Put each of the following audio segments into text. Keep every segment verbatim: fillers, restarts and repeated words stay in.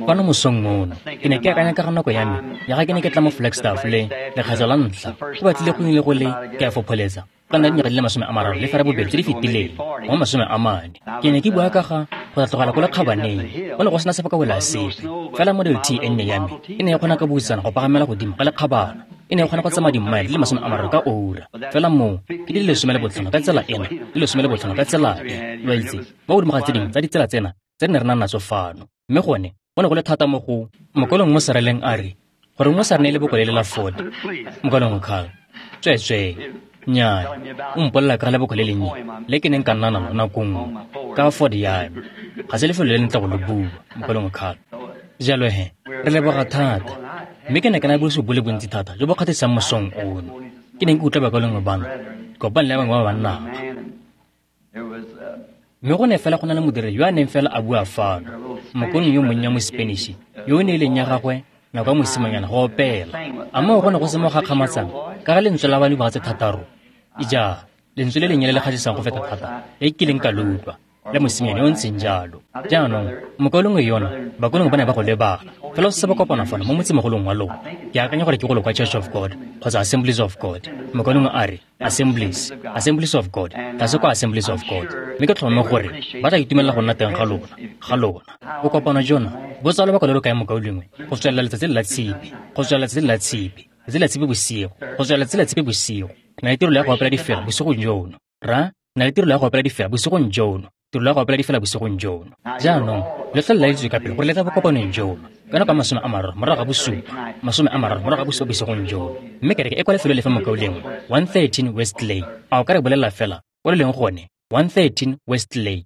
Fano mosong ono, ke ne ke akanya ka ga nako ya me ya ga ke ne ke tla mo Flagstaff le lekgetlo la ntlha, go batlile go nnile go le ke a fopholetsa ka nna dinyaga di le masome a mararo le ferabobedi tse di fetileng mo masome a mane. Ke ne ke bua ka ga go tla tlogela ko lekgabaneng, go ne go sena sebaka sepe, fela Model T e nnye ya me e ne e kgona ka buisana go pagamela godimo ga lekgabana. E ne e kgona go tsamaya dimmaele di le masome a mararo ka ura, fela moo ke di le lesome le botlhano ka tsela ena, di le lesome le botlhano ka tsela e, lo a itse, mo godimo ga tse dingwe tsa ditsela tsena tse re ne re nang natso fano. Mme gone go ne go le thata mo go mokolong mo seraleng a re gore mo sa re ne e le boko le la Ford. Mokolong Carl, tsweetswee, nnyaa, o mpolelela ka ga leboko le lennye le ke neng ka nna nalo nako nngwe ka Ford ya me. Ga se lefelo le lentle go le bua, mokolong Carl. Jalo he, re leboga thata. Mme ke ne ke na le bosigo bo le bontsi thata jo bo kgatlhisang mosong ono. Ke neng ke utlwa bakaulengwe bano, kopane le bangwe ba banna ba. Mme go ne fela go na le modiri yo a neng fela a bua fano, mokolong yo monnye wa mo-Spanish yo o ne e leng ya gagwe nako ya mosimanyana go opela. A moo go ne go se mo gakgamatsang ka ga lentswe la ba dingwaga tse thataro? Ija, lentswe le lennye le le kgatlhisang go feta thata le ke kileng ka le utlwa, la mosimane yo o ntseng jalo. Jaanong, mokolongwe yona, bakolongwe ba ne ba go lebala, fela go se ba kopana fano mo motsemogolong wa lona. Ke akanya gore ke golo kwa Church of God kgotsa Assemblies of God. Mokolongwe a re, Assemblies, Assemblies of God, tlase kwa Assemblies of God. Mme ke tlhomame gore ba tla itumelela go nna teng ga lona, ga lona. Bokopano jona bo tsaya lobaka lo lo kae mokaulengwe? Go tswelela letsatsi le la tshipi, go tswelela letsatsi le la tshipi, letsatsi la tshipi bosigo, go tswelela letsatsi la tshipi bosigo. Ke na le tirelo ya go opela difela bosigong jono. Ra, na le tirelo ya go opela difela bosigong jono. Tirelo ya go opela difela bosigong jono. Jaanong, le tla laeditswe ka pele gore le tla bokopanong jono. Ka nako ya masome a mararo morago ga bosupa, masome a mararo morago ga bosupa bosigong jono. Mme kereke e kwa lefelo lefe mokaulengwe? one thirteen West Lane. A o ka re bolelela fela ko le leng gone? one thirteen West Lane.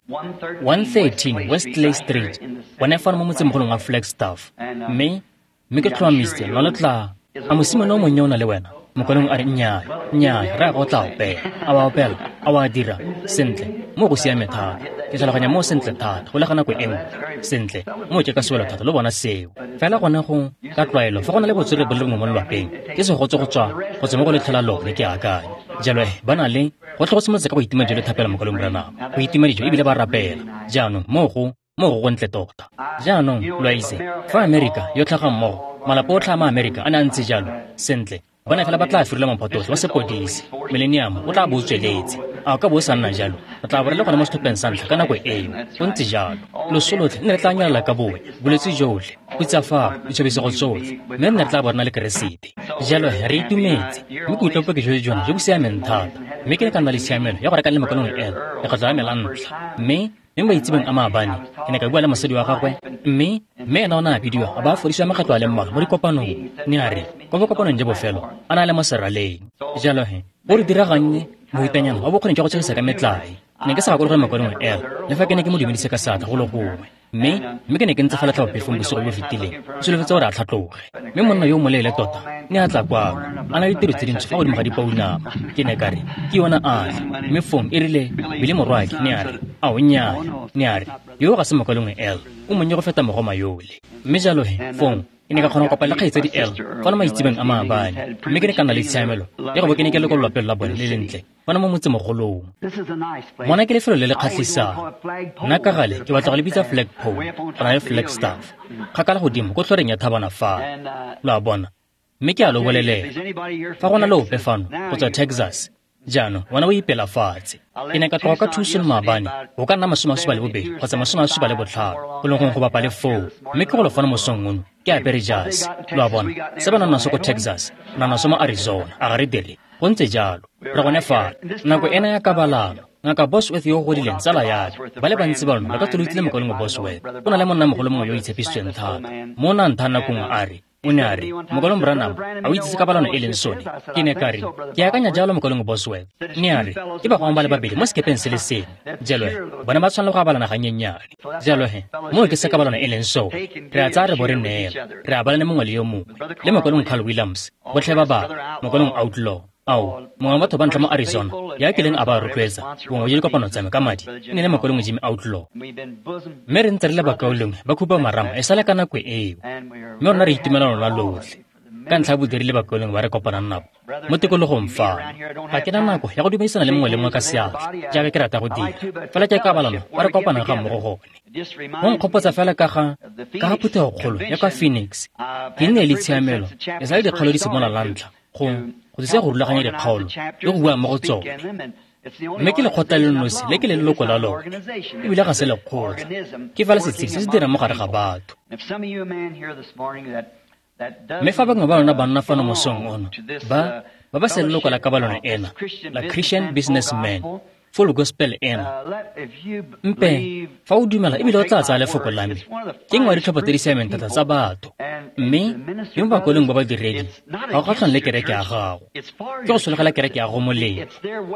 one thirteen West Lane Street. Gone fano mo motsemogolong wa Flagstaff. Mme mme ke tlhomamisitse lona le tla. A mosimane o monnye o na le wena? Mokolong a re nnyaa, nnyaa, rra go tla opela. A wa opela, a wa dira, sentle, mo go siame thata. Ke tlhaloganya mo sentle thata, go le ga nako e nngwe. Sentle, mo ke ka sewelo thata lo bona seo. Fela gone go ka tlwaelo, fa go na le botswerere bo le bongwe mo lelwapeng, ke segotso go tswa go tswa mo go letlho la lone ke akanya. Jalo he, ba na le go tle go simolotse ka go itima dijo le thapelo mokolong Branham. Go itima dijo ebile ba rapela. Jaanong mo go mo go gontle tota. Jaanong lo a itse, fa Amerika yo tlhaga mmogo, malapa otlhe a ma-Amerika a ne a ntse jalo, sentle, ba ne fela ba tla firela mophato otlhe wa sepodisi. Millennium o tla bo o tsweletse. A o ka bo o sa nna jalo? Re tla bo re le gone mo setlhopheng sa ntlha ka nako eo. Go ntse jalo. Loso lotlhe ne re tla nyelela ka bone, bolwetse jotlhe, khutsafalo, ditshobisego tsotlhe, mme re ne re tla bo re na le Keresete. Jalo he, re itumetse. Mme ke utlwa bopaki jo jona jo bo siameng thata. Mme ke ne ka nna le tshiamelo ya go reka le mokolong ena lekgetlo la me la ntlha. Mme mme maitsebeng a maabane ke ne ka bua le mosadi wa gagwe, mme mme ena o ne a bidiwa a ba a fodisiwa makgetlo a le mmalwa mo dikopanong. Ne a re kwa bokopanong jo bofelo a na le mo seraleng. Jalo he, go re diragannye mohutanyana wa bokgoni jwa go tshegisa ka metlae. Ne ke sa gakologelwe mokolong ela, le fa ke ne ke mo dumedise ka seatla go le gongwe. Mme mme ke ne ke ntse fela tlhabaphefong bosigo jo bo fetileng, ke solofetse gore a tlhatloge. Mme monna yo o moleele tota ne a tla kwano, a na le ditiro tse dintsho fa godimo ga dipounama. Ke ne ka re, ke yona a tla. Mme fong e rile Billy morwaake ne a re, ao nnyaa, ne a re, yo ga se mokolong el, o monnye go feta mogoma yole. Mme jalo he, fong ke ne ka kgona go kopana le kgaitsadi El fano maitsebeng a maabane. Mme ke ne ka nna le tshiamelo ya go bo ke ne ke le ko lelwapeng la bone le lentle fano mo motsemogolong. Mona ke lefelo le le kgatlhisang. Nna ka gale ke batla go le bitsa flagpole go na le Flagstaff, kgakala godimo ko tlhoreng ya thabana fano. Lo a bona? Mme ke a lo bolelela, fa go na le ope fano go tswa Texas, jaanong wena o ipela fatshe. Ke ne ka tloga ka Tucson maabane, go ka nna masome a supa le bobedi kgotsa masome a supa le botlhano, go leng gongwe go bapa le foo. Mme ke golo fano mosong ono, ke apere jase. Lo a bona? Se ba nang naso ko Texas, re na naso mo Arizona, a ga re dire? Go ntse jalo. Re gone fano. Nako ena ya kabalano, Ngaka Bosworth yo o godileng tsala ya me, ba le bantsi ba lona ba ka tswa lo utlwile mokaulengwe Bosworth. O na le monnamogolo mongwe yo o itshepisitsweng thata. Mo o ne a nthaya nako nngwe a re, o ne a re, mokolong Branham, a o itse se kabalano e leng sone? Ke ne ka re, ke akanya jalo mokolong Bosworth. Ne a re, ke bagwang ba le babedi mo sekepeng se le sengwe. Jalo he, bone ba tshwanela go abalana ganyenyane. Jalo he, moo ke se kabalano e leng sone. Re a tsaya re bo re neela, re abalane mongwe le yo mongwe. Le mokolong Carl Williams, botlhe ba bangwe, mokolong Outlaw. Ao, mongwe wa batho ba ntlha mo Arizona ya kileng a ba rotloetsa bongwe jwa dikopano tsa me ka madi e ne le mokolong Jimmy Outlaw. Mme re ntse re le bakaulengwe ba khupamarama e sale ka nako eo. Mme rona re itumela lona lotlhe. ka ntlha ya bodiri le bakaulengwe ba re kopanang nabo mo tikologong fano. Ga ke na nako ya go dumedisana le mongwe le mongwe ka seatla jaaka ke rata go dira, fela ke kabalano ba re kopanang ga mmogo gone. Go nkgopotsa fela ka ga ka ga phuthegokgolo ya kwa Phoenix. Ke nne le tshiamelo e sa le dikgaolo di simolola la ntlha go go thusa go rulaganya dikgaolo le go bua mo go tsone. Mme ke lekgotla le nosi le ke le leloko la lone, ebile ga se lekgotla, ke fela setshedi se se dirang mo gare ga batho. Mme fa bangwe ba lona banna fano mosong ono ba ba ba se leloko la kabalano ena la Christian Businessman Full Gospel ena, mpe fa o dumela ebile o tla tsaya lefoko la me, ke nngwe ya ditlhopha tse di siameng thata tsa batho. Mme le mo bakweleng ba badiredi ga go kgatlhang le kereke ya gago, ke go sologela kereke ya go molemo.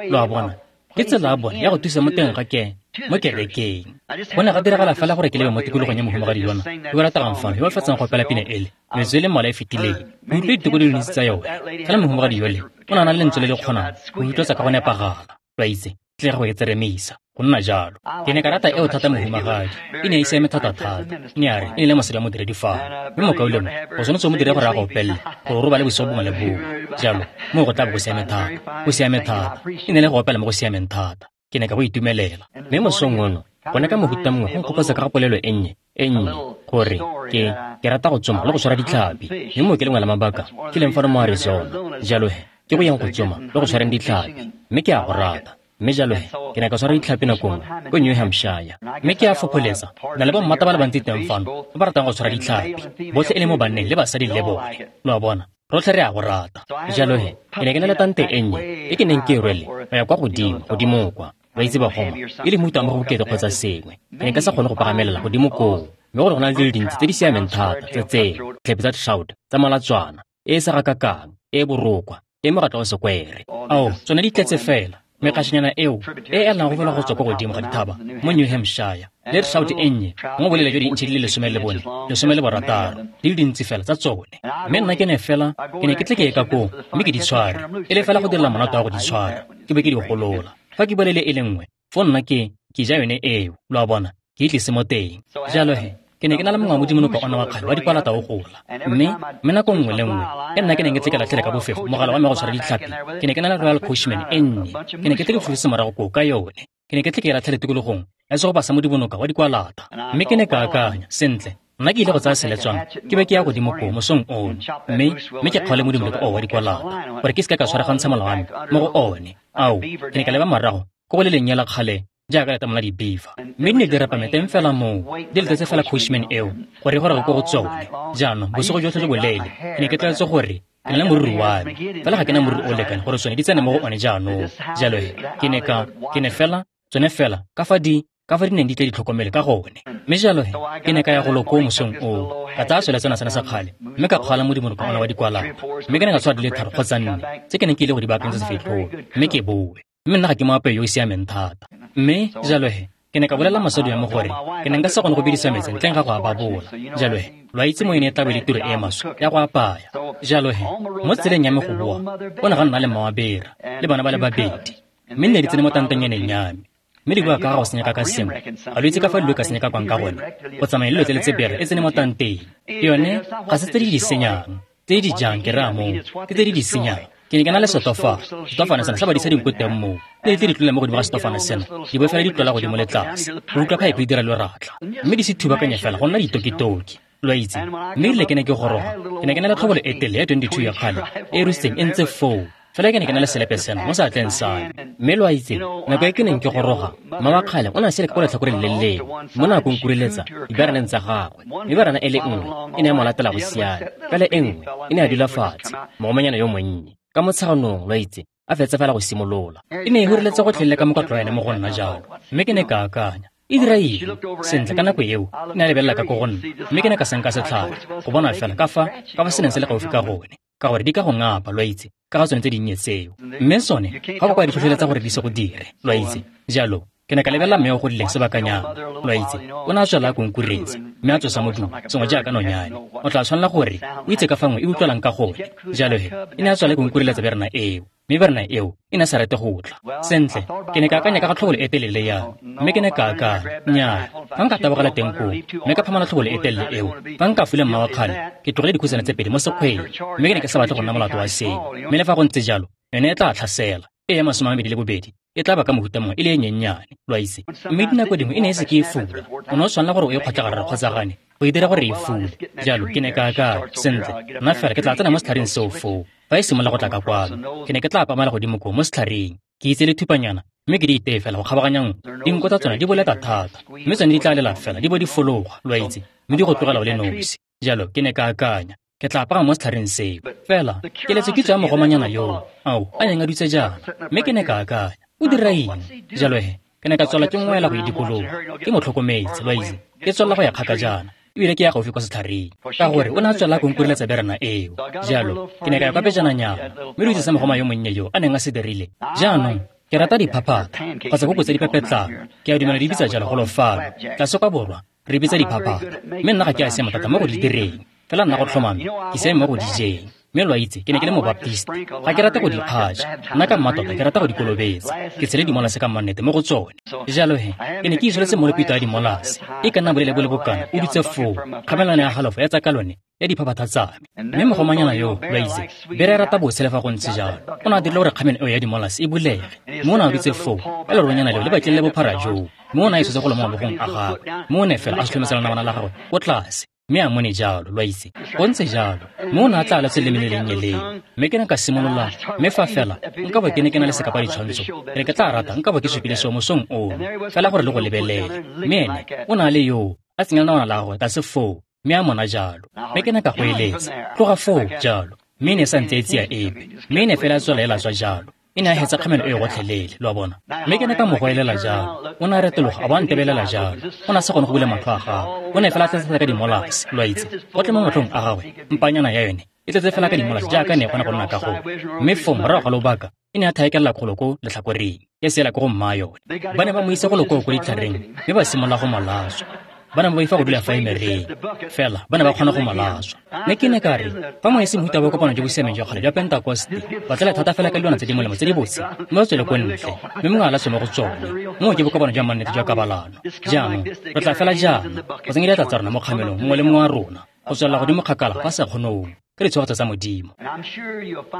Lo a bona, ke tsela ya bone ya go thusa mo teng ga ke mo kerekeng. Go ne ga diragala fela gore ke lebe mo tikologong ya mohumagadi yona yo o rategang fano, yo o fetsang go opela pina ele metsotso e le mmalwa e fetileng. Ke utlwile diteko di le dintsi tsa yone, fela mohumagadi yole o ne a na le lentswe le le kgonang go utlwetsa ka go nepagala. Lo a itse, tle go e tseremisa go nna jalo. Ke ne ka rata eo thata mohumagadi, e ne e siame thata-thata. Ne a re e ne le mosadi wa modiredi fano, mme mokaulengwe go tshwanetse o mo dire gore a go opelele gore o robale bosigo bongwe le bongwe. Jalo moo go tla bo go siame thata, go siame thata. E ne le go opela mo go siameng thata. Ke ne ka go itumelela. Mme mosong ono gone ka mohuta mongwe go nkgopotsa ka ga polelo e nnye e nnye gore ke ke rata go tsoma le go tshwara ditlhapi, mme moo ke lengwe la mabaka ke leng fano mo Arizona. Jalo he ke go yang go tsoma le go tshwareng ditlhapi, mme ke a go rata. Mme jalo he ke ne ka tshwara ditlhapi nako nngwe ko New Hampshire, mme ke a fopholetsa na le bommata ba le bantsi teng fano ba ba ratang go tshwara ditlhapi, botlhe e le mo banneng le basadi le bone. Lo a bona, rotlhe re a go rata. Jalo he ke ne ke na le tante e nnye e ke neng ke e rwele go ya kwa godimo godimo kwa, ba itse bagoma e le mohuta wa mo go bokete kgotsa sengwe. Ke ne ka sa kgone go pagamelela godimo koo, mme gore go na le dilo dintsi tse di siameng thata tse tseo, ditlhapi tsa trout tsa molatswana e e sa gakakang e e borokwa e mogatla wa sekwere. Ao, tsone di tletse fela mekgatšhanyana eo e elang go fela go tswa kwa godimo ga dithaba mo New Hampshire, le trout e nnye mo bolele jwa diintšhe di le lesome le bone lesome le borataro, di le dintsi fela tsa tsone. Mme nna ke ne fela ke ne ke tle ke ye ka koo mme ke di tshware, e le fela go direla monate wa go di tshwara, ke be ke di golola. Fa ke bolele e le nngwe fo nna ke ke ja yone eo, lo a bona, ke e tlise mo teng. Jalo he ke ne ke na le mongwe wa modimonoka ona wa kgale wa dikwalata o gola, mme mme nako nngwe le nngwe e nna ke neng ke tle ke latlhele ka bofefo mogala wa me go tshwara ditlhapi, ke ne ke na le Royal Coachman e nnye, ke ne ke tle ke fofise morago koo ka yone, ke ne ke tle ke e latlhele tikologong ya segopa sa modimonoka wa dikwalata. Mme ke ne ka akanya, sentle, nna ke ile go tsaya seletswana ke be ke ya godimo koo mosong ono, mme mme ke kgaole modimonoka oo wa dikwalata gore ke seka ka tshwaragantsha mola wa me mo go one. Ao, ke ne ka leba morago ko go le lennye la kgale jaaka letamo la dibeaver, mme di ne di rapame teng fela moo, di letetse fela Coachman eo gore e goroge ko go tsone. Jaanong bosigo jotlhe jo boleele ke ne ke tlwaetse gore ke na le moriri wa me, fela ga ke na moriri o lekane gore tsone di tsene mo go one jaanong. Jalo he ke ne ka ke ne fela tsone fela ka fa di ka fa di neng di tle di tlhokomele ka gone. Mme jalo he ke ne ka ya golo koo mosong oo, ka tsaya seletswana sena sa kgale mme ka kgwala modimonoka ona wa dikwalata, mme ke ne ka tshwara di le tharo kgotsa nne tse ke neng ke ile go di baakanyetsa sefetlhong, mme ke boe. Mme nna ga ke moapei yo o siameng thata. Mme jalo he ke ne ka bolela mosadi wa me gore ke ne nka se kgone go bidisa metsi ntleng ga go a babola. Jalo he lo a itse mo e ne e tla be le tiro e maswe ya go apaya. Jalo he mo tseleng ya me go boa go ne ga nna le mmawabera le bana ba le babedi, mme nne di tsene mo tantenyaneng ya me, mme di bua ka ga go senyeka ka sengwe. Ga lo itse ka fa dilo ka senyeka kwang ka gone, go tsamaya le lelo tse le tse bere e tsene mo tanteng. Yone ga se tse di di senyang, tse di jang ke raya moo, ke tse di di senyang. Ke ne ke na le setofane, setofane sena sa badisa dinko teng moo, le tle di tlola mo godimo ga setofane sena, di bo fela di tlola godimo le tlase, go utlwa phaepe e dira loratla, mme di se thubakanye fela go nna ditokitoki, lo a itse. Mme erile ke ne ke goroga, ke ne ke na le tlhobolo e telele ya twenty-two ya kgale e e rusitseng e ntse foo, fela ke ne ke na le selepe sena mo seatleng sa me. Mme lo a itse, nako e ke neng ke goroga, mma wa kgale o ne a sele ka ko letlhakoreng le lengwe, mo ne a konkureletsa diberaneng tsa gagwe, mme berana e le nngwe e ne ya mo latela go siana, fela e nngwe e ne ya dula fatshe, mogomanyana yo monnye ka motsheganong, lo a itse, a fetsa fela go simolola. E ne e hureletse gotlhelele ka mokotlo wa ene mo go nna jalo, mme ke ne ka akanya, e dira eng? Sentle, ka nako eo e ne a lebelela ka ko go nna, mme ke ne ka senka setlhare go bona fela ka fa ka fa se neng se le gaufi ka gone, ka gore di ka go ngapa, lo a itse, ka ga tsone tse dinnye tseo. Mme sone ga go kwa di tlhotlheletsa gore di se go dire, lo a itse. Jalo ke ne ka lebelela mme o godileng sebakanyana, lo a itse, o ne a tswela a konkuretse mme a tsosa modumo sengwe jaaka nonyane. O tla tshwanela gore o itse ka fa nngwe e utlwalang ka gone. Jalo he e ne a tswela e konkureletsa berana eo, Mme berana eo e ne sa rate go tla. Sentle, ke ne ka akanya ka ga tlhobolo e telele ya, mme ke ne ka akanya, nnyaa, fa nka tabogela teng koo, mme ka phamola tlhobolo e telele eo, fa nka fula mma wa kgale, ke tlogele dikhutshwane tse pedi mo sekgweng, mme ke ne ke sa batle go nna molato wa seo. Mme le fa go ntse jalo, yone e tla tlhasela, e ya masome a mabedi le bobedi, e tla ba ka mohuta mongwe e le e nyenyane, lo a itse. Mme dinako dingwe e ne e se ke e fula, o ne o tshwanela gore o e kgotle gararo kgotsa gane, go e dira gore e fule. Jalo ke ne ka akanya, sentle, nna fela ke tla tsena mo setlhareng seo foo. Fa e simolola go tla ka kwano, ke ne ke tla pamela godimo koo mo setlhareng, ke itse le thupanyana, mme ke di iteye fela go kgabaganya nngwe. Dinko tsa tsona di boleta thata, mme tsone di tla lela fela di bo di fologa, lo a itse, mme di go tlogela o le nosi. Jalo ke ne ka akanya, ke tla pagama mo setlhareng seo. Fela keletso kitso ya mogomanyana yoo, ao, a neng a dutse jaana, mme ke ne ka akanya, o dira eng? Jalo he, ke ne ka tswela ke ngwela go e dikologa, ke mo tlhokometse, lo a itse, ke tswelela go ya kgakajana, ebile ke ya gaufi kwa setlhareng, ka gore o ne a tswelela go nkureletsa berana eo. Jalo ke ne ka ya kwa pejananyana, mme lo itse se mogoma yo monnye yo a neng a se dirile. Jaanong ke rata diphaphatha kgotsa koko tse di pepetlang, ke a dumela di bitsa jalo golo fano tlase kwa borwa, re bitsa diphaphatha, mme nna ga ke a siama thata mo go di direng, fela nna go tlhomame ke siame mo go di jeng. Mme lo a itse, ke ne ke le mobaptisti, ga ke rate go di kgatša, nna ka mmatota ke rata go di kolobetsa, ke tshele dimolase ka mmannete mo go tsone. Jalo he, ke ne ke isoletse molopito ya dimolase, e ka nna bolele bo le bokana, o dutse foo, kgamelano ya halofo ya tsa ka lone ya diphaphatha tsa me. Mme mogomanyana yo, lo a itse, bere e rata bose le fa go ntse jalo, o ne a dirile gore kgamelo eo ya dimolase e bulege, mme o ne a dutse foo, ka leronyana leo le batlile le bophara joo, mme o ne a isotse go le mo mabogong a gagwe, mme o ne fela a sotlhomesela namana la gagwe ko tlase, mme a mone jalo, lo a itse, go ntse jalo, mme o ne a tla aletse leleme le lennye leo. Mme ke ne ka simolola, mme fa fela nka bo ke ne ke na le sekapa ditshwantsho, ke ne ke tla rata nka bo ke supile seo mosong ono, fela gore le go lebelele. Mme ene o ne a le yoo, a tsenya lenawana la gagwe tlase foo, mme a mona jalo. Mme ke ne ka go eletsa, tloga foo jalo, mme e ne e sa ntse e tsia epe, mme e ne fela a tswela e latswa jalo. E ne a hetsa kgamelo e gotlhelele, lo a bona. Mme ke ne ka mo goelela jalo, o ne a retologa a bo a ntebelela jalo, o ne a sa kgone go bula matlho a gagwe, o ne fela a tletse thata ka dimolase, lo a itse, gotlhe mo matlhong a gagwe, mpanyana ya yone e tletse fela ka dimolase jaaka ne e kgona go nna ka gone. Mme foo morago ga lobaka, e ne a thaekelela kgolo ko letlhakoreng, ya seela ko go mma yone. Ba ne ba mo isa golo koo ko ditlhareng, mme ba simolola go mo latswa. Ba ne ba boifa go dula fa emereng, fela ba ne ba kgona go mo latswa. Mme ke ne ka re, fa mo e se mohuta wa bokopano jo bo siameng jwa kgale jwa Pentekoste, ba tlala thata fela ka dilwana tse di molemo tse di botse, mme ba tswele ko ntle, mme mongwe a latswe mo go tsone. Moo ke bokopano jwa mannete jwa kabalano. Jaanong re tla fela jaana go tsenya diatla tsa rona mo kgamelong mongwe le mongwe wa rona, go tswelela godimo kgakala fa sa kgonong, ka ditshegofatso tsa Modimo.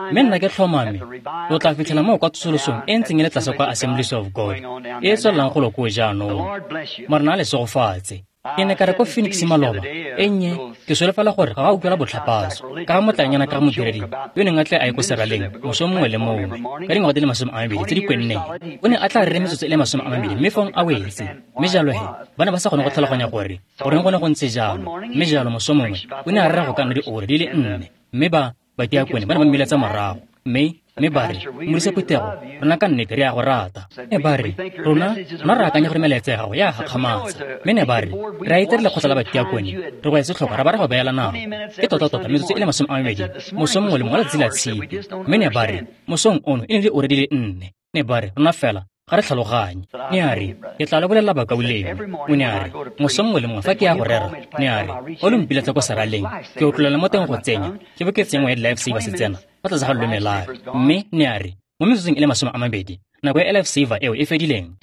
Mme nna ke tlhomame lo tla fitlhela moo kwa tsosolosong e ntseng e le tlase kwa Assemblies of God, e e tswelelang golo koo jaanong. Morena a le segofatse. Ke ne ka re ko Phoenix maloba, e nnye, ke solofela gore ga ga utlwela botlhapatso, ka ga motlanyana ka ga modiredi yo neng a tle a ye ko seraleng moso mongwe le mongwe ka dingwaga di le masome a mabedi tse di kwenneng. O ne a tla rere metsotso e le masome a mabedi mme fong a wetse. Mme jalo he, ba ne ba sa kgone go tlhaloganya gore goreng go ne go ntse jalo. Mme jalo moso mongwe o ne a rera go ka nna diura di le nne, mme ba badiakone ba ne ba mmiletsa morago, mme mme ba re, modisa phuthego, rona ka nnete re a go rata. Ne ba re, rona rona re akanya gore melaetsa ya gago ya gakgamatsa. Mme ne ba re, re a itse re lekgotla la badiakone, re go etse tlhoko ra ba re go beela nako. Ke tota-tota metsotso e le masome a mabedi moso mongwe le mongwe wa letsatsi la tshipi. Mme ne ba re, mosong ono e ne le diura di le nne. Ne ba re, rona fela ga re tlhaloganye. Ne a re, ke tla le bolelela bakaulengwe. O ne a re, moso mongwe le mongwe fa ke ya go rera, ne a re, o lo mpiletsa ko seraleng, ke otlolela mo teng go tsenya, ke bo ke tsenngwe ya di-life saver se tsena fa tlase ga loleme la me. Mme ne a re, mo metsotsong e le masome a mabedi, nako ya life saver eo e fedileng.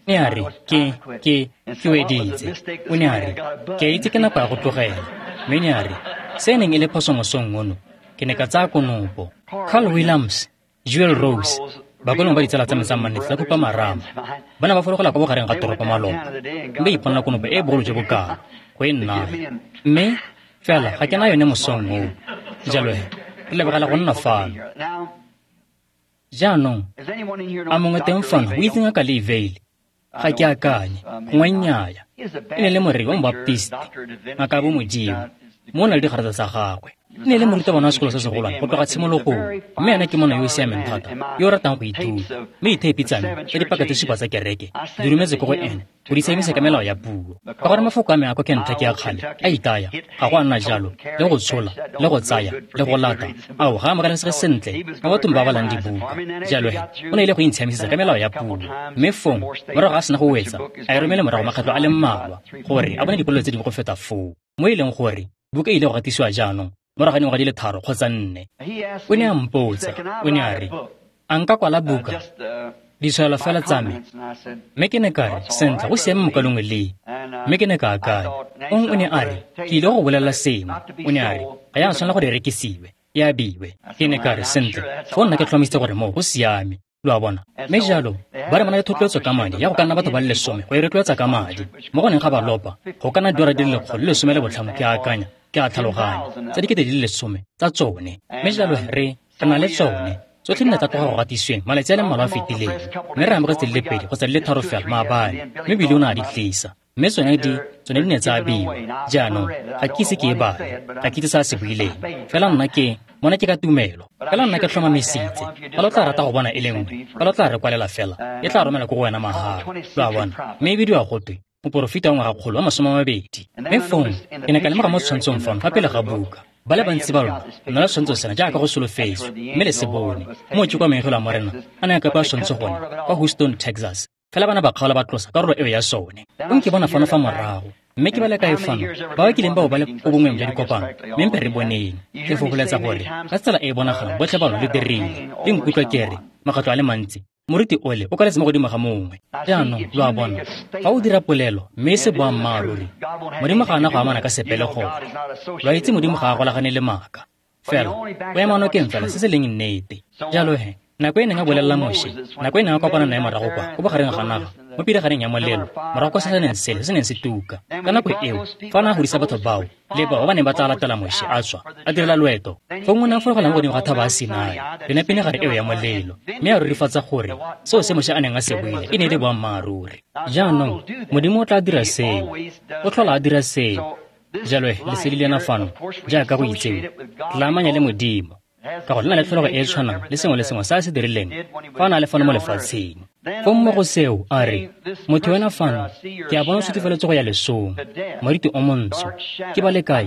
Ne a re, ke ke ke weditse. O ne a re, ke a itse ke nako ya go tlogela. Mme ne a re, se e neng e le phoso mosong ono, ke ne ka tsaya konopo. Carl Williams, Jewel Rose, bakolong ba ditsala tsa me tsa mannete tsa kopa marama, ba ne ba fologela kwa bogareng ga toropo maloba, mme ba iponela konopo e bogolo jo bokalo go e nnaya. Mme fela ga ke na yone mosong oo. Jalo he, re lebogela go nna fano. Jaanong, a mongwe teng fano o itse ngaka Lee Vayle? Ga ke akanye, gongwe nnyaa. E ne le moreri wa mobaptisti, ngaka ya bomodimo, mo o na le digarata tsa gagwe. E ne le morutabana wa sekolo se segolwane go tloga tshimologong, mme ena ke monna yo o siameng thata, yo o ratang go ithuta. Mme ditheipi tsa me tsa dipaka tse supa tsa kereke di rometse ko go ene go di tsamaisa ka melao ya puo. Ka gore mafoko a me a kwa Kentucky a kgale a itaya, ga go a nna jalo, le go tshola, le go tsaya, le go lata, ao ga a amogelesege sentle mo bathong ba balang dibuka. Jalo he, o ne ile go intshamisetsa ka melao ya puo. Mme fong, morago ga a sena go wetsa, a e romele morago makgetlo a le mmalwa gore a bone dipolelo tse dingwe go feta foo, mo e leng gore buka e ile go gatisiwa jaanong Morago ga dingwaga di le tharo kgotsa nne. O ne a mpotsa, o ne a re, a nka kwala buka, ditshwaelo fela tsa me. Mme ke ne ka re, sentle, go siame mokalongwe le. Mme ke ne ka akanya. Ong o ne a re, ke ile go bolelela sengwe. O ne a re, ga ya tshwanela gore e rekisiwe, e abiwe. Ke ne ka re, sentle, foo nna ke tlhomamisitse gore moo go siame. Lo a bona. Mme jalo, ba re ba na le thotloetso ka madi ya go ka nna batho ba le lesome go e rotloetsa ka madi. Mo go neng ga ba lopa, go ka nna diora di le lekgolo le lesome le botlhano ke a akanya, ke a tlhaloganya, tsa dikete di le lesome tsa tsone. Mme jalo re re na le tsone. Tsotlhe di ne tsa tloga go gatisweng malatsi a le mmalwa a fetileng, mme re amogetse di le pedi kgotsa di le tharo fela maabane, mme Bili o ne a di tlisa. Mme tsone di tsone di ne tsa abiwa. Jaanong ga ke ise ke e bale, ga ke itse se a se buileng. Fela nna ke mona ke ka tumelo. Fela nna ke tlhomamisitse. Fa lo tla rata go bona e le nngwe, fa lo tla re kwalela fela, e tla romela ko go wena mahala. Lo a bona. Mme e bidiwa gotwe moporofeta wa ngwagakgolo wa masome a mabedi. Mme fong ke ne ka lemoga mo setshwantshong fano fa pele ga buka. Ba le bantsi ba lona lo na le setshwantsho sena jaaka go solofetswe, mme le se bone. Moo ke kwa maengelo a Morena a ne a kapa setshwantsho gone kwa Houston, Texas. Fela bana ba kgaola ba tlosa karolo eo ya sone. Fong ke bona fano fa morago, mme ke ba le kae fano ba ba kileng bao ba le ko bongweng jwa dikopano, mme mpe re boneng. Ke fokoletsa gore ka tsela e e bonagalang botlhe ba lona lo dirile. Le nkutlwa ke re makgetlo a le mantsi moriti ole o kaletse mo godimo ga mongwe. Jaanong lo a bona, fa o dira polelo mme e se boammaaruri, Modimo ga a na go amana ka sepe le gone. Lo a itse Modimo ga a golagane le maaka. Fela o ema nokeng fela se se leng nnete. Jalo he, nako e neng a bolelela Moshe, nako e neng a kopana nae morago kwa ko bogareng ga naga, mo piragareng ya molelo, morago kwa se se neng sele se neng se tuka. Ka nako eo, fa a ne a godisa batho bao le bao ba ba neng ba tla latela Moshe a tswa, a direla loeto, fong o ne a fologela mo godimo ga thaba ya Sinai, yone pinagare eo ya molelo, mme a rurifatsa gore seo se Moshe a neng a se buile e ne e le boammaaruri. Jaanong Modimo o tla dira seo, o tlhola a dira seo. Jalo he, lesedi lena fano, jaaka go itsewe, re la amanya le Modimo, ka gore le na le tlholego e e tshwanang le sengwe le sengwe se a se dirileng fa a na le fano mo lefatsheng. Fong mo go seo a re, motho wena fano, ke a bona o sutifeletse go ya lesong, moriti o montsho. Ke ba le kae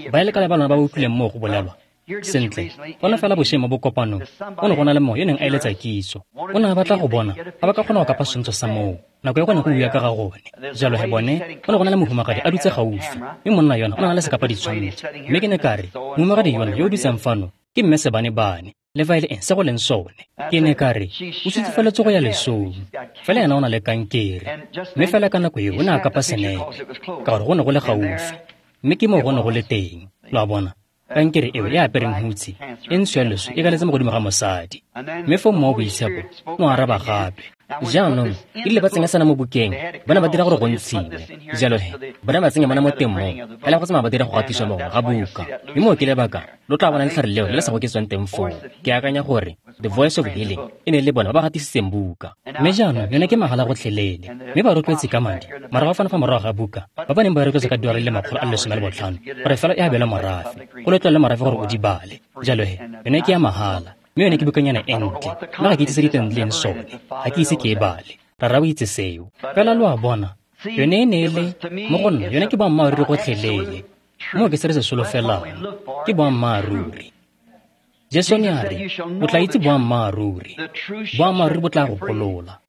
ba le kae ba lona ba ba utlwileng moo go bolelwa? Sentle, bona fela bošeng mo bokopanong, go ne go na le mongwe yo neng a eletsa kitso. O ne a batla go bona fa ba ka kgona go kapa setshwantsho sa moo nako e go ne go bua ka ga gone. Jalo he bone, go ne go na le mohumagadi a dutse gaufi, mme monna yona o ne a na le sekapa ditshwantsho. Mme ke ne ka re, mohumagadi yona yo o dutseng fano ke mme Sebane-bane, le fa e le eng se go leng sone. Ke ne ka re, o sutifeletse go ya lesong, fela ena o na le kankere. Mme fela ka nako eo o ne a kapa senepe, ka gore go ne go le gaufi, mme ke moo go ne go le teng. Lo a bona, kankere eo e apereng hutshe e ntsho ya leso e kaletse mo godimo ga mosadi. Mme foo Mowa o Boitshepo o araba gape. Jaanong e rile ba tsenya sena mo bukeng, ba ne ba dira gore go ntshiwe. Jalo he, ba ne ba tsenya mona mo teng moo, fela go tsamaya ba dira go gatiswa mo ga buka. Mme moo ke lebaka lo tla bona letlhare leo le le sa goketswang teng foo. Ke akanya gore The Voice of Healing e ne le bona ba ba gatisitseng buka. Mme jaanong yone ke mahala gotlhelele, mme ba rotloetse ka madi morago fano fa morago ga buka, ba ba neng ba rotloetse ka diora di le makgolo a le lesome le botlhano gore fela e abelwe morafe, go letlwa le morafe gore o di bale. Jalo he, yone ke ya mahala. Mme yone ke bukanyana e ntle, mme ga ke itse se diteng di leng sone, ga ke ise ke e bale. Rara o itse seo. Fela lo a bona, yone e ne e le mo go nna, yone ke boammaaruri gotlhelele. Moo ke se re se solofelang, ke boammaaruri. Jesu ne a re, o tla itse boammaaruri, boammaaruri bo tla go golola.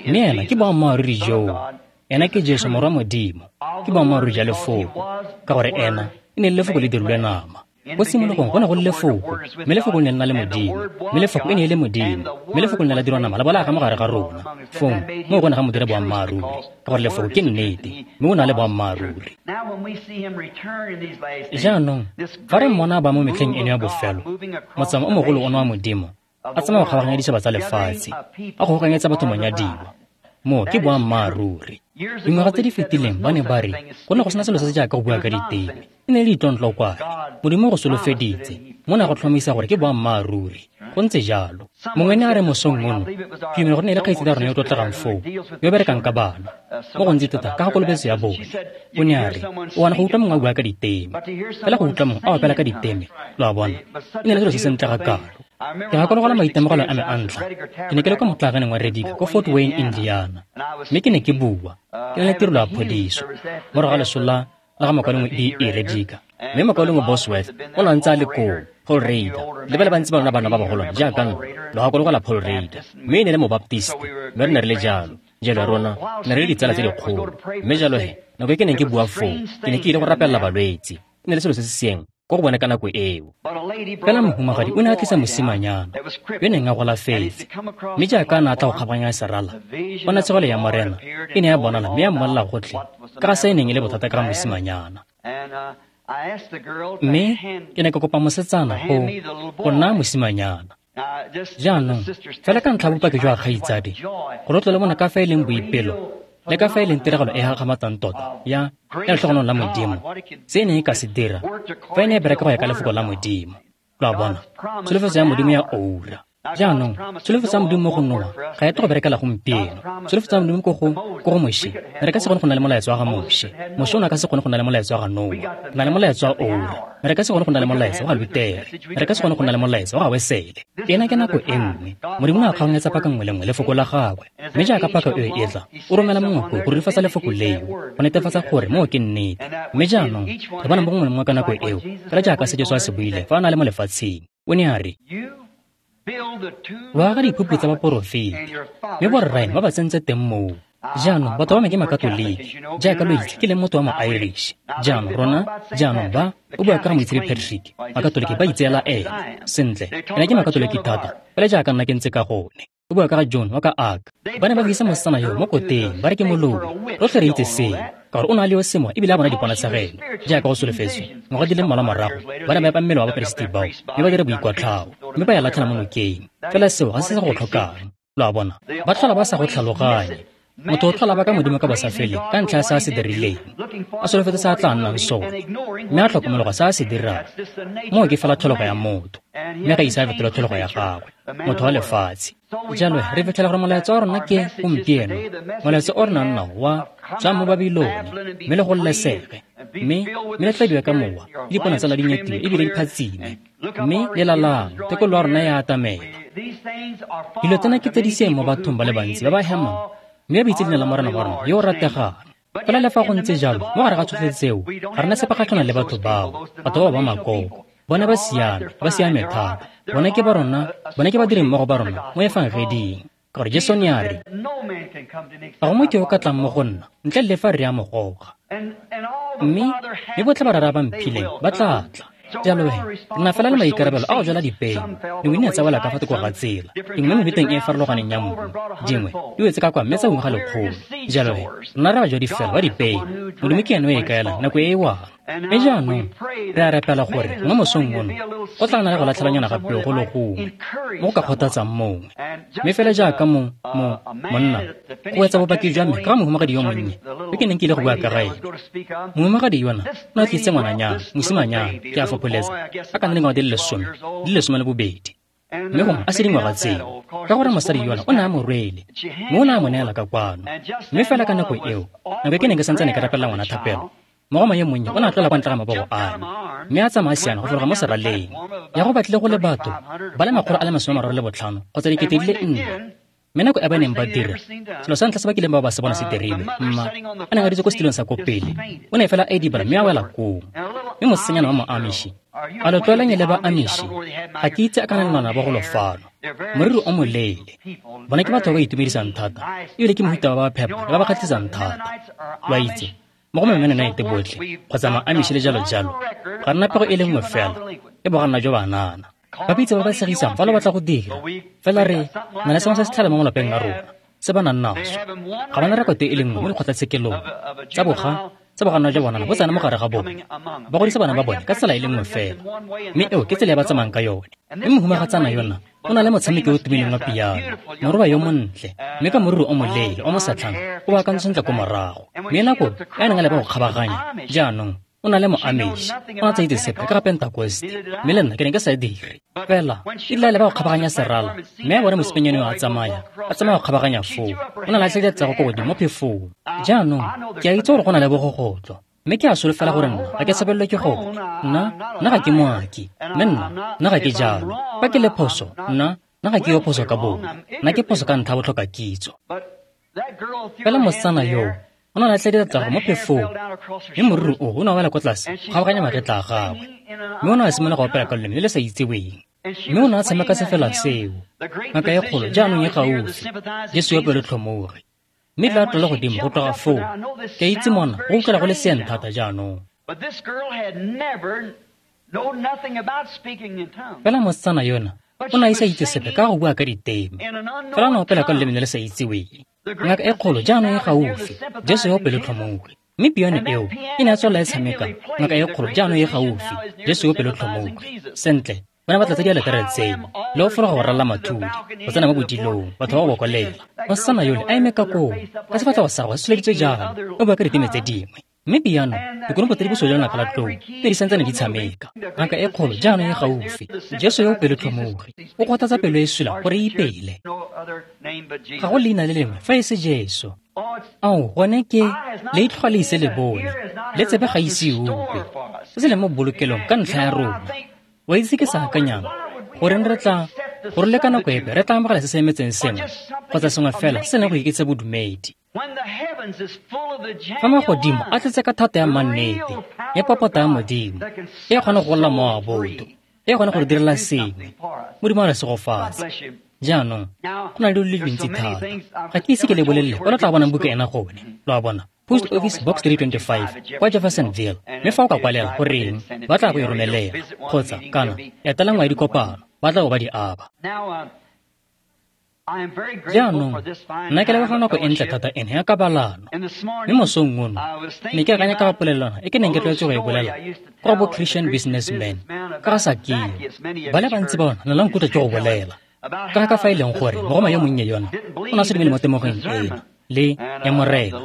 Mme ena ke boammaaruri joo. Ena ke Jesu morwa Modimo, ke boammaaruri jwa lefoko, ka gore ena e ne e le lefoko le dirilwe nama. Ko tshimologong go ne go le lefoko, mme lefoko le ne le na le Modimo, mme lefoko e ne e le Modimo, mme lefoko le ne la dirwa nama la bo la aga mo gare ga rona. Fong moo go ne ga mo dira boammaaruri, ka gore lefoko ke nnete, mme o na le boammaaruri. Jaanong fa re mmona ba mo metlheng eno ya bofelo, motsamao o mogolo ono wa Modimo a tsamaya go kgabaganya ditšhaba tsa lefatshe, a kgobokanyetsa batho monyadiwa. Moo ke boammaaruri. Dingwaga tse di fetileng ba ne ba re go ne go sena selo se se jaaka go bua ka diteme, e ne e le ditlontlokwane. Modimo go solofeditse, mo ne a go tlhomamisa gore ke boammaaruri. Go ntse jalo. Mongwe ne a re mosong ono, ke dumela gore ne e le kgaitsedi ya rona yo o tlotlegang foo, yo o berekang ka bana, mo gontsi tota ka ga kolobetso ya bone. O ne a re, o ana go utlwa mongwe a bua ka diteme, fela go utlwa mongwe a opela ka diteme, lo a bona, e ne le selo se sentle ga kalo. Ke gakologelwa maitemogelo a me a ntlha. Ke ne ke le kwa motlaganeng wa Rediger ko Fort Wayne, Indiana, mme ke ne ke bua, ke na le tirelo ya phodiso morago ga leso la la ga mokaulengwe E E Rediger. Mme mokaulengwe Bosworth o ne a ntse a le koo, Paul Rader, le ba le bantsi ba lona bana ba bagolwane jaaka nna, lo gakologelwa Paul Rader. Mme e ne le mobaptisti, mme re ne re le jalo. Jalo rona ne re le ditsala tse dikgolo. Mme jalo he, Nako e ke neng ke bua foo, ke ne ke ile go rapelela balwetse. E ne le selo se se seeng ko go bone ka nako eo. Fela mohumagadi o ne a tlisa mosimanyana yo neng a golafetse, mme jaaka a ne a tla go kgabaganya serala, ponatshegelo ya Morena e ne ya bonala mme ya mmolelela gotlhe ka ga se e neng e le bothata ka ga mosimanyana. Mme ke ne ka kopa mosetsana go go nna mosimanyana. Jaanong, fela ka ntlha ya bopaki jwa kgaitsadi, gore o tle le bona ka fa e leng boipelo le ka fa e leng tiragalo e gakgamatsang tota ya ya letlhogonolo la Modimo, se e neng e ka se dira fa e ne e bereka go ya ka lefoko la Modimo. Lo a bona, tsholofetso ya Modimo ya oura. Jaanong, tsholofetso ya Modimo mo go Noa ga e tle go berekela gompieno. Tsholofetso ya Modimo ko go ko go Moshe, re ka se kgone go nna le molaetsa wa ga Moshe. Moshe o ne a ka se kgone go nna le molaetsa wa ga Noa. Re na le molaetsa wa oura. Re ka se kgone go nna le molaetsa wa ga Lutere. Re ka se kgone go nna le molaetsa wa ga Wesele. Ena ke nako e nngwe. Modimo o ne a kgaoganyetsa paka nngwe le nngwe lefoko la gagwe. Mme jaaka paka eo e tla, o romela mongwe koo go rurifatsa lefoko leo, go netefatsa gore moo ke nnete. Mme jaanong, re bona mo gongwe le mongwe ka nako eo, fela jaaka se Jesu a se buile fa a ne a le mo lefatsheng. O ne a re, lo aga diphuphu tsa baporofeti, mme borraeno ba ba tsentse teng moo. Jaanong, batho ba me ke Makatoliki, jaaka lo itse ke leng motho wa mo-Irish. Jaanong rona, jaanong ba, o bua ka ga Moitshepi Patrick, Makatoliki ba itseela ene. Sentle, ena ke Makatoliki thata, fela jaaka nna ke ntse ka gone. O bua ka ga John wa ka Ark. Ba ne ba tlisa mosetsana yo mo koteng, ba re ke moloi. Rotlhe re itse seo, ka gore o ne a le yo sengwe ebile a bona diponatshegelo. Jaaka go solofetswe, ngwaga di le mmalwa morago, ba ne ba epa mmele wa baperesiti bao, mme ba dira boikwatlhao, mme ba ya latlhela mo nokeng. Fela seo ga se se go tlhokang. Lo a bona, ba tlhola ba sa go tlhaloganye. Motho o tlhola ba ka Modimo ka bosafeleng ka ntlha ya se a se dirileng, a solofetse se a tla nnang sone, mme a tlhokomologa se a se dirang. Moo ke fela tlholego ya motho, mme ga ise a fetole tlholego ya gagwe, motho wa lefatshe. Jalo re fitlhela gore molaetsa wa rona ke gompieno, molaetsa o re nang nao wa tswang mo Babilone, mme le gololesege, mme mme le tladiwe ka mowa, le dipone tsa lona di nyetiwe ebile di phatsime, mme le lalang, tekolo ya rona e a atamela. Dilo tsena ke tse di seeng mo bathong ba le bantsi ba ba hemang, mme ba itse leina la Morena wa rona yo o rategang. Fela le fa go ntse jalo, mo gare ga tsotlhe tseo, ga re na sepe kgatlhanong le batho bao, batho bao ba makoko. Bona ba siame, ba siame thata. Bona ke ba rona, bona ke badirimmogo ba rona mo efangeding. Ka gore Jesu ne a re, ga go motho yo o ka tlang mo go nna ntle le fa re a mo goga. Mme mme botlhe ba Rara ba mphileng ba tla tla. Jalo he, re na fela le maikarabelo a go jala dipeo. Dingwe di ne tsa wela ka fa thoko ga tsela, dingwe mo mefuteng e e farologaneng ya mmu, dingwe di wetse ka kwa mme tsa ungwa ga lekgolo. Jalo he, rona re bajadi fela ba dipeo. Modimo ke ene o e kaelang nako e e wang. Mme jaanong, re a rapela gore mo mosong ono go tla nna le go latlhelanyana ga peo go le gongwe mo go ka kgothatsang mongwe. Mme fela jaaka mo, mo, monna, go etsa bopaki jwa me ka ga mohumagadi yo monnye yo ke neng ke ile go bua ka ga ene. Mohumagadi yona o ne a tlisitse ngwananyana, mosimanyana, ke a fopholetsa, a ka nna dingwaga di le lesome, di le lesome le bobedi. Mme gongwe a se dingwaga tseo, ka gore mosadi yona o ne a mo rwele, mme o ne a mo neela ka kwano. Mme fela ka nako eo, nako e ke neng ke santsane ke rapelela ngwana thapelo, mogoma yo monnye o ne a tlola kwa ntle ga mabogo a me, mme a tsamaya siana go fologa mo seraleng. Ya go batlile go le batho ba le makgolo a le masome a mararo le botlhano kgotsa dikete di le nne. Mme nako e ba neng ba dira, selo sa ntlha se ba kileng ba ba se bona se dirilwe, mma a neng a dutse ko setilong sa ko pele, o ne fela a idibala mme a wela koo. Mme mosetsanyana wa mo-Amishi, a lo tlwaelanye le ba Amishi, ga ke itse a kana le ngwana ba golo fano, moriri o moleele. Bona ke batho ba ba itumedisang thata, ebile ke mohuta ba ba phepa le ba ba kgatlhisang thata. Lo a itse, mo go Mennonite botlhe kgotsa ma-Amishi le jalo jalo, ga rena pego e le nngwe fela, e boganna jwa banana. Ba bitse ba ba tshegisang fa lo batla go dira, fela re na le sengwe se se tlhale mo malapeng a rona se ba nang naso. Ga ba na rekoto e le nngwe mo dikgotlatshekelong tsa boga tsa boganna jwa bonana bo tsena mo gare ga bone. Ba godisa bana ba bone ka tsela e le nngwe fela, mme eo ke tsela e ba tsamayang ka yone. Mme mohumagatsana yona o na le motshameki o tumileng wa piano, moroba yo montle, mme ka moriri o moleele o mosetlhana o baakantse sentle ko morago. Mme nako e a neng a leba go kgabaganya, jaanong o na le mo-Amish, o ne a sa itse sepe ka ga Pentekoste, mme le nna ke ne ke sa e dire. Fela e rile a leba go kgabaganya serala, mme a bona mosimanyana yo a tsamaya, a tsamaya go kgabaganya foo, o ne a latlhela diatla ko godimo mo phefong. Jaanong ke a itse gore go na le bogogotlo, mme ke a solofela gore nna ga ke tshabelelwe ke gone. Nna, nna ga ke moaki, mme nna, nna ga ke jalo. Fa ke le phoso, nna, nna ga ke yo phoso ka bongwe, nna ke phoso ka ntlha ya botlhoka kitso. Fela mosetsana yoo o ne a latlhela diatla mo phefong, mme moriri o o ne a wela kwa tlase go kgabaganya magetla a gagwe, mme o ne a simolola go opela ka loleme le le sa itseweng. Mme o ne a tshameka sefela seo, ngaka e kgolo jaanong e gaufi, Jesu yo pelotlhomogi. Mme la tlola godimo go tloga foo. Ke a itse mona go utlwela go le seeng thata jaanong. Fela mosetsana yona o ne a ise a itse sepe ka go bua ka diteme. Fela o ne a opela ka loleme le le sa itseweng. Ngaka e kgolo jaanong e gaufi, Jesu yo o pelotlhomogi. Mme piano eo e ne ya tswelela e tshameka, ngaka e kgolo jaanong e gaufi, Jesu yo o pelotlhomogi. Sentle, ba ne ba tlatsa dialetere tseno le go fologa go ralala mathudi, go tsena mo bodilong, batho ba go bokolela. Mosetsana yole a eme ka koo, ka sefatlhego sa gagwe se tsholeditswe jalo, o bua ka diteme tse dingwe. Mme piano, dikonopo tse di bosweu jwa lonaka la tlou di ne di santsane di tshameka. Ngaka e kgolo jaanong e gaufi, Jesu yo o pelotlhomogi, o kgothatsa pelo e sula gore e ipele. Ga go leina le lengwe fa e se Jesu. Ao, gone ke leitlho ga le ise le bone, le tsebe ga ise e utlwe, se se leng mo bolokelong ka ntlha ya rona. Wa itse ke sa akanyang goreng re tla gore le ka nako epe re tla amogela se se emetseng sengwe kgotsa sengwe fela se se leng go iketsa bodumedi. Fa magodimo a tletse ka thata ya mannete ya popota ya Modimo e kgona go golola mowa wa botho, e kgona go re direla sengwe. Modimo a re segofatse. Jaanong go na le dilo di le dintsi thata, ga ke ise ke le bolelele kwa lo tla bonang buka ena gone. Lo a bona, Post Office Box three twenty-five kwa Jeffersonville. Mme fa o ka kwalela goreng ba tla go e romelela, kgotsa kana etela nngwe ya dikopano ba tla go ba di aba. Jaanong nna ke leboga nako e ntle thata ena ya kabalano. Mme mosong ono ne ke akanya ka ga polelwana e ke neng ke tlwaetse go e bolela kwa bo Christian Businessman ka ga Sakeo. Ba le bantsi ba bona ne la nkutlwa ke go bolela ka ga ka fa e leng gore mogoma yo monnye yona o ne a se dumele mo temogeng eno le ya Morena.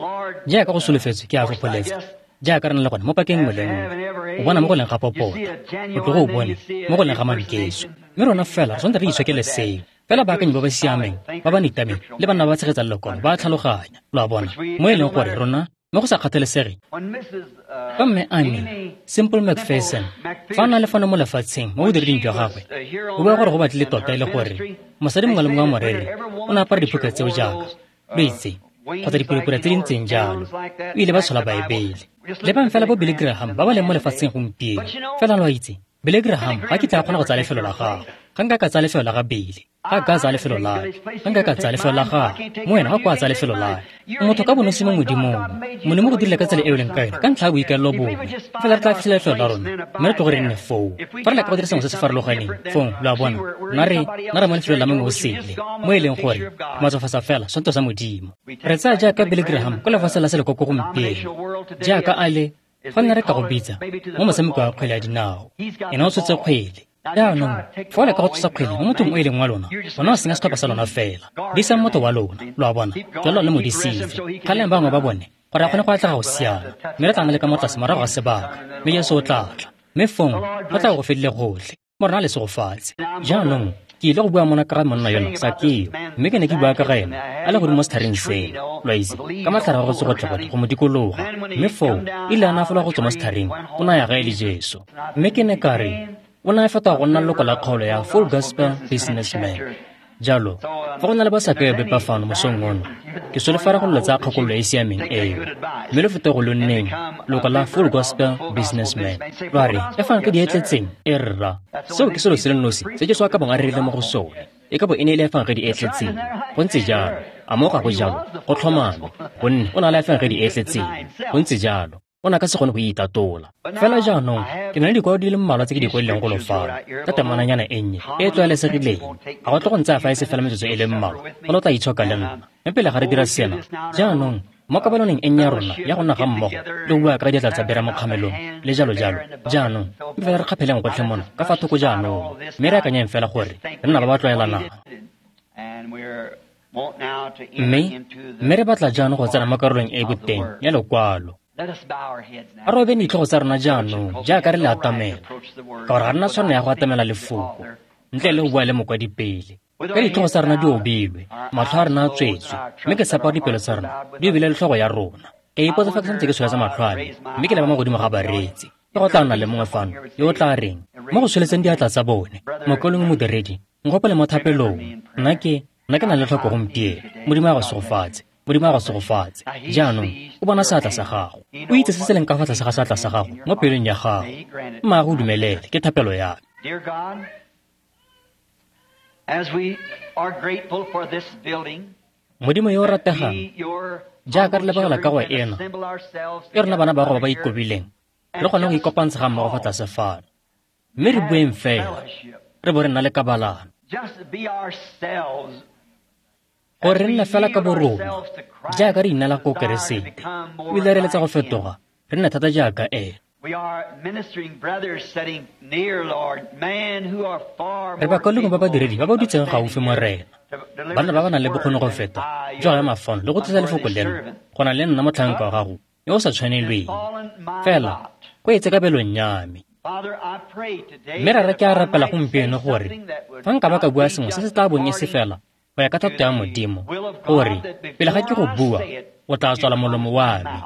Jaaka go solofetswe ke a fopholetsa, jaaka re na le gone mo pakeng nngwe le nngwe, o bona mo go leng ga popota, o tloge o bone mo go leng ga mankeso. Mme rona fela re tshwanetse re itshokele seo. Fela baakanyi ba ba siameng, ba ba nitameng le banna ba ba tshegetsang lekwalo ba a tlhaloganya. Lo a bona, mo e leng gore rona mo go sa kgathalesege. Fa mme Amy Simple McPherson fa a na le fano mo lefatsheng mo bodireding jwa gagwe, o bua gore go batlile tota e le gore mosadi mongwe le mongwe wa moreri o ne a apara diphuka tseo jaaka lo itse, kgotsa dipurapura tse di ntseng jalo. O ile ba tshola Baebele. Lebang fela bo Billy Graham ba ba leng mo lefatsheng gompieno. Fela lo a itse, Billy Graham ga kitla a kgona go tsaya lefelo la gagwe. Ga nka ka tsaya lefelo la ga Billy, ga ka tsaya lefelo la me, ga nka ka tsaya lefelo la gagwe, mo wena ga kwa tsaya lefelo la me. Motho ka bonosi mo Modimong, Modimo go dirile ka tsela e o leng ka yone ka ntlha ya boikaelelo bongwe. Fela re tla fitlhela lefelo la rona, mme re tloge re nne foo. Fa re leka go dira sengwe se se farologaneng, fong lo a bona, nna re nna re mo lefelong la mongwe o sele, mo e leng gore matsofatsa fela sonto sa Modimo. Re tsaya jaaka Billy Graham kwa lefatsheng la selekoko gompieno, jaaka a le fa nna re ka go bitsa mo motshameko wa kgwele ya dinao. Ena o tshotse kgwele. Jaanong fa o leka go tlosa kgwele mo mothong o e leng wa lona, ona o senya setlhopha sa lona fela. Disang motho wa lona, lo a bona, jalo le mo disitse. Kgaleng bangwe ba bone gore a kgone go atlega go siana, mme re tla nna le ka mo tlase morago ga sebaka, mme Jesu o tla tla. Mme fong go tla go fedile gotlhe, Morena a le segofatse. Jaanong ke ile go bua mona ka ga monna yona Sakeo, mme ke ne ke bua ka ga ena a le godimo mo setlhareng seno, lo a itse, ka matlhare a go tsogotlhogotlho go mo dikologa. Mme foo ile a na fologa go tswa mo setlhareng, o ne a ya gae le Jesu. Mme ke ne ka re o ne a fetoga go nna leloko la kgaolo ya Full Gospel Businessman. Jalo, fa go na le ba Sakeo bepa fano mosong ono, ke solofela go lo tsaya kgakololo e e siameng eo, mme lo fete go lo nneng leloko la Full Gospel Businessman. Lwa re, e fang ka di e tletseng, e rra. Seo ke selo se le nosi se Jesu a ka bong a rerile mo go sone, e ka bo e ne e le efangedi e tletseng. Go ntse jalo, a mo ga go jalo, go tlhomame, gonne o na le efangedi e tletseng. Go ntse jalo, o ne a ka se kgone go itatola. Fela jaanong ke na le dikwalo di le mmalwa tse ke di kwadileng golo fano ka temananyana e nnye e e tlwaelesegileng. Ga go tle go ntsaya fa e se fela metsotso e le mmalwa, go lo tla itshoka le nna. Mme pele ga re dira sena, jaanong mo kabaloneng e nnye ya rona ya go nna ga mmogo le go bua ka diatla tsa bera mo kgamelong le jalo jalo, jaanong mme fela re kgapheleng gotlhe mona ka fa thoko jaanong, mme re akanyeng fela gore re nna ba ba tlwaelanang. Mme mme re batla jaanong go tsena mo karolong e e boteng ya lekwalo. A re obeng ditlhogo tsa rona jaanong jaaka re le atamela, ka gore ga rena tshwanelo ya go atamela lefoko ntle le go bua le mokwadi pele. Ka ditlhogo tsa rona di obilwe, matlho a rona a tswetswe, mme ke tshepa gore dipelo tsa rona di obile le tlhogo ya rona. Ke ipotsa fa ke santse ke tsholetsa matlho a me, mme ke leba mo godimo ga bareetsi. Ke go tla nna le mongwe fano yo o tla reng mo go tsholetseng diatla tsa bone, mokaulengwe modiredi, nkgopole mo thapelong. Nna ke nna ke na le tlhoko gompieno. Modimo a go segofatse. Modimo a go segofatse. Jaanong o bona seatla sa gago, o itse se se leng ka fa tlase ga seatla sa gago mo pelong ya gago. Mma go dumelele, ke thapelo ya me. Dear God, as we are grateful for this building, Modimo yo o rategang, jaaka re lebogela ka go ena, e rona bana ba go ba ba ikobileng, re kgone go ikopantsha ga mmogo fa tlase fano. Mme re bueng fela, re bo re nna le kabalano. Gore re nne fela ka borona, jaaka re inela ko Keresete, ebile re eletsa go fetoga, re nne thata jaaka ena. Re bakaulengwe ba badiredi ba ba dutseng gaufi Morena, banna ba ba nang le bokgoni go feta jwa go ema fano le go tlisa lefoko leno go na le nna motlhanka wa gago yo o sa tshwanelweng, fela go etse kabelong ya me. Mme rara ke a rapela gompieno gore fa nka ba ka bua sengwe se se tla bong e se fela go ya ka thato ya Modimo, gore pele ga ke go bua o tla tswala molomo wa me,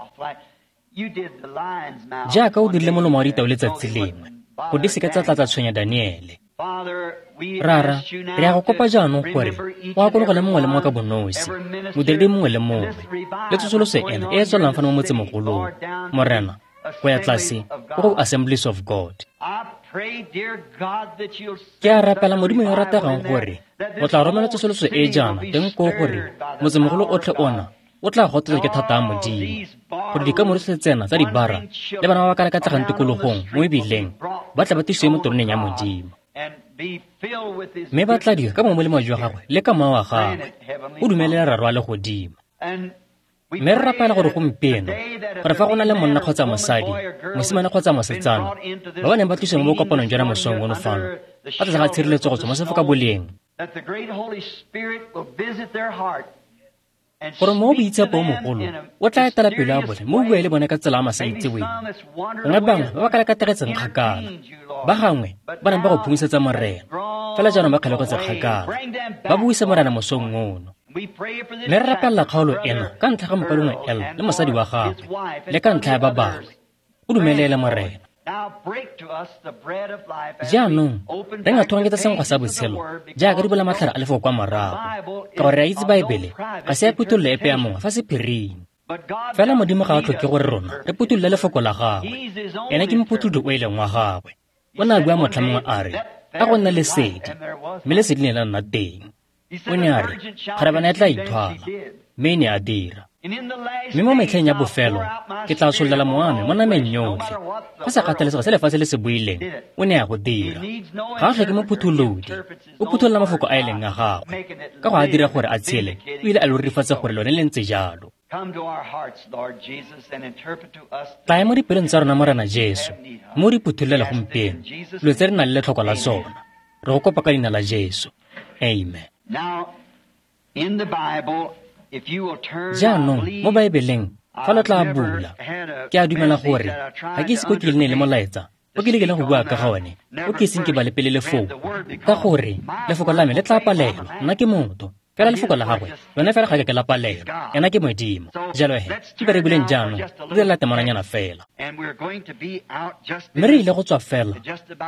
jaaka o dirile molomo wa ditau letsatsi lengwe, go di seke tsa tla tsa tshwenya Daniele. Rara, re a go kopa jaanong gore o akologele mongwe le mongwe ka bonosi, modiredi mongwe le mongwe, le tsosoloso ena e e tswelelang fano mo motsemogolong, Morena, go ya tlase go go Assemblies of God. Ke a rapela Modimo yo o rategang gore o tla romela tsosoloso e jaana teng koo gore motsemogolo otlhe ona o tla gotetswa ke thata ya Modimo, gore dikamore tsotlhe tsena tsa dibara le bana ba ba kalakatlegang tikologong mo mebileng ba tla ba tlisiwe mo teroneng ya Modimo, mme ba tladiwe ka molemo jwa gagwe le ka moya wa gagwe, o dumelela Rara wa legodimo. Mme re rapela gore gompieno, gore fa go na le monna kgotsa mosadi, mosimane kgotsa mosetsana, ba ba neng ba tlisiwa mo bokopanong jwa mosong ono fano, ba tlase ga tshireletso go tswa mo sefokaboleng, gore mo boitshepo o mogolo o tla etela pelo ya bone mme o bue le bone ka tsela ya masaitseweng. Gongwe bangwe ba ba kalakategetseng kgakala, ba gangwe ba neng ba go phungisetsa Morena, fela jaanong ba kgalegetse kgakala, ba buise Morena mosong ono. Mme re rapelela kgaolo ena ka ntlha ga mokaulengwe El le mosadi wa gagwe, le ka ntlha ya ba bangwe. O dumelele Morena. Jaanong re ngathoganyetsa senkgwa sa botshelo jaaka di bola matlhare a lefoko kwa morago, ka gore re a itse Baebele ga se ya phuthololo epe ya mongwe fa sephiring. Fela Modimo ga a tlhoke gore rona re phutholole lefoko la gagwe, ene ke mophutholodi o e leng wa gagwe. O ne a bua motlha mongwe a re, a go nna lesedi, mme lesedi le ne la nna teng. O ne a re, kgarebana e tla ithwala, mme e ne a dira. Mme mo metlheng ya bofelo, ke tla tshollela mowa wa me mo nameng yotlhe. Go sa kgathalesege se lefatshe le se buileng, o ne a go dira. Ga a tlhoke mophutholodi, o phutholola mafoko a e leng a gagwe. Ka go a dira gore a tshele, o ile a lo rurifatsa gore lone le ntse jalo. Tlaya mo dipelong tsa rona Morena Jesu, mme o di phuthololele gompieno, dilo tse re nang le letlhoko la tsona. Re go kopa ka leina la Jesu. Amen. Jaanong mo Baebeleng, fa lo tla bula, ke a dumela gore ga ke ise ko ke le ne le molaetsa o ke lekileng go bua ka ga one, o ke iseng ke bale pele lefoko, ka gore lefoko la me le tla palelwa. Nna ke motho, fela lefoko la gagwe lone fela ga ke ke la palelwa, ena ke Modimo. Jalo he, ke be re buleng jaanong, re direla temananyana fela. Mme re ile go tswa fela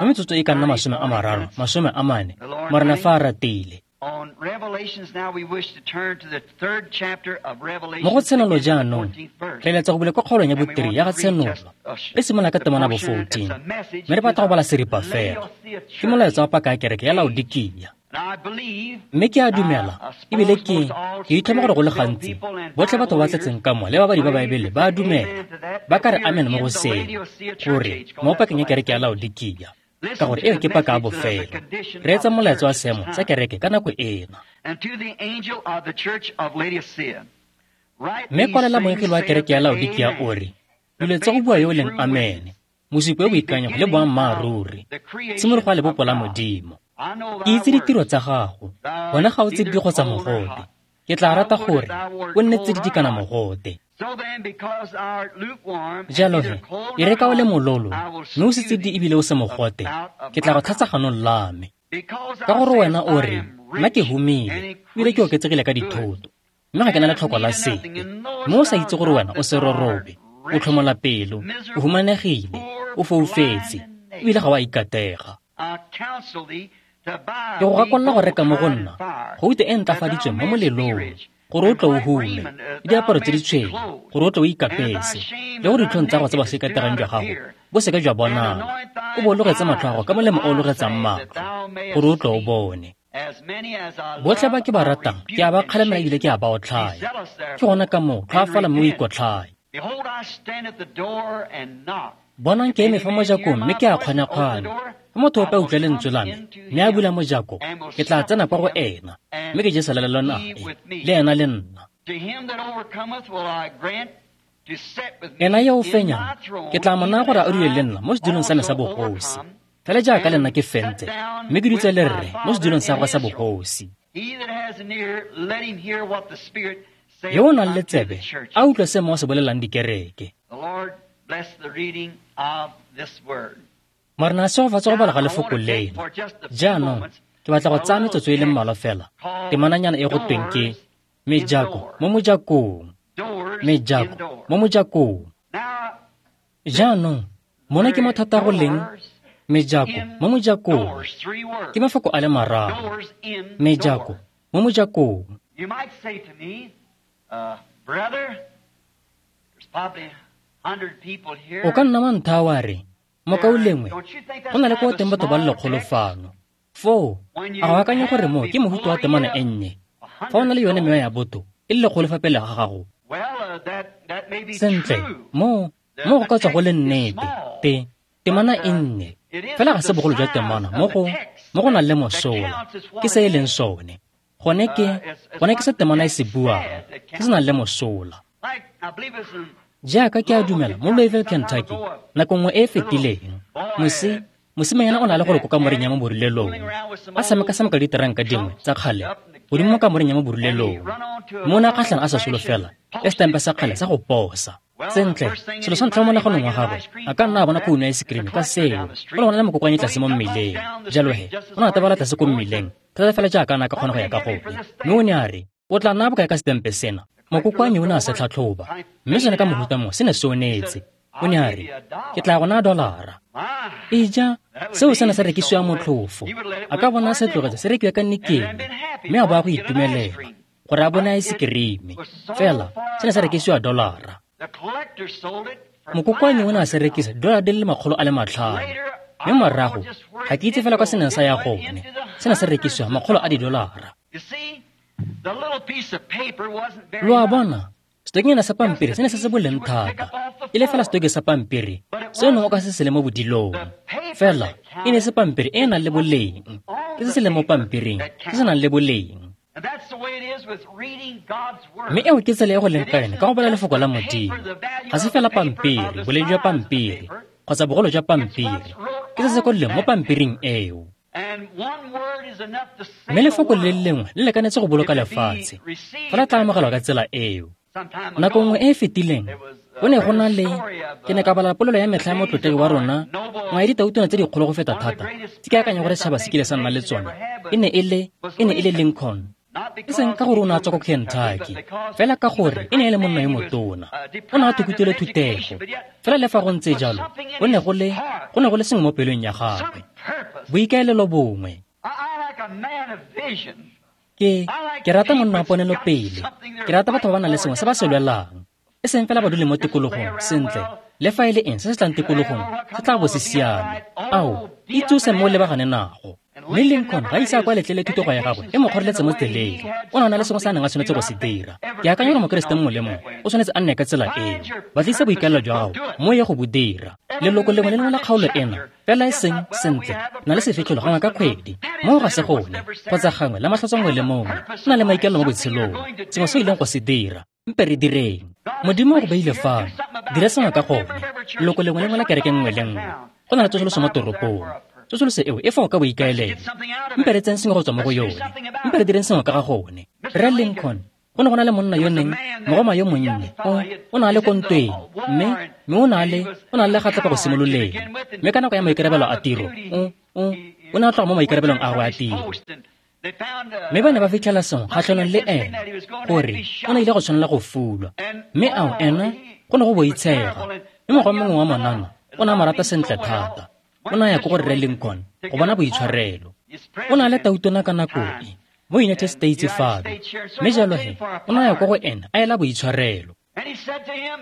mo metsotso e ka nna masome a mararo, masome a mane, Morena fa a ratile. Mo go Tshenolo jaanong, re eletsa go bula kwa kgaolong ya botiri ya ga Tshenolo, re simolola ka temana bo fourteen, mme re batla go bala seripa fela. Ke molaetsa wa paka ya kereke ya Laodikia. Mme ke a dumela, ebile ke ke itlhoma gore go le gantsi botlhe batho ba tletseng ka mo le babadi ba Baebele ba a dumela, ba ka re amen mo go seno, gore mo pakeng ya kereke ya Laodikia, ka gore eo ke paka ya bofelo. Re etsa molaetsa wa seemo sa kereke ka nako ena. Mme kwalela moengele wa kereke ya Laodikia o re, dilo tsa go bua yo o leng Amen, mosupi o boikanyego le boammaaruri, tshimologo ya lebopo la Modimo. Ke itse ditiro tsa gago, bona ga o tsididi kgotsa mogote. Ke tla rata gore o nne tsididi kana mogote. Jalo he, e re ka o le mololo, mme o se tsididi ebile o se mogote, ke tla go tlhatsa ganong la me. Ka gore wena o re, nna ke humile, ebile ke oketsegile ka dithoto, mme ga ke na letlhoko la sepe, mme o sa itse gore wena o serorobe, o tlhomola pelo, o humanegile, o foufetse, ebile ga o a ikatega. Ke go gakolola go reka mo go nna gouta e ntlafaditsweng mo molelong, gore o tle o hume, le diaparo tse di tshweu, gore o tle o ikapese, le gore ditlhong tsa go tse ba se ikategang jwa gago bo seke jwa bonala, o bo o logetse matlho a gago ka molemo o o logetsang matlho, gore o tle o bone. Botlhe ba ke ba ratang ke a ba kgalemela ebile ke a ba otlhaya. Ke gona ka moo tlhoafala mme o ikotlhaye. Bonang ke eme fa mojakong mme ke a kgwanakgwana. Fa motho ope a utlwa lentswe la me mme a bula mojako, ke tla tsena kwa go ena mme ke je selalelo nae le ena le nna. Ena yo o fenyang ke tla mo naya gore a dule le nna mo sedulong sa me sa bogosi, fela jaaka le nna ke fentse mme ke dutse le rre mo sedulong sa gagwe sa bogosi. Yo o nang le tsebe a utlwe se Mowa o se bolelang dikereke. Morena a segofatse go bala ga lefoko leno. Jaanong ke batla go tsaya metsotso e le mmalwa fela temananyana e go tweng ke mejako mo mojakong. Mejako mo mojakong. Jaanong mona ke mo thata go leng mejako mo mojakong. Ke mafoko a le mararo. Mejako mo mojakong. O ka nna wa ntha wa re, mokaulengwe, go na le ko teng batho ba le lekgolo fano. Foo, a go akanya gore mo ke mohuta wa temana e nnye. Fa o na le yone mewa ya botho e le lekgolo fa pele ga gago. Sentle, mo mo go ka tswa go le nnete, te temana e nnye. Fela ga se bogolo jwa temana mo go mo go nang le mosola, ke se e leng sone. Gone ke gone ke se temana e se buang, se se nang le mosola. Jaaka ke a dumela mo Louisville, Kentucky, nako nngwe e e fetileng, mosi mosimanyana o na le gore ko kamoreng ya mo borulelong, a tshameka-tshameka diteranka dingwe tsa kgale godimo mo kamoreng ya mo borulelong, mme o ne a kgatlhana a sa solofela le setempe sa kgale sa go posa. Sentle, selo sa ntlha mo monaganong wa gagwe a ka nna a bona khouno ya ice-cream ka seo, go ne go na le mokokoane tlase mo mmeleng. Jalo he, o ne a tabala tlase ko mmileng thata fela jaaka a ne a ka kgona go ya ka gone. Mme o ne a re, o tla nna bokae ka setempe sena? Mokokoane o ne a se tlhatlhoba, mme sone ka mohuta mo se ne se onetse. O ne a re, ke tla go naya dolara. Eja, seo se ne sa rekisiwa motlhofo. A ka bona se tlogetse se rekiwa ka nikele, mme a bo a go itumelela gore a bone ice-cream. Fela se ne sa rekisiwa dolara. Mokokoane o ne a se rekisa dolara di le makgolo a le matlhano, mme morago ga ke itse fela kwa se neng sa ya gone, se ne se rekisiwa makgolo a didolara. Lo a bona, setokenyana sa pampiri se ne se se boleng thata, e le fela setoke sa pampiri se neng o ka se se le mo bodilong. Fela e ne se pampiri e e nang le boleng, ke se se leng mo pampiring se se nang le boleng. Mme eo ke tsela e go leng ka yone ka go bala lefoko la Modimo. Ga se fela pampiri, boleng jwa pampiri kgotsa bogolo jwa pampiri, ke se se kwadilweng mo pampiring eo. Mme lefoko le le lengwe le lekanetse go boloka lefatshe, fa le tla amogelwa ka tsela eo. Nako nngwe e e fetileng go ne go na le, ke ne ka bala polelo ya metlha ya motlotlegi wa rona, nngwe ya ditautwana tse dikgolo go feta thata tse ke akanya gore setšhaba se kile sa nna le tsone, e ne e le e ne e le Lincoln. E seng ka gore o ne a tswa ko Kentucky, fela ka gore e ne e le monna yo motona. O ne a thukutile thutego, fela le fa go ntse jalo, go ne go le go ne go le sengwe mo pelong ya gagwe, boikaelelo bongwe. Ke ke rata monna wa ponelopele, ke rata batho ba ba nang le sengwe se ba se lwelang, e seng fela ba dule mo tikologong. Sentle, le fa e le eng se se tlang tikologong se tla bo se siame. Ao, itsose mo o lebagane nago. Mme Lincoln ga ise a kwa letlele thutego ya gagwe e mo kgoreletse mo tseleng. O ne a na le sengwe se a neng a tshwanetse go se dira. Ke akanya gore Mokeresete mongwe le mongwe o tshwanetse a nne ka tsela eo. Batlisa boikaelelo jwa gago mo ye go bo dira. Leloko lengwe le lengwe la kgaolo ena, fela e seng sentle, na le sefitlholo gangwe ka kgwedi, moo ga se gone, kgotsa gangwe la matlhatso mongwe le mongwe, o na le maikaelelo mo botshelong, sengwe se o ileng go se dira. Mpe re direng. Modimo o go beile fano, dira sengwe ka gone. Leloko lengwe le lengwe la kereke nngwe le nngwe, go na le tsosoloso mo toropong. Tsosoloso eo e fa o ka boikaelelo. Mpe re tseng sengwe go tswa mo go yone. Mpe re direng sengwe ka ga gone. Rre Lincoln, go ne go na le monna yo neng, mogoma yo monnye, o o ne a le ko ntweng, mme mme o ne a le o ne a le legatlapa go simololeng. Mme ka nako ya maikarabelo a tiro, o o o ne a tloga mo maikarabelong a gagwe a tiro. Mme ba ne ba fitlhela sengwe kgatlhanong le ena, gore o ne ile go tshwanela go fulwa. Mme ao ena go ne go boitshega. Mme mogoma mongwe wa monana o ne a mo rata sentle thata. O ne a ya ko go Rre Lincoln go bona boitshwarelo. O ne a le tautona ka nako e mo United States fano, mme jalo he o ne a ya ko go ena a ela boitshwarelo.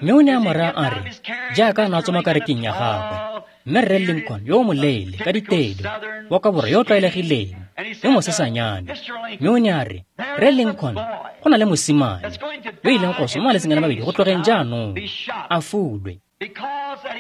Mme o ne a mo raya a re, jaaka a ne a tswa mo karekeng ya gagwe, mme Rre Lincoln yo o moleele ka ditedu wa ka borwa yo o tlwaelegileng, yo mosesanyane. Mme o ne a re, Rre Lincoln, go na le mosimane yo ileng go swa mo malatsing a le mabedi go tlogeng jaanong, a fulwe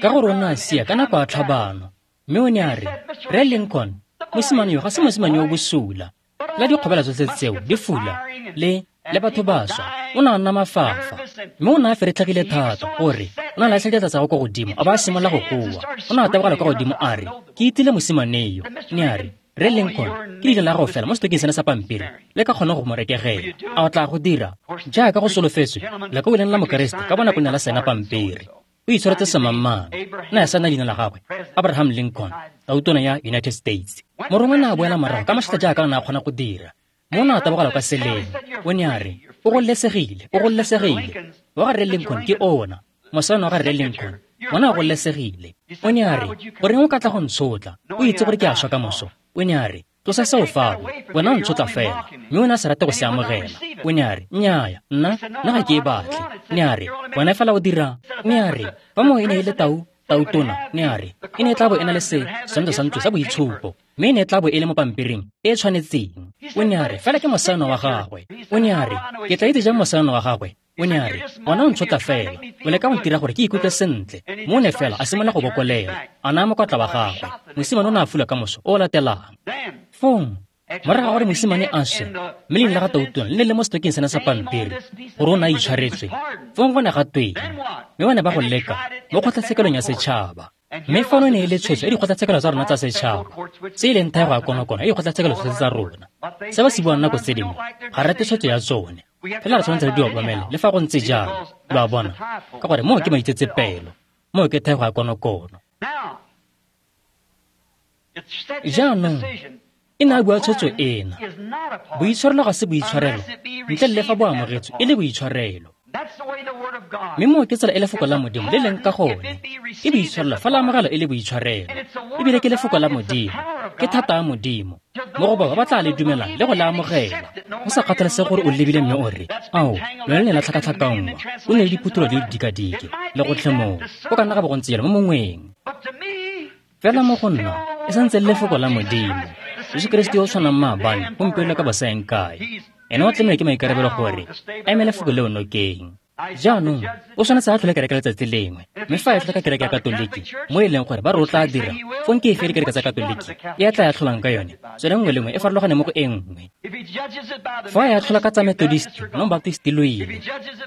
ka gore o ne a sia ka nako ya tlhabano. Mme o ne a re, Rre Lincoln, mosimane yo ga se mosimane yo o bosula. La dikgobela tsotlhe tseo di fula le le batho ba swa, o ne a nna mafafa. Mme o ne a feretlhegile thata gore o ne a latlhela diatla tsa gagwe kwa godimo a ba a simolola go goa. O ne a tabogela kwa godimo a re, ke itile mosimane yo. Ne a re, Rre Lincoln, ke leina la gago fela mo setokeng sena sa pampiri le ka kgona go mo rekegela. A o tla go dira jaaka go solofetswe lekau leng la Mokeresete ka bonako ne la saena pampiri. O itshwaretse semangmang, ne a saena leina la gagwe, Abraham Lincoln, tautona ya United States. Morongwa ne a boela morago ka mašata jaaka a ne a kgona go dira. Mo o ne a tabogela kwa seleng. O ne a re, o gololesegile, o gololesegile. Wa ga Rre Lincoln ke ona, mosana wa ga Rre Lincoln, ona o gololesegile. O ne a re, goreng o ka tla go ntshotla, o itse gore ke a swa ka moso. O ne a re, tlosa seo fao, wena o ntshotla fela. Mme o ne a sa rate go se amogela. O ne a re, nnyaa, nna, nna ga ke e batle. Ne a re, wena fela o dira. Ne a re, fa moo e ne e le tau, tautona, ne a re, e ne e tla bo e na le se setshwantsho sa ntlo sa boitshupo, mme e ne e tla bo e le mo pampiring e e tshwanetseng. O ne a re, fela ke mosano wa gagwe. O ne a re, ke tla itse jang mosano wa gagwe? O ne a re, wena o ntshotla fela, o leka go ntira gore ke ikutlwe sentle. Mo o ne fela a simolola go bokolela, a naya mokwatla wa gagwe. Mosimane o ne a fula ka moso o o latelang. Fong, morago ga gore mosimane a swe, mme leina la ga tautona le ne le mo setokeng sena sa pampiri gore o ne a itshwaretswe, fong go ne ga tweng? Mme ba ne ba go leka mo kgotlatshekelong ya setšhaba. Mme fano e ne e le tshwetso ya dikgotlatshekelo tsa rona tsa setšhaba, tse e leng thaego ya konokono ya dikgotlatshekelo tsotlhe tsa rona. Se ba se buang nako tse dingwe, ga re rate tshwetso ya tsone, fela re tshwanetse re di obamele le fa go ntse jalo, lo a bona, ka gore moo ke maitsetsepelo, moo ke thaego ya konokono. Jaanong, e ne a bua tshwetso ena. Boitshwarelo ga se boitshwarelo ntle le fa bo amogetswe e le boitshwarelo. Mme moo ke tsela e lefoko la Modimo le leng ka gone. Ke boitshwarelo fa la amogelwa e le boitshwarelo. Ebile ke lefoko la Modimo, ke thata ya Modimo mo go bao ba ba tla le dumelang le go le amogela. Go sa kgathalesege gore o lebile mme o re, ao, lone le ne la tlhakatlhakanngwa, o ne le diphutholo di le dikadike le gotlhe moo. Go ka nna ga bo go ntse jalo mo mongweng. Fela mo go nna, e santse le lefoko la Modimo. Jesu Keresete yo o tshwanang maabane, gompieno le ka bosaeng kae. Ene o tlamehile ke maikarabelo gore a eme lefoko leo nokeng. Jaanong, o tshwanetse a tlhole kereke letsatsi lengwe, mme fa a tlhola ka kereke ya Katoliki, mo e leng gore ba re o tla dira, fong ke efe dikereke tsa Katoliki e a tla ya tlholang ka yone, tsone nngwe le nngwe e farologane mo go e nngwe. Fa a ya tlhola ka tsa Methodist, no Baptist lo ile.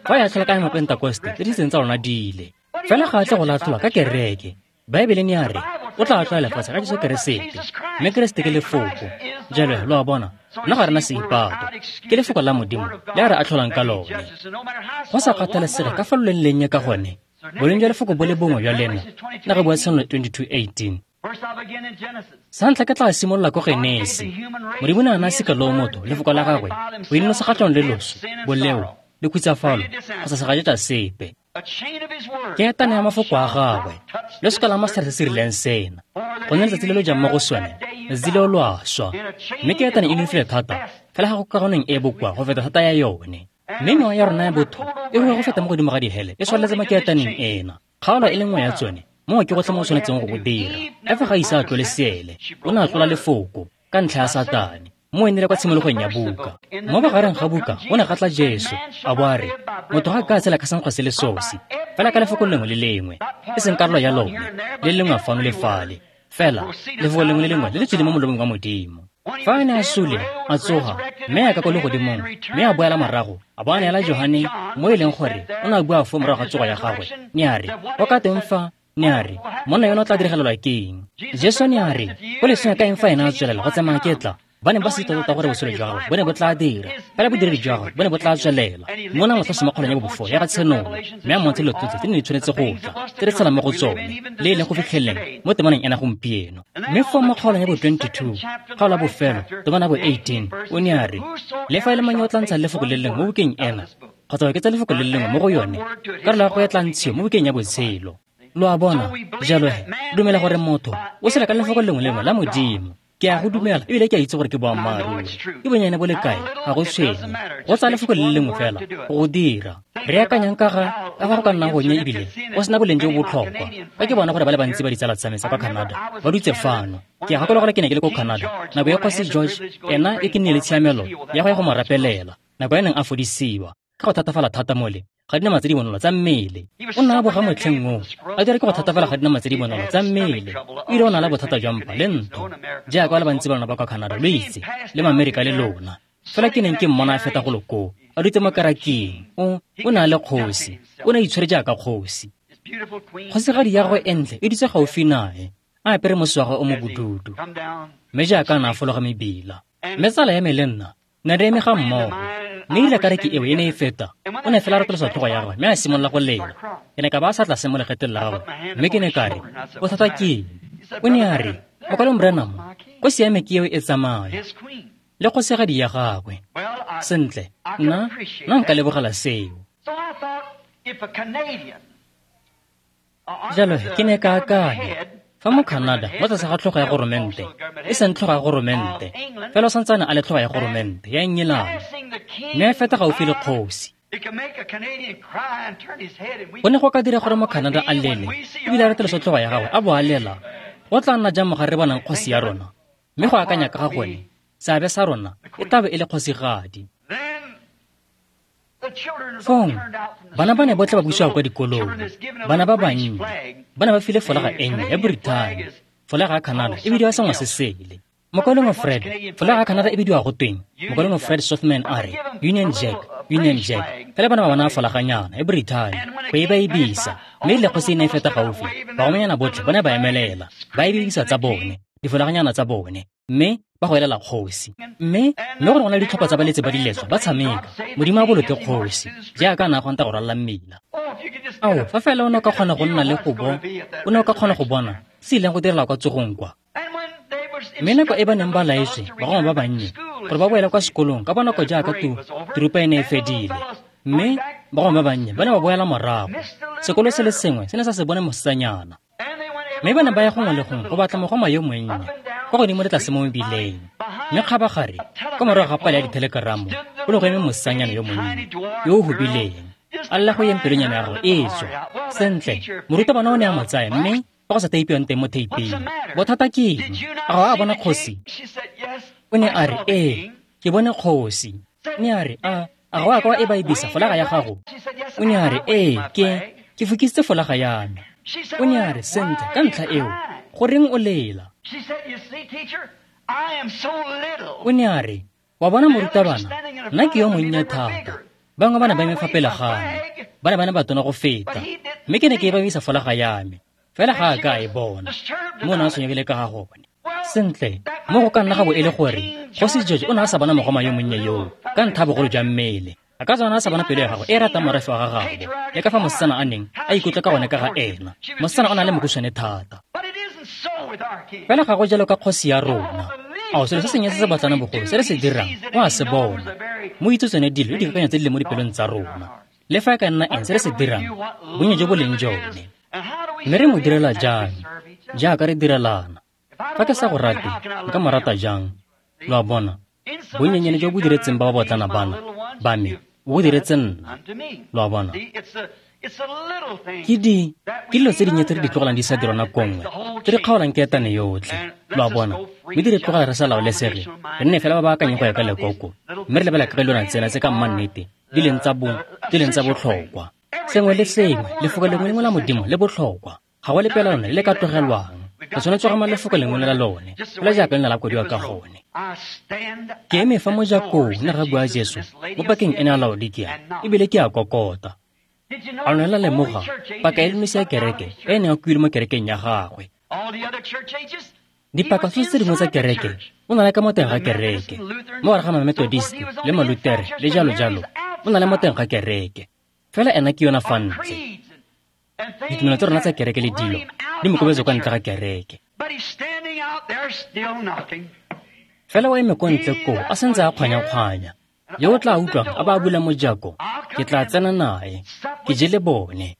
Fa a ya tlhola ka Mapentekoste, tse di seng tsa lona di ile. Fela ga a tle go latlhola ka kereke. Baebele ne a re, o tla atlhola lefatshe ka Jesu Keresete, mme Keresete ke lefoko. Jalo, lo a bona, nna ga rena seipato, ke lefoko la Modimo le a re atlholang ka lone. Go sa kgathalesege ka fa lo leng lennye ka gone, boleng jwa lefoko bo le bongwe jwa lena, nna re bua Tshenolo twenty-two eighteen. Sa ntlha ke tla simolola ko Genesi. Modimo ne a naya sika loo motho, lefoko la gagwe, go innosa kgatlhanong le loso, boleo, le khutsafalo, kgotsa segajetsa sepe. Ke etane ya mafoko a gagwe, le seka la masetlhare se se rileng sena, gonne letsatsi le lo jang mo go sone, letsatsi leo lo a swa. Mme ke etane e nonofile thata, fela ga go kagoneng e bokoa go feta thata ya yone. Mme mewa ya rona ya botho e rua go feta mo godimo ga dihele, e tshwaneletse mo keetaneng ena. Kgaolo e le nngwe ya tsone, moo ke gotlhe mo o tshwanetseng go go dira. Efa ga ise a tlole seele, o ne a tlola lefoko ka ntlha ya Satane. Mo e nele kwa tshimologong ya buka. Mo bogareng ga buka go ne ga tla Jesu, a bo a re, motho ga a ka a tshela ka senkgwa se le sosi, fela ka lefoko lengwe le lengwe, e seng karolo ya lone, le lengwe fano le fale, fela lefoko lengwe le lengwe le le tswile mo molomong wa Modimo. Fa a ne a sule, a tsoga, mme a ka ko legodimong, mme a boela morago, a bo a neela Johane, mo e leng gore o ne a bua foo morago ga tsogo ya gagwe, ne a re, go ka teng fa, ne a re, monna yono o tla diragalelwa ke eng? Jesu ne a re, go leswe ka eng fa ena a tswelela go tsamaya ke tla? Ba ne ba se tota gore botshelo jwa gagwe bo ne bo tla dira, fela bodiredi jwa gagwe bo ne bo tla tswelela. Mme o ne a mo tlhalosa mo kgaolong ya bobofo ya ga Tshenolo, mme a mmontsha dilo tsotlhe tse di ne di tshwanetse go tla, tse re tshelang mo go tsone, le e leng go fitlheleng mo temaneng ena gompieno. Mme foo mo kgaolong ya bo twenty-two, kgaolo ya bofelo, temana ya bo eighteen, o ne a re, le fa e le mang yo o tla ntshang lefoko le lengwe mo bukeng ena, kgotsa go oketsa lefoko le lengwe mo go yone, karolo ya gagwe e tla ntshiwa mo bukeng ya botshelo. Lo a bona, jalo he, dumela gore motho o tshela ka lefoko lengwe le lengwe la Modimo. Ke a go dumela ebile ke a itse gore ke boammaaruri. Ke bonnyane bo le kae, ga go tshwenye. Go tsaya lefoko le le lengwe fela go go dira. Re akanyang ka ga ka fa go ka nnang gonnye ebile go sena boleng jo bo botlhokwa. Fa ke bona gore ba le bantsi ba ditsala tsa me tsa kwa Canada ba dutse fano. Ke a gakologelwa ke ne ke le ko Canada nako e Kgosi George ena e ke nnile le tshiamelo ya go ya go mo rapelela nako e neng a fodisiwa ka go thatafala thata mole ga dinama tse di bonolo tsa mmele. O nna a boga motlheng oo a dira ke go thatafala ga dinama tse di bonolo tsa mmele. O ile o na le bothata jwa mpa le ntho jaaka ba le bantsi ba lona ba kwa Canada lo itse le Maamerika le lona. Fela ke neng ke mmona a feta golo koo a dutse mo karaking. O o ne a le kgosi, o ne a itshwere jaaka kgosi. Kgosigadi ya gagwe e ntle e dutse gaufi nae a apere mosese wa gagwe o mo bodudu, mme jaaka a ne a fologa mebila. Mme tsala ya me le nna ne re eme ga mmogo. Mme ile ka re ke eo e ne e feta, o ne fela a retolosa tlhogo ya gagwe mme a simolola go lela. Ke ne ka ba a sa tlase mo legetleng la gagwe mme ke ne ka re, bothata ke eng? O ne a re, Mokwalong Branham, kgosi ya me ke eo e tsamaya le kgosigadi ya gagwe. Sentle, nna nna nka lebogela seo. Jalo ke ne ka akanya, fa mo Canada mo tlase ga tlhogo ya goromente, e seng tlhogo ya goromente, fela o santsane a le tlhogo ya goromente ya Engelane, mme a feta gaufi le kgosi. Go ne go ka dira gore mo Canada a lele ebile a retolosa tlhogo ya gagwe a bo a lela. Go tla nna jang mo ga re bonang kgosi ya rona? Mme go akanya ka ga gone, seabe sa rona e tla be e le kgosigadi. Fong, bana ba ne botlhe ba busiwa kwa dikolong. Bana ba bannye ba ne ba file folaga e nnye ya Britain. Folaga ya Canada e bidiwa sengwe se sele. Mokwalengwe Fred, folaga ya Canada e bidiwa go tweng? Mokwalengwe Fred Sothman a re, Union Jack, Union Jack. Fela bana ba bona folaganyana ya Britain go e ba e bisa. Mme e rile kgosi e ne e feta gaufi, bagomanyana botlhe ba ne ba emelela, ba e bidisa tsa bone, difolaganyana tsa bone, mme ba go elela kgosi. Mme mme gore go na le ditlhopha tsa baletsi ba diletswa ba tshameka, Modimo a boloke kgosi jaaka a ne a kgonta go ralala mmila. Ao, fa fela o ne o ka kgona go nna le go bo, o ne o ka kgona go bona se ileng go direla kwa tsogong kwa. Mme nako e ba neng ba laetswe bagoma ba bannye gore ba boele kwa sekolong ka bonako jaaka tu turupa e ne e fedile, mme bagoma ba bannye ba ne ba boela morago. Sekolo se le sengwe se ne sa se bone mosetsanyana. Mme ba ne ba ya gongwe le gongwe go batla mogoma yo monnye kwa godimo le tlase mo mebileng. Mme kgabagare kwa morago ga pale ya dithelekeramo go ne go eme mosetsanyana yo monnye yo o hubileng a lela go yeng pelonyana ya gagwe e tswa. Sentle, morutabana o ne a mo tsaya mme fa go sa teipiwang teng mo theipeng. Bothata ke eng? A ga o a bona kgosi? O ne a re, ee, ke bone kgosi. Ne a re, a a ga o a ka wa e ba e bisa folaga ya gago? O ne a re, ee, ke ke fokisitse folaga ya me. O ne a re, sentle, ka ntlha eo, goreng o lela? O ne a re, wa bona morutabana, nna ke yo monnye thata. Bangwe ba ne ba eme fa pele ga me, ba ne ba ne ba tona go feta, mme ke ne ke e ba bisa folaga ya me. Fela ga a ka a e bona, mo o ne a tshwenyegile ka ga gone. Sentle, mo go ka nna ga bo e le gore Kgosi George o ne a sa bona mogoma yo monnye yoo ka ntlha bogolo jwa mmele. A ka tswa a sa bona pelo ya gagwe e ratang morafe wa ga gabo, le ka fa mosetsana a neng a ikutlwa ka gone ka ga ena. Mosetsana o na le mokhutswane thata. Fela ga go jalo ka kgosi ya rona. Ao, selo se sennye se se batlanang bogolo se re se dirang o a se bona. Mo itse tsone dilo le dikakanyo tse di leng mo dipelong tsa rona. Le fa e ka nna eng se re se dirang, bonnye jo bo leng jone. Mme re mo direla jang? Jaaka re direlana. Fa ke sa go rate, nka mo rata jang? Lo a bona, bonnyenyane jo bo diretseng ba ba botlana bana ba me, o bo diretse nna. Lo a bona, ke di ke dilo tse dinnye tse re di tlogelang di sa dirwa nako nngwe, tse di kgaolang keetane yotlhe. Lo a bona, mme di re tlogela re sa laolesege, re nne fela ba ba akanyeng go ya ka lekoko, mme re lebela ka dilwana tsena tse ka mmannete di leng tsa bo di leng tsa botlhokwa. Sengwe le sengwe, lefoko lengwe lengwe la Modimo le botlhokwa. Ga go lepe la lone le le ka tlogelwang. Re tshwanetse go ama lefoko lengwe la lone, fela jaaka le ne la kwadiwa ka gone. Ke eme fa mojakong, ne ga bua Jesu mo pakeng ena ya Laodikia, ebile ke a kokota. A lone la lemoga paka e le nosi ya kereke e e neng a kuilwe mo kerekeng ya gagwe. Dipaka tsotlhe tse dingwe tsa kereke o na le ka mo teng ga kereke, mo gare ga Mamethodist le Malutere le jalo jalo, o na le mo teng ga kereke. Fela ena ke yona fa ntle. Ditumelo tsa rona tsa kereke le dilo di mo kobetse kwa ntle ga kereke. Fela o eme ko ntle koo a santse a kgwanya-kgwanya. Yo o tla utlwang a ba a bula mojako, ke tla tsena nae, ke je le bone.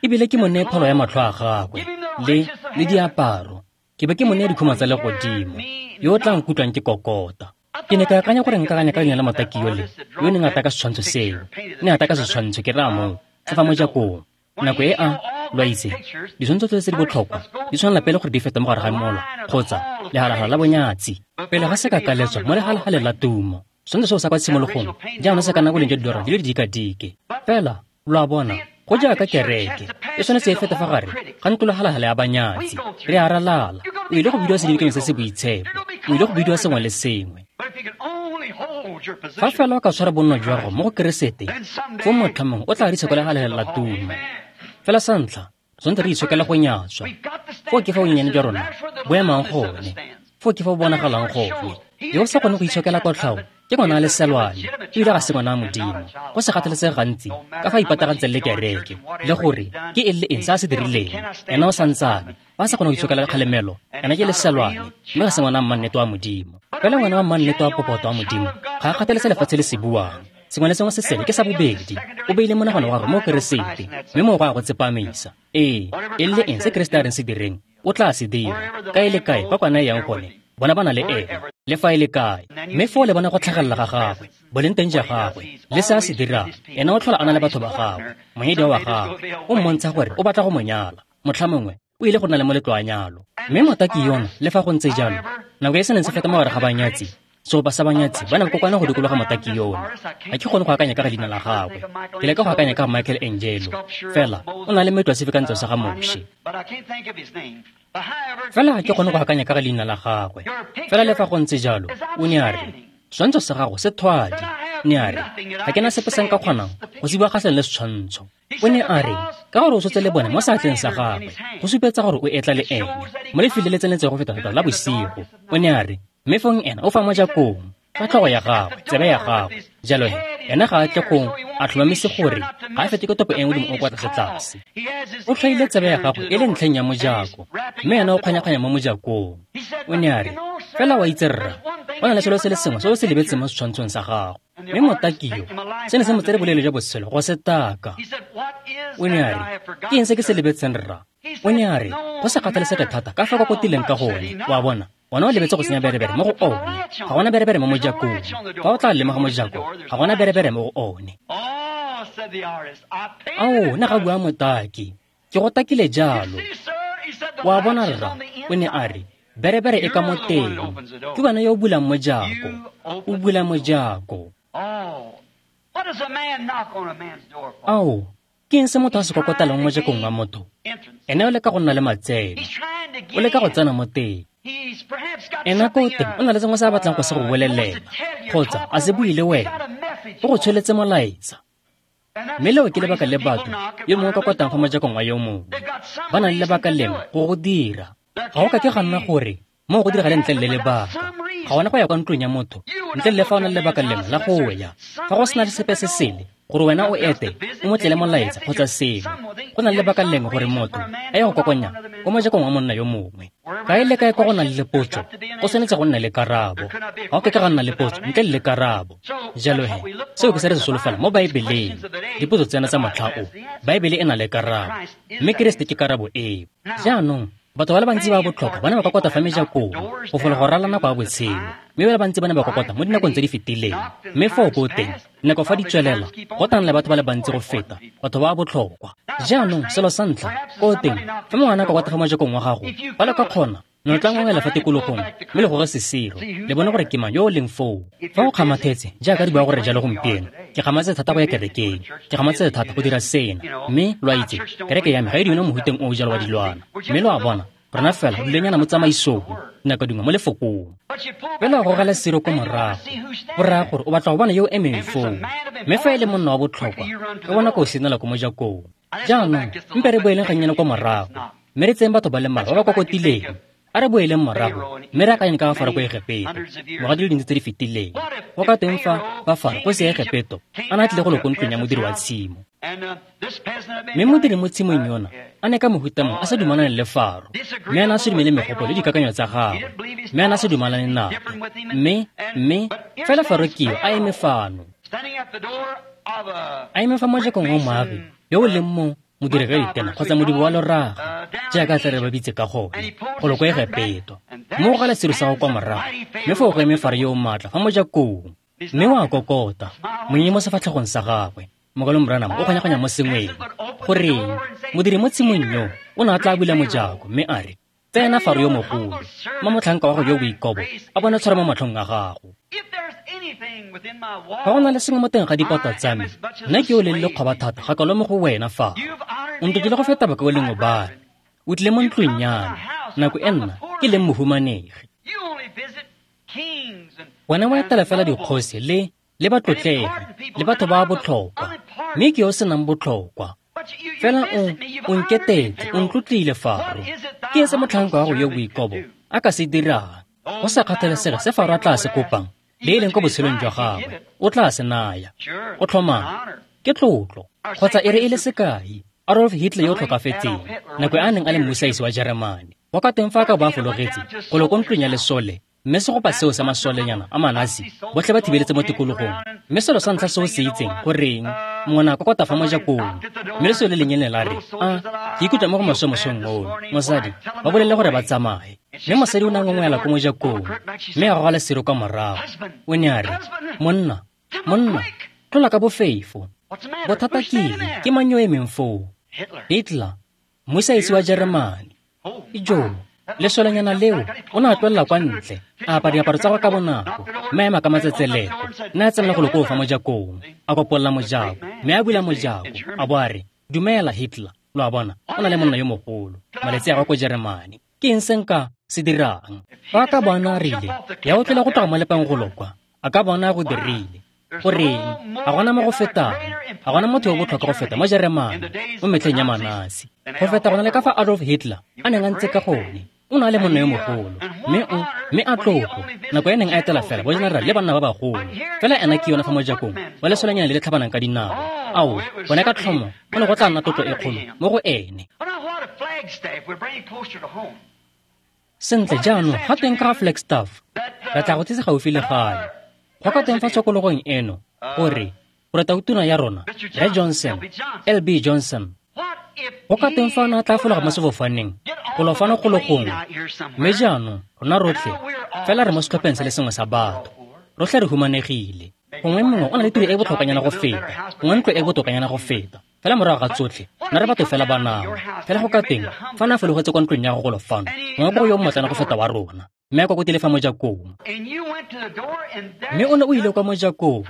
Ebile ke mo neye pholo ya matlho a gagwe le le diaparo, Ke be ke mo nea dikhuma tsa legodimo, yo o tla nkutlwang ke kokota. Ke ne ka akanya gore nka akanya ka leina la motaki yole yo neng a taka setshwantsho seo. Ne a taka setshwantsho ke raya moo, se fa mojakong. Nako e a, lo a itse, ditshwantsho tsotlhe tse di botlhokwa di tshwanela pele gore di fete mo gare ga mola kgotsa lehalagala la bonyatsi. Pele ga se ka kaletswa mo lehalahaleng la tumo. Setshwantsho seo sa kwa tshimologong jaanong se ka nna boleng jwa didolara di le didikadike. Fela, lo a bona, go jaaka kereke e tshwanetse e fete fa gare ga ntlo lehalagala ya banyatsi. Re a ralala. O ile go bidiwa sedibekeng se se boitshepo. O ile go bidiwa sengwe le sengwe. Fa fela o ka tshwara bonno jwa gago mo go Keresete, foo motlha mongwe o tla re kwa lehalagala la tumo. Fela sa ntlha, tshwanetse re itshokela go nyatswa. Foo ke fa bonyenyane jwa rona bo emang gone. Foo ke fa bo bonagalang gone. Yo o sa kgone go itshokela kotlhao ke ngwana a leselwane, ebile ga se ngwana a Modimo. Go se kgathalesege gantsi ka fa a ipatagantseng le kereke, le gore ke eng le eng se a se dirileng. Ena o santsane ba sa kgone go itshokela kgalemelo, ena ke leselwane, mme ga se ngwana a mmannete wa Modimo. Fela ngwana wa mmannete wa popoto wa Modimo ga a kgathalese lefatshe le se buang. Sengwe le sengwe se sele ke sa bobedi. O beile monagano wa gagwe mo Keresete, mme moo go a go tsepamisa. Ee, eng le eng se Keresete a reng se direng, o tla se dira. Kae le kae fa kwana e yang gone, bona ba na le ena, le fa e le kae. Mme foo le bona go tlhagelela ga gagwe, boleng teng ja gagwe, le se a se dirang. Ena o tlhola a na le batho ba gagwe, monyadiwa wa gagwe. O mmontsha gore o batla go mo nyala. Motlha mongwe o ile go nna le moletlo wa nyalo. Mme motaki yona, le fa go ntse jalo, nako e se neng se feta mo gare ga banyatsi, seopa sa banyatsi ba ne ba kokwana go dikologa motaki yona. Ga ke kgone go akanya ka ga leina la gagwe. Ke leka go akanya ka ga Michael Angelo. Fela o na le metlo ya sefikantswe sa ga Moshe. Fela ga ke kgone go akanya ka ga leina la gagwe. Fela le fa go ntse jalo, o ne a re, setshwantsho sa gago se thwadi. Ne a re, ga ke na sepe se nka kgonang go se bua kgatlhanong le setshwantsho. O ne a re, ka gore o tshotse le bone mo seatleng sa gagwe, go supetsa gore o etla le ene mo lefelong le le tseneletseng go feta-feta la bosigo. O ne a re, mme fong ena o fa mojakong ka tlhogo ya gagwe, tsebe ya gagwe. Jalo he, ena ga a tle go a tlhomamise gore ga a fete ke topo e nngwe le o kwa tlase-tlase. O tlhoile tsebe ya gagwe e le ntlheng ya mojako, mme ena o kgwanya-kgwanya mo mojakong. O ne a re, fela wa itse rra, go na le selo se le sengwe se o se lebetseng mo setshwantshong sa gago. Mme motaki yo, se ne se mo tsere boleele jwa botshelo go se taka. O ne a re, ke eng se ke se lebetseng rra? O ne a re, go se kgathalesege thata ka fa kokotileng ka gone, wa bona, ona o lebetse go senya berebere mo go one. Ga gona berebere mo mojakong. Fa o tla lemoga mojako, ga gona berebere mo go one. Ao, ne ga bua motaki, ke go takile jalo. Wa bona rra, o ne a re, berebere e ka mo teng. Ke wena yo o bulang mojako. O bula mojako. Ao, ke eng se motho a se kokotelang mo mojakong wa motho? Ene o leka go nna le matseno. O leka go tsena mo teng. Ena ko teng o na le sengwe se a batlang go se go bolelela, kgotsa a se bue le wena. O go tsholetse molaetsa. Mme leo ke lebaka le batho yo mongwe kokotang fa mojakong wa yo mongwe. Ba na le lebaka lengwe go go dira. Ga go ka ke ga nna gore moo go diragale ntle le lebaka. Ga gona go ya kwa ntlong ya motho ntle le fa o na le lebaka lengwe la go ya. Fa go sena sepe se sele gore wena o ete o mo tlele molaetsa kgotsa sengwe, go na le lebaka lengwe gore motho a ye go kokonya ko mojakong wa monna yo mongwe. Kae le kae kwa go nang le potso, go tshwanetse go nna le karabo. Ga go ka ke ga nna le potso ntle le karabo. Jalo he, seo ke se re se solofela mo Baebeleng. Dipotso tsena tsa motlha o, Baebele e na le karabo, mme Keresete ke karabo eo. Jaanong, batho ba le bantsi ba botlhokwa ba ne ba kokota fa mejakong go fola go ralala nako ya botshelo, mme ba le bantsi ba ne ba kokota mo dinakong tse di fetileng. Mme foo ko teng, nako fa di tswelela, go tla nna le batho ba le bantsi go feta batho ba botlhokwa. Jaanong, selo sa ntlha, ko teng, fa mongwe a kokota fa mojakong wa gago, ba le ka kgona, ne tla ngongela fa tikologong, mme le gore sesiro, le bone gore ke mang yo o leng foo. Fa o kgamathetse, jaaka di bua gore jalo gompieno, ke kgamathetse thata go ya kerekeng, ke kgamathetse thata go dira sena, mme lo a itse, kereke ya me ga e dumele mo mohuteng o o jalo wa dilwana. Mme lo a bona, rona fela dulenyana mo tsamaisong, nako dingwe mo lefokong. Fela go gogela siro ko morago, go raya gore o batla go bona yo o emeng foo. Mme fa e le monna wa botlhokwa, o bona ko o senela ko mojakong. Jaanong, mpe re boeleng gannyane kwa morago, mme re tseyeng batho ba le mmalwa ba ba kokotileng. A re boeleng morago, mme re akanyeng ka ga Faro ko Egepeto, ngwaga di le dintsi tse di fetileng. Go ka teng fa fa Faro ko se Egepeto a ne a tlile go lo ko ntlong ya modiri wa tshimo. Mme modiri mo tshimong yona a ne ka mohuta mongwe a sa dumalane le Faro, mme a ne a se dumele megopolo le dikakanyo tsa gagwe, mme a ne a se dumalane nape. Mme, mme, fela Faro ke yo a eme fano. A eme fa mojakong wa moagi yo o leng mo modiri ka ditena kgotsa modibo wa loraga, jaaka tla re ba bitse ka gone, golo ko Egepeto. Mme o gala seru sa go kwa morago, mme foo go eme Faro yo o maatla fa mojakong, mme o a kokota, monyenyo mo sefatlhegong sa gagwe. Mokalong Branham o kganyakganya mo sengweng. Goreng, modiri mo tshimong yo o ne a tla bula mojako mme a re, tsena Faro yo mogolo, mma motlhanka wa go yo boikobo a bone tshwaro mo matlhong a gago. Fa go na le sengwe mo teng ga dipota tsa me, nna ke o leng lekgoba thata ga kalo mo go wena fa. O ntlotlile go feta bakaulengwe ba me. O tlile mo ntlong ya me, nako e nna ke leng mohumanegi. Wena wa etela fela dikgosi le le batlotlegi le batho ba botlhokwa, mme ke yo o senang botlhokwa. Fela o o nketetse, o ntlotlile Faro. Ke eng se motlhanka wa go yo boikobo a ka se dirang? Go sa kgathalesege se Faro a tla se kopang, le e leng ko botshelong jwa gagwe, o tla se naya. Go tlhomame, ke tlotlo. Kgotsa e re e le sekai, Adolf Hitler yo o tlhokafetseng, nako e a neng a le mmusaesi wa Jeremane, go ka teng fa a ka bo a fologetse golo ko ntlong ya lesole, mme segopa seo sa masolenyana a Manasi botlhe ba thibeletse mo tikologong. Mme selo sa ntlha se o se itseng, goreng, mongwe ne a kokota fa mojakong, mme lesole le lennyane la re, a, ke ikutlwa mo go maswe mosong ono, mosadi, ba bolelele gore ba tsamaye. Mme mosadi o ne a ngongwela ko mojakong, mme a goga lesero kwa morago. O ne a re, monna, monna, tlola ka bofefo. Bothata ke eng? Ke mang yo emeng foo? Hitler, mmusaesi wa Jeremane. Ijo, lesolenyana leo o ne a tlolela kwa ntle, a apara diaparo tsa gagwe ka bonako, mme a ema ka matsetseleko, mme a tsenela golo koo fa mojakong, a kopolola mojako, mme a bula mojako, a bo a re, dumela Hitler. Lo a bona, o na le monna yo mogolo, malatsi a gagwe ko Jeremane. Ke eng se nka se dirang? Fa a ka bo a ne a rile, ya o tlola go tloga mo lepang golo kwa, a ka bona go dirile. Goreng, ga gona mo go fetang, ga gona motho yo botlhokwa go feta mo Jeremane mo metlheng ya Manasi, go feta go na le ka fa Adolf Hitler a neng a ntse ka gone. O ne a le monna yo mogolo, mme o mme a tlotlo, nako e neng a etela fela bojenerale le banna ba bagolo. Fela ena ke yona fa mojakong wa lesolenyana le le tlhabanang ka dinao. Ao, bone ka tlhomo go ne go tla nna tlotlo e kgolo mo go ene. Sentle jaanong, ga teng ka ga Flagstaff, re tla go tsisa gaufi le gae. Go ka teng fa tshokologong eno, gore gore tautona ya rona, Rre Johnson, L B Johnson, go ka teng fa o ne a tla fologa mo sefofaneng, golo fano golo gongwe. Mme jaanong, rona rotlhe, fela re mo setlhopheng se le sengwe sa batho. Rotlhe re humanegile. Gongwe mongwe o na le tiro e botlhokanyana go feta, gongwe ntlo e botokanyana go feta. Fela morago ga tsotlhe, nna re batho fela ba nama. Fela go ka teng, fa na fologetse kwa ntlong ya go golo fano, gongwe ko go yo mmotlana go feta wa rona, mme a kokotile fa mojakong. Mme o ne o ile kwa mojakong,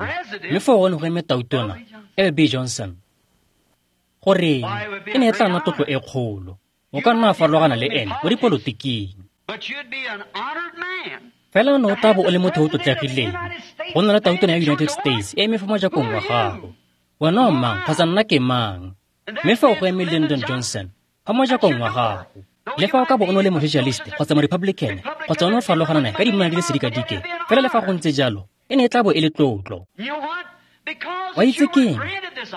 mme foo go ne go eme tautona, L B Johnson. Goreng, e ne e tla nna tlotlo e kgolo. O ka nna a farologana le ene mo dipolotiking. Fela o ne o tla bo o le motho yo o tlotlegileng, go nna le tautona ya United States e eme fa mojakong wa gago. Wena o mang kgotsa nna ke mang? Mme fa o go eme Lyndon Johnson fa mojakong wa gago. Le fa o ka bo o ne o le mo-socialist kgotsa mo-republican kgotsa o ne o farologana nae ka dimana di le sedikadike, fela le fa go ntse jalo, e ne e tla bo e le tlotlo. Wa itse keng?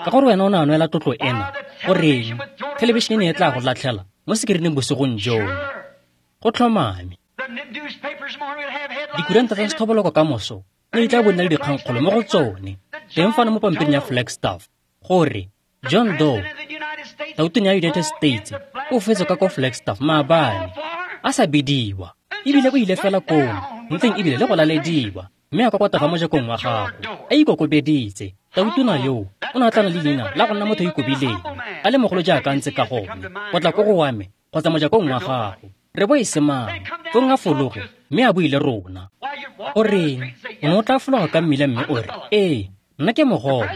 Ka gore wena o ne a nwela tlotlo ena, goreng, thelebišene e ne e tla go latlhela mo sekerineng bosigong jono. Go tlhomame. Dikuranta tsa sethoboloko ka moso ne di tla bo nna le dikgangkgolo mo go tsone, teng fano mo pampiring ya Flagstaff, gore John Doe, tautona ya United States, o fetse ka ko Flagstaff maabane, a sa bidiwa, ebile o ile fela koo, ntleng ebile le go lalediwa, mme a kokota fa mojakong wa gago, a ikokobeditse. Tautona yo o ne a tla na le leina la go nna motho yo ikobileng, a le mogolo jaaka a ntse ka gone, go tla ko go wa me kgotsa mojakong wa gago. Re bo e se mang, fong a fologe, mme a buile rona. Goreng, o ne o tla fologa ka mmila mme o re, ee, nna ke mogolo,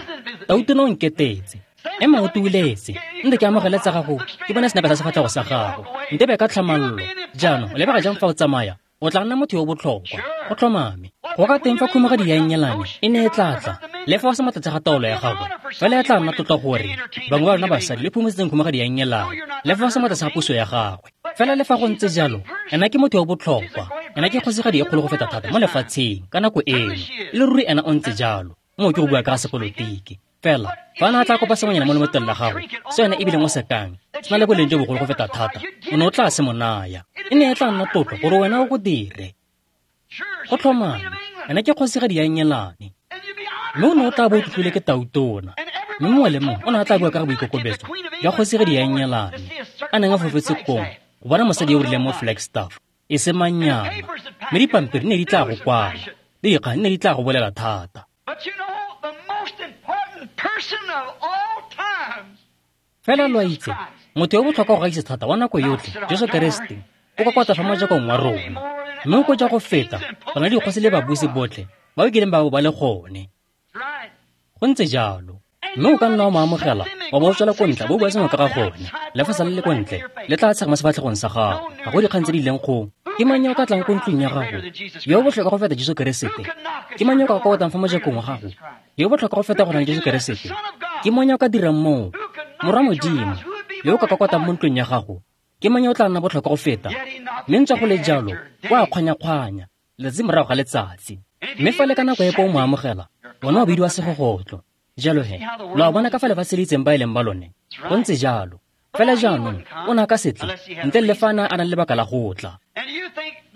tautona o nketetse. Ema o tuuletse, nte ke amogele tsa gago, ke bone senepe sa sefatlhego sa gago, ntebe ka tlhamallo. Jaanong, o lebega jang fa o tsamaya? O tla nna motho yo botlhokwa, go tlhomame. Go ka teng fa khumagadi ya Ennyelane e ne e tla tla, le fa o se mo tlase ga taolo ya gagwe, fela e tla nna tlotlo gore bangwe ba rona basadi le phomosetseng khumagadi ya Ennyelane, le fa o se mo tlase ga puso ya gagwe. Fela le fa go ntse jalo, ena ke motho yo botlhokwa, ena ke kgosigadi e kgolo go feta thata mo lefatsheng ka nako eno. E le ruri ena o ntse jalo, moo ke go bua ka ga sepolotiki. Fela, fa a ne a tla kopa sengwenyana mo lemotleng la gago, se wena ebileng o se kang, se na le boleng jo bogolo go feta thata, o ne o tla se mo naya. E ne e tla nna tlotlo gore wena o go dire. Go tlhomame, ena ke kgosigadi ya Ennyelane. Mme o ne o tla bo o tlotlile ke tautona. Mme mongwe le mongwe o ne a tla bua ka ga boikokobetso jwa kgosigadi ya Ennyelane a neng a fofetse kong go bona mosadi yo o rileng mo Flagstaff, e se mannyana. Mme dipampiri ne di tla go kwala, le dikgang ne di tla go bolela thata. Fela lo a itse, motho yo botlhokwa go gaisa thata wa nako yotlhe, Jesu Keresete, o kokota fa mojakong wa rona. Mme o koja go feta go na le dikgosi le babusi botlhe ba ba kileng ba bo ba le gone. Go ntse jalo. Mme o ka nna wa mo amogela wa bo o tswela ko ntle bo bua sengwe ka ga gone. Le fa sa le le ko ntle, le tla tshega mo sefatlhegong sa gago. Ga go dikgang tse di ileng go. Ke mang yo o ka tlang ko ntlong ya gago yo o botlhokwa go feta Jesu Keresete? Ke mang yo o ka kokotang fa mojakong wa gago yo o botlhokwa go feta go na le Jesu Keresete? Ke mang yo o ka dirang moo? Morwa Modimo yo o ka kokotang mo ntlong ya gago, ke mang yo o tla nna botlhokwa go feta? Mme ntswa go le jalo, o a kgwanya-kgwanya letsatsi morago ga letsatsi. Mme fa le ka nako epe o mo amogela, bona o bidiwa segogotlo. Jalo he, lo a bona ka fa lefatshe le itseng ba e leng ba lone. Go ntse jalo. Fela jaanong, o ne a ka se tle, ntle le fa a ne a na le lebaka la go tla.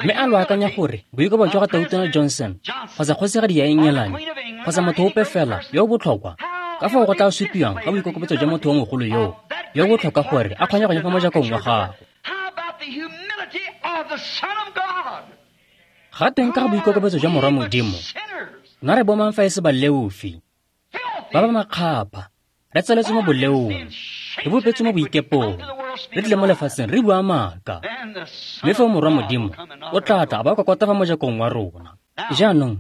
Mme a lo akanya gore boikobo jwa ga Tautona Johnson kgotsa kgosigadi ya Ennyelane kgotsa motho ope fela yo o botlhokwa, ka fao go tla supiwang ka boikokobetso jwa motho yo mogolo yoo yo o botlhokwa gore a kgwanya-kgwanye fa mojakong wa gago. Ga teng ka ga boikokobetso jwa Morwa Modimo, nna re bomang fa e se baleofi, ba ba makgapha, re tsaletswe mo boleong, re bopetswe mo boikepong, re tlile mo lefatsheng re bua maaka. Mme fa Morwa Modimo o tla tla a ba kokota fa mojakong wa rona. Jaanong,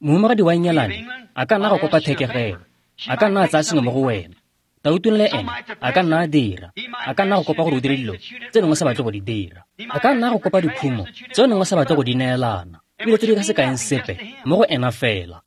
mohumagadi wa Ennyelane a ka nna go kopa thekegelo, a ka nna a tsaya sengwe mo go wena. Tautona le ene a ka nna a dira, a ka nna go kopa gore o dire dilo tse nengwe sa batle go di dira. A ka nna go kopa dikhumo tse nengwe sa batle go di neelana, ebile tse di ka se kaeng sepe mo go ena fela.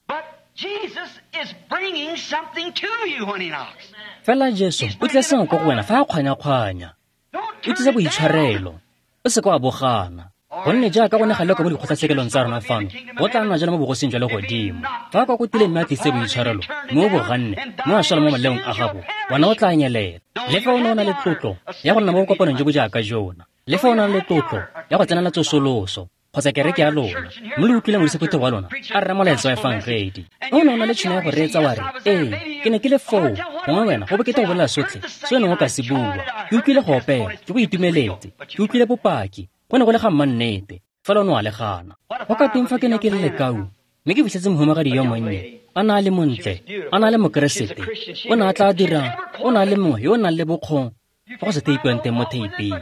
Fela Jesu o tlisa sengwe ko go wena fa a kgwanya-kgwanya. O tlisa boitshwarelo, o se ka wa bogana. Gonne jaaka go ne ga lekwa mo dikgotlatshekelong tsa rona fano, go tla nna jalo mo bogosing jwa legodimo. Fa a kokotile mme a tlise boitshwarelo, mme o boganne, mme a swela mo maleong a gago, wena o tla nyelela. Le fa o ne o na le tlotlo ya go nna mo bokopanong jo bo jaaka jona, le fa o na le tlotlo ya go tsenela tsosoloso kgotsa kereke ya lona, mme le utlwile modisa wa lona a rera molaetsa wa efangedi, o ne o na le tšhono ya go reetsa wa re, ee, ke ne ke le foo, gongwe wena go bokete go bolela sotlhe se o neng o ka se bua. Ke utlwile go opela, ke go itumeletse, ke utlwile bopaki, go ne go le ga mmannete, fela o ne wa le gana. Go ka teng fa ke ne ke le lekau, mme ke fitlhetse mohumagadi yo monnye, a na a le montle, a na a le mokeresete, o ne a tla dira, o na a le mongwe yo o nang le bokgong fa go se teipiwang teng mo theiping.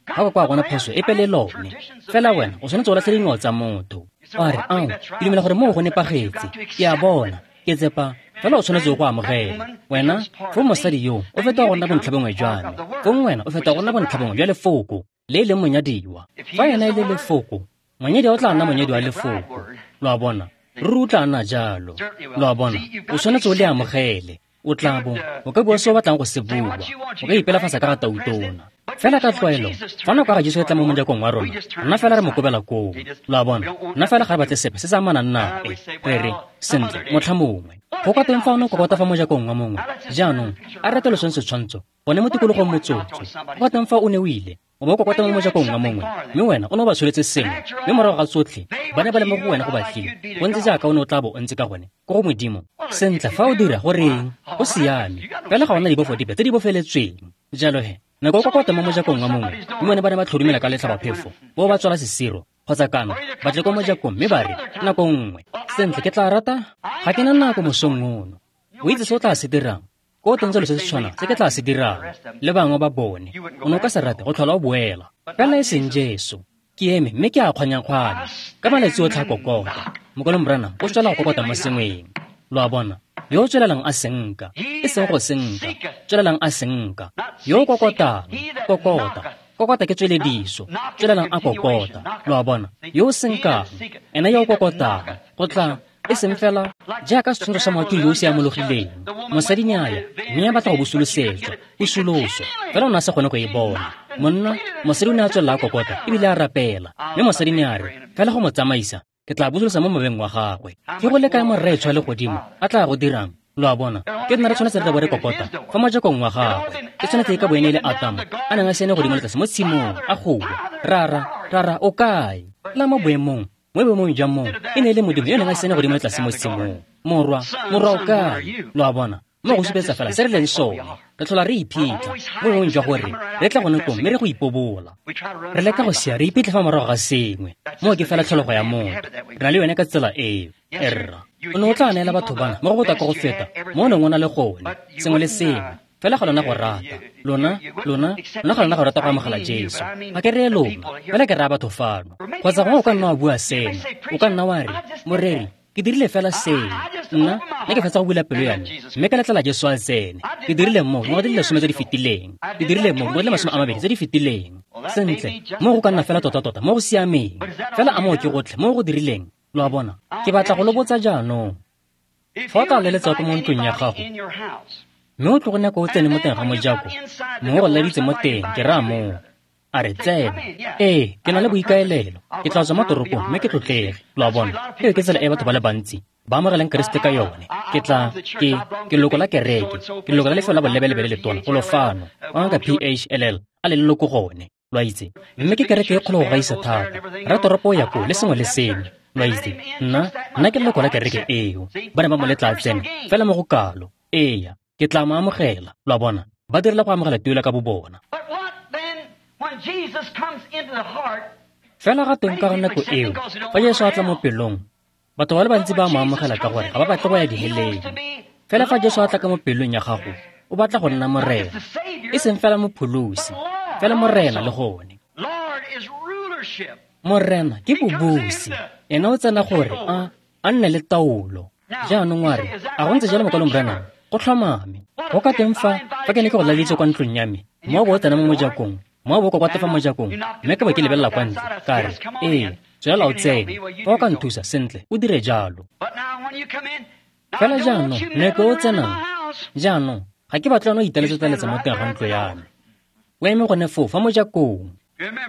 Ga go kwa gona phoso epe le lone. Fela wena o tshwanetse o latlhe dingwao tsa motho. O a re, ao, ke dumela gore moo go nepagetse, ke a bona, ke tsepa, fela o tshwanetse go amogela. Wena, fo mosadi yo, o feta go nna bontlhabongwe jwa me. Fong wena o feta go nna bontlhabongwe jwa lefoko le e leng monyadiwa. Fa ena e le lefoko, monyadiwa o tla nna monyadiwa wa lefoko. Lo a bona, ruri o tla nna jalo. Lo a bona, o tshwanetse o le amogele. O tla bo o ka bua se o batlang go se bua, o ka ipelafatsa ka ga tautona. Fela ka tlwaelo, fa nako ya ga Jesu e tla mo mojakong wa rona, nna fela re mo kobela koo. Lo a bona, nna fela ga re batle sepe se se amanang nae. Re re, sentle, motlha mongwe. Go ka teng fa o ne o kokota fa mojakong wa mongwe. Jaanong, a re rate setshwantsho, gone mo tikologong motsotso. Go ka teng fa o ne o ile, o bo kokota mo mojakong wa mongwe, mme wena o ne o ba tsholetse sengwe, mme morago ga tsotlhe, ba ne ba le mo go wena go batlile. Go ntse jaaka o ne o tla bo o ntse ka gone, ko go Modimo. Sentle, fa o dira go reng, go siame, fela ga ona dibofo dipe tse di bofeletsweng. Jalo he, nako o kokota mo mojakong wa mongwe, mme bone ba ne ba tlhodumela ka letlhabaphefo, bo ba tswala sesiro, kgotsa kana, ba tle ko mojakong mme ba re, nako nngwe, sentle ke tla rata, ga ke na nako mosong ono. O itse se o tla se dirang, ko teng selo se se tshwanang se ke tla se dirang, le bangwe ba bone, o ne o ka se rate go tlhola o boela. Fela e seng Jesu, ke eme mme ke a kgwanya-kgwanya, ka malatsi otlhe a kokota. Mokolong Branham o tswela go kokota mo sengweng. Lo a bona, yo o tswelelang a senka, e seng go senka, tswelelang a senka. Yo o kokotang, kokota, kokota ke tswelediso, tswelelang a kokota. Lo a bona, yo o senkang, ena yo o kokotang, go tla e seng fela jaaka setshwantsho sa moatlhodi yo o siamologileng. Mosadi ne a ya, mme a batla go busolosetswa, pusoloso, fela o ne a sa kgone go e bona. Monna, mosadi o ne a tswelela a kokota ebile a rapela, mme mosadi ne a re, fela go mo tsamaisa, ke tla busolosa mo moweng wa gagwe. Ke go le kae morraetsho wa legodimo a tla go dirang? Lo a bona, ke nna re tshwanetse re tla bo re kokota fa mojakong wa gagwe. Ke tshwanetse e ka bo ene e le Atamo a neng a sene godimo le tlase mo tshimong, a goa, rara, rara, o kae? La mo boemong, mo boemong jwa mong, e ne e le Modimo yo neng a sene godimo le tlase mo tshimong. Morwa, morwa o kae? Lo a bona? Mo go supetsa fela se re leng sone. Re tlhola re iphitlha mo boemong jwa gore re tla gone koo mme re go ipobola. Re leka go sia re iphitlhe fa morago ga sengwe. Moo ke fela tlholego ya motho. Re na le yone ka tsela eo. Erra, o ne o tla neela batho bana mo go botoka go feta mo o neng o na le gone, sengwe le sengwe. Fela ga lona go rata. Lona, lona, lona ga lona go rata go amogela Jesu. Ga ke reye lona, fela ke raya batho fano. Kgotsa gongwe o ka nna wa bua sena. O ka nna wa re, moreri, ke dirile fela seno. Nna, nna ke fetsa go bula pelo ya me, mme ka letlela Jesu a tsene. Ke dirile mo dingwaga di le lesome tse di fetileng. Ke dirile mo dingwaga di le masome a mabedi tse di fetileng. Sentle, mo go ka nna fela tota-tota mo go siameng. Fela a moo ke gotlhe mo go dirileng. Lo a bona? Ke batla go lo botsa jaanong. Fa o tla leletsa ko mo ntlong ya gago, mme o tlogo nako o tsene mo teng ga mojako, mongwe go laleditse mo teng, ke raya moo. A re tsena. Ee, ke na le boikaelelo. Ke tla tswa mo toropong mme ke tlotlege. Lo a bona? Eo ke tsela e batho ba le bantsi ba amogelang Keresete ka yone. Ke tla, ke, ke leloko la kereke. Ke leloko la lefelo la bolebelebe le letona, golo fano. Wa ngaka P H L L, a le leloko gone. Lo a itse? Mme ke kereke e kgolo go gaisa thata. Ratoropo o ya koo le sengwe le sengwe. Lo a itse? Nna, nna ke leloko la kereke eo. Ba ne ba mo letla a tsena, fela mo go kalo. Eya, ke tla mo amogela. Lo a bona? Ba direla go amogela tuelo ka bobona. Fela ga teng ka nako eo, fa Jesu a tla mo pelong, batho ba le bantsi ba mo amogela ka gore ga ba batle go ya diheleng. Fela fa Jesu a tla ka mo pelong ya gago, o batla go nna morena, e seng fela mopholosi, fela morena le gone. Morena ke bobusi, ena o tsena gore a a nne le taolo. Jaanong wa re, a go ntse jalo mokwalong Branham? Go tlhomame. Go ka teng fa, fa ke ne ke go laleditse kwa ntlong ya me, mo bo o tsena mo mojakong, mo bo kwa fa mojakong, mme ka bo ke lebelela kwa ntle, ka re, ee, tswelela o tsene, fa o ka nthusa sentle, o dire jalo. Fela jaanong, nako e o tsenang, jaanong, ga ke batle o italetsa-taletsa mo teng ga ntlo ya me. O eme gone foo fa mojakong.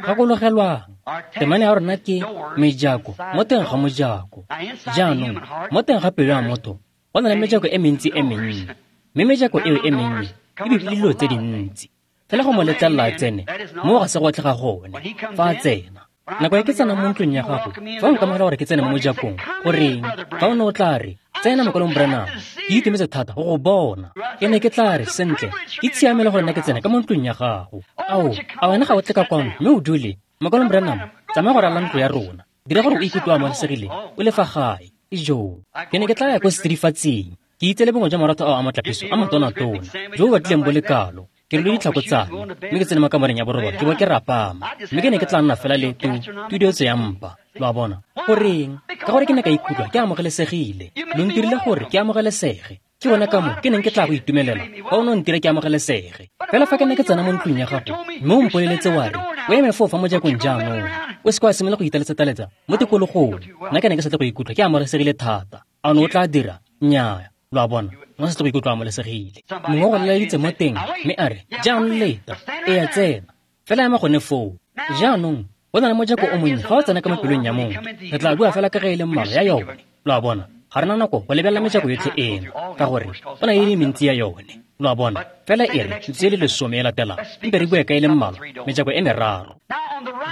Gakologelwang, temane ya rona ke mejako mo teng ga mojako. Jaanong, mo teng ga pelo ya motho, go na le mejako e mentsi e mennye, mme mejako eo e mennye e bibile dilo tse dintsi. Fela go mo letlelela a tsene, moo ga se gotlhe ga gone. Fa a tsena, nako e ke tsena mo ntlong ya gago, fa o nkamogela gore ke tsene mo mojakong, goreng, fa o ne o tla re, tsena mokwalong Branham, ke itumetse thata go go bona. Ke ne ke tla re, sentle, ke tshiamelo gore nna ke tsene ka mo ntlong ya gago. Ao, a wena ga o tle ka kwano mme o dule, mokwalong Branham, tsamaya go ralala ntlo ya rona. Dira gore o ikutlwe o amogelesegile, o le fa gae. Ijoo, ke ne ke tla ya ko setsidifatsing, ke itse le bongwe jwa maratho ao a motlapiso a motona-tona, jo bo batlileng bo le kalo. Ke rwele ditlhako tsa me, mme ke tsene mo kamoreng ya borobalo, ke bo ke rapama, mme ke ne ke tla nna fela le tu, tudietso ya mpa. Lo a bona? Goreng? Ka gore ke ne ka ikutlwa ke amogelesegile. Lo ntirile gore ke amogelesege. Ke bona ka moo ke neng ke tla go itumelela fa o ne o ntira ke amogelesege. Fela fa ke ne ke tsena mo ntlong ya gago, mme o mpoleletse wa re, o eme foo fa mojakong jaanong, o se ke wa simolola go italetsa-taletsa mo tikologong. Nna ke ne ke sa tle go ikutlwa ke amogelesegile thata. A o ne o tla dira? Nnyaa. Lo a bona? O sa tle go ikutlwa amogelesegile. Mongwe o go laleditse mo teng, mme a re, jaanong leta, e a tsena. Fela ema gone foo. Jaanong, go na le mojako o monnye fa o tsena ka mo pelong ya motho. Re tla bua fela ka ge e le mmalwa ya yone. Lo a bona? Ga re na nako go lebelela mejako yotlhe eno, ka gore go na le e le mentsi ya yone. Lo a bona? Fela e re metsotso e le lesome e latelang, mpe re bue ka e le mmalwa, mejako e meraro.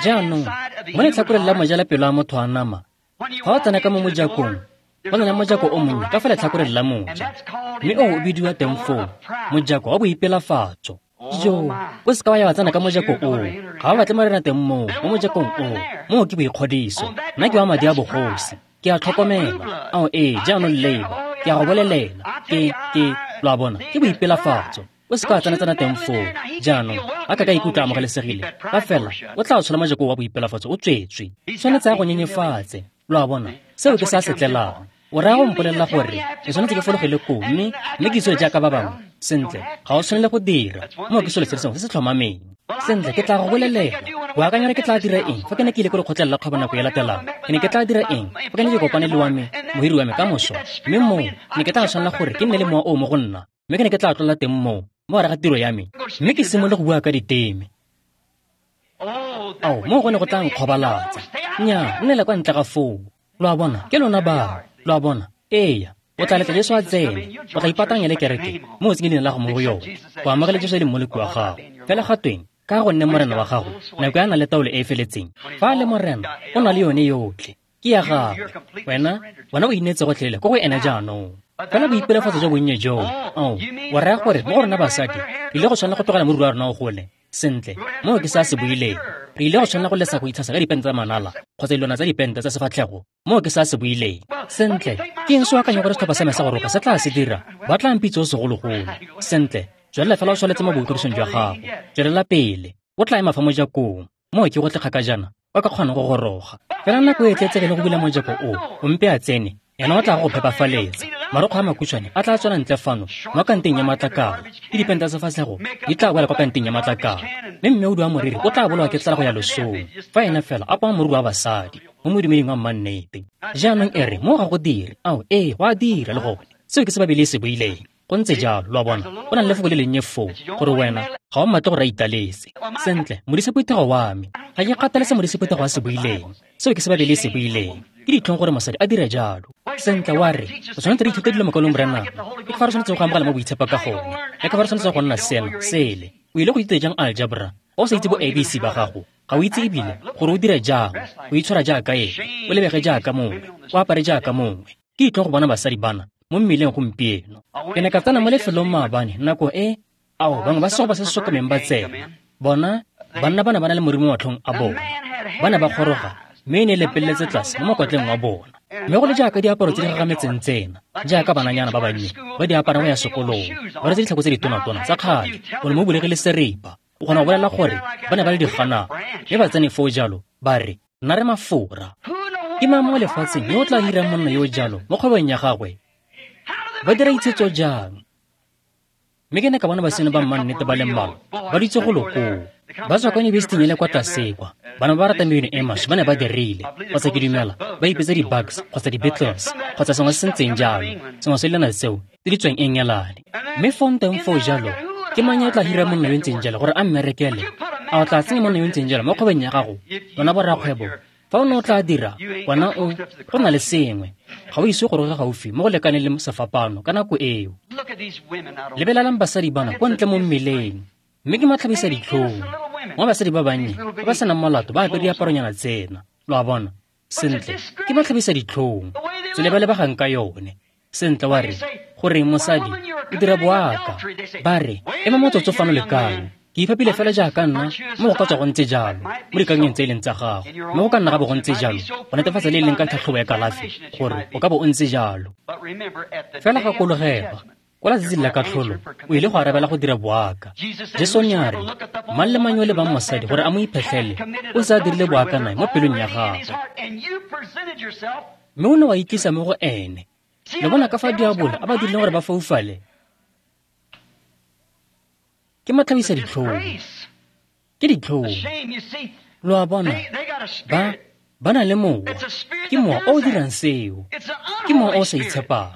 Jaanong, mo letlhakoreng la moja la pelo ya motho a nama, fa o tsena ka mo mojakong, go na le mojako o monnye ka fa letlhakoreng la moja, mme oo o bidiwa teng foo, mojako wa boipelafatso. Jo, o se ka wa ya wa tsena ka mojako oo. Ga o batle morena teng moo, mo mojakong oo. Moo ke boikgodiso. Nna ke wa madi a bogosi. Ke a tlhokomela. Ao ee, jaanong leba. Ke a go bolelela. Ke, ke, lo a bona, ke boipelafatso. O se ka wa tsena-tsena teng foo. Jaanong, a ka ka ikutlwa amogelesegile. Ka fela, o tla o tshola mojako wa boipelafatso o tswetswe. Tshwanetse a go nyenyefatse. Lo a bona, seo ke se a se tlelang. O raya go mpolelela gore ke tshwanetse ke fologele koo, mme mme ke itshwere jaaka ba bangwe. Sentle, ga o tshwanele go dira. Moo ke selo se le sengwe se se tlhomameng. Sentle, ke tla go bolelela. O akanya gore ke tla dira eng fa ke ne ke ile ko lekgotleng la kgwebo nako e latelang? Ke ne ke tla dira eng fa ke ne ke kopane le wa me, mohiri wa me ka moso? Mme moo, ne ke tla tshwanela gore ke nne le mowa oo mo go nna, mme ke ne ke tla tlola teng moo, mo gare ga tiro ya me, mme ke simolole go bua ka diteme. Ao, moo go ne go tla nkgobalatsa. Nnyaa, nnela kwa ntle ga foo. Lo a bona, ke lona bao. Lo a bona? Eya, o tla letla Jesu a tsene, o tla ipatanya le kereke mo o tsenye leina la go mo go yone, go amogela Jesu e le mmoloki wa gago. Fela ga tweng, ka go nne morena wa gago, nako ya na le taolo e e feletseng. Fa a le morena, o na le yone yotlhe. Ke ya gagwe. Wena, wena o inetse gotlhelele ko go ene jaanong. Fela boipelafatso jo bonnye joo, ao, wa raya gore mo go rona basadi, re ile go tshwanela go tlogela moriri wa rona o gole. Sentle, moo ke se a se buileng. Re ile go tshwanela go lesa go itshasa ka dipente tsa manala kgotsa dilwana tsa dipente tsa sefatlhego. Moo ke se a se buileng. Sentle, ke eng se o akanya gore setlhopha sa me sa go roka se tla se dira? Ba tla mpitse o segologolo. Sentle, tswelela fela o tshwanetse mo boikodisong jwa gago. Tswelela pele. O tla ema fa mojakong. Moo ke go tle kgakajana, o ka kgona go goroga. Fela nako e tletsege le go bula mojako o, o mpe a tsene, ena o tla go phepafaletsa. Marokgwe a makhutshwane a tla tswela ntle fano mo kanteng ya matlakala, le dipente tsa sefatlhego di tla boela kwa kanteng ya matlakala. Mme mmeodi wa moriri o tla bolawa ke tlala go ya losong, fa ena fela a poma moriri wa basadi mo modumeding wa mmannete. Jaanong e re mo ga go dire, ao ee, go a dira le gone. Seo ke se Baebele e se buileng. Go ntse jalo, lo a bona, go na le lefoko le lennye foo, gore wena ga o mmatle gore a italetse. Sentle, modisephuthego wa me, ga ke kgathale se modisephuthego a se buileng. Seo ke se Baebele e se buileng. Ke ditlhong gore mosadi a dire jalo. Sentle, wa re, o tshwanetse re ithute dilo mokwalong Branham. Ke fa re tshwanetse go amogela mo boitshepo ka gone. Le ka fa re tshwanetse go nna sena, sele. O ile go ithuta jang algebra? O sa itse bo A B C ba gago. Ga o itse ebile gore o dire jang, o itshwara jaaka eng, o lebege jaaka mongwe, o apare jaaka mongwe. Ke ditlhong go bona basadi bana mo mmileng gompieno. Ke ne ka tsena mo lefelong maabane nako e, ao, bangwe ba segopa se se sokameng ba tsena. Bona, banna ba ne ba na le moriri mo matlhong a bona. Ba ne ba goroga, mme e ne e lepeletse tlase mo mokwatleng wa bona. Mme go le jaaka diaparo tse di gagametseng tsena, jaaka bananyana ba bannye ba di aparang go ya sekolong, ba rwetse ditlhako tse ditonatona tsa kgale, o ne mo bulegile seripa. O kgona go bolela gore ba ne ba le diganana, mme ba tsene foo jalo, ba re, nna re mafora. Ke mang mo lefatsheng yo o tla hirang monna yo o jalo mo kgwebong ya gagwe? Ba dira itshetso jang? Mme ke ne ka bona basene ba mmannete ba le mmalwa ba dutse golo koo. Ba tswa kwa yunibesiting e le kwa tlase kwa. Bana ba ba ratang mebino e maswe ba ne ba dirile, kgotsa ke dumela, ba ipetsa di-Bugs kgotsa di-Beatles kgotsa sengwe se se ntseng jalo, sengwe se lena tseo tse di tswang Engelane. Mme foo teng foo jalo, ke mang yo o tla hira monna yo ntseng jalo gore a mmerekele? A o tla tsenya monna yo ntseng jalo mo kgwebong ya gago? Lona borrakgwebo, fa o ne o tla dira, wena o, go na le sengwe. Ga o ise go goroge gaufi mo go lekaneng le sefapano ka nako eo. Lebelelang basadi bana kwa ntle mo mmeleng, mme ke matlhabisa ditlhong. Mo basadi ba bannye ba ba senang molato ba apere diaparonyana tsena, lo a bona. Sentle, ke matlhabisa ditlhong. Tsela ba lebegang ka yone. Sentle, wa re, goreng mosadi o dira boaka? Ba re, ema motsotso fano le kang. Ke iphapile fela jaaka nna, mo go ka tswa go ntse jalo, mo dikakanyong tse e leng tsa gago. Mme go ka nna ga bo go ntse jalo, go netefatsa le e leng ka tlhatlhobo ya kalafi, gore o ka bo o ntse jalo. Fela gakologelwa, kwa letsatsing la katlholo, o ile go arabela go dira boaka. Jesu ne a re, mang le mang yo o lebang mosadi gore a mo iphetlhele, o se a dirile boaka nae mo pelong ya gagwe. Mme o ne wa itlisa mo go ene. Le bona ka fa diabolo a ba dirileng gore ba foufale? Ke matlhabisa ditlhong. Ke ditlhong. Lo a bona, ba, ba na le mowa. Ke mowa o o dirang seo. Ke mowa o o sa itshepang.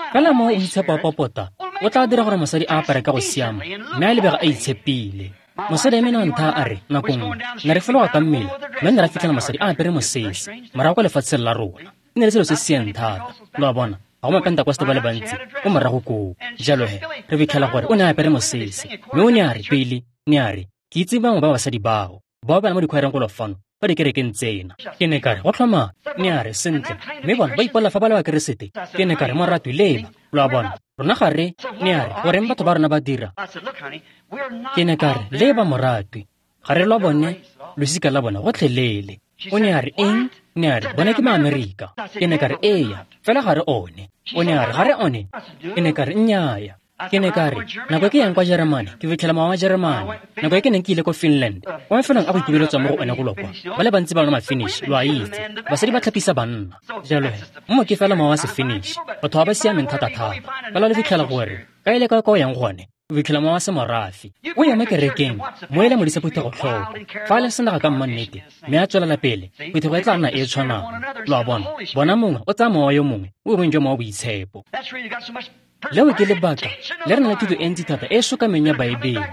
Fela mowa o itshepa wa popota, o tla dira gore mosadi a apare ka go siama, mme a lebega a itshepile. Mosadi a mena ntha a re, nako nngwe, ne re fologa ka mmele, mme ne ra fitlhela mosadi a apere mosese, morago kwa lefatsheng la rona. E ne le selo se se siang thata. Lo a bona, ga go mapentekoste ba le bantsi ko morago koo. Jalo he, re fitlhela gore o ne a apere mosese, mme o ne a re pele, ne a re, ke itse bangwe ba basadi bao, bao ba le mo dikhwaereng golo fano, ba dikerekeng tsena. Ke ne ka re, go tlhoma, ne a re, sentle, mme bona ba ipolela fa ba le ba Keresete. Ke ne ka re, moratwi, leba, lo a bona, rona ga re, ne a re, goreng batho ba rona ba dira? Ke ne ka re, leba moratwi, ga re lwa bone, losika la bona gotlhelele. O ne a re, eng? Ne a re, bone ke maAmerika. Ke ne ka re, eya, fela ga re one. O ne a re, ga re one? Ke ne ka re, nnyaya. Ke ne ka re, nako e ke yang kwa Jeremane, ke fitlhela mowa wa Jeremane. Nako e ke neng ke ile ko Finland, kwa mafelong a go ikobeletswang mo go one golo kwa, ba le bantsi ba lona ma-Finnish, lo a itse, basadi ba tlhapisa banna. Jalo he, mo ke fela mowa wa se-Finnish, batho ba ba siameng thata-thata. Fela le fitlhela gore, ka ile ka kwa o yang gone, o fitlhela mowa wa semorafe. O ya mo kerekeng, mo ele modisa phuthego tlhoko. Fa a le senaga ka mmannete, mme a tswelela pele, phuthego e tla nna e e tshwanang. Lo a bona, bona mongwe o tsaya mowa yo mongwe, o bong jwa mowa boitshepo. Leo ke lebaka le re nang le thuto e ntsi thata e e sokameng ya Baebele.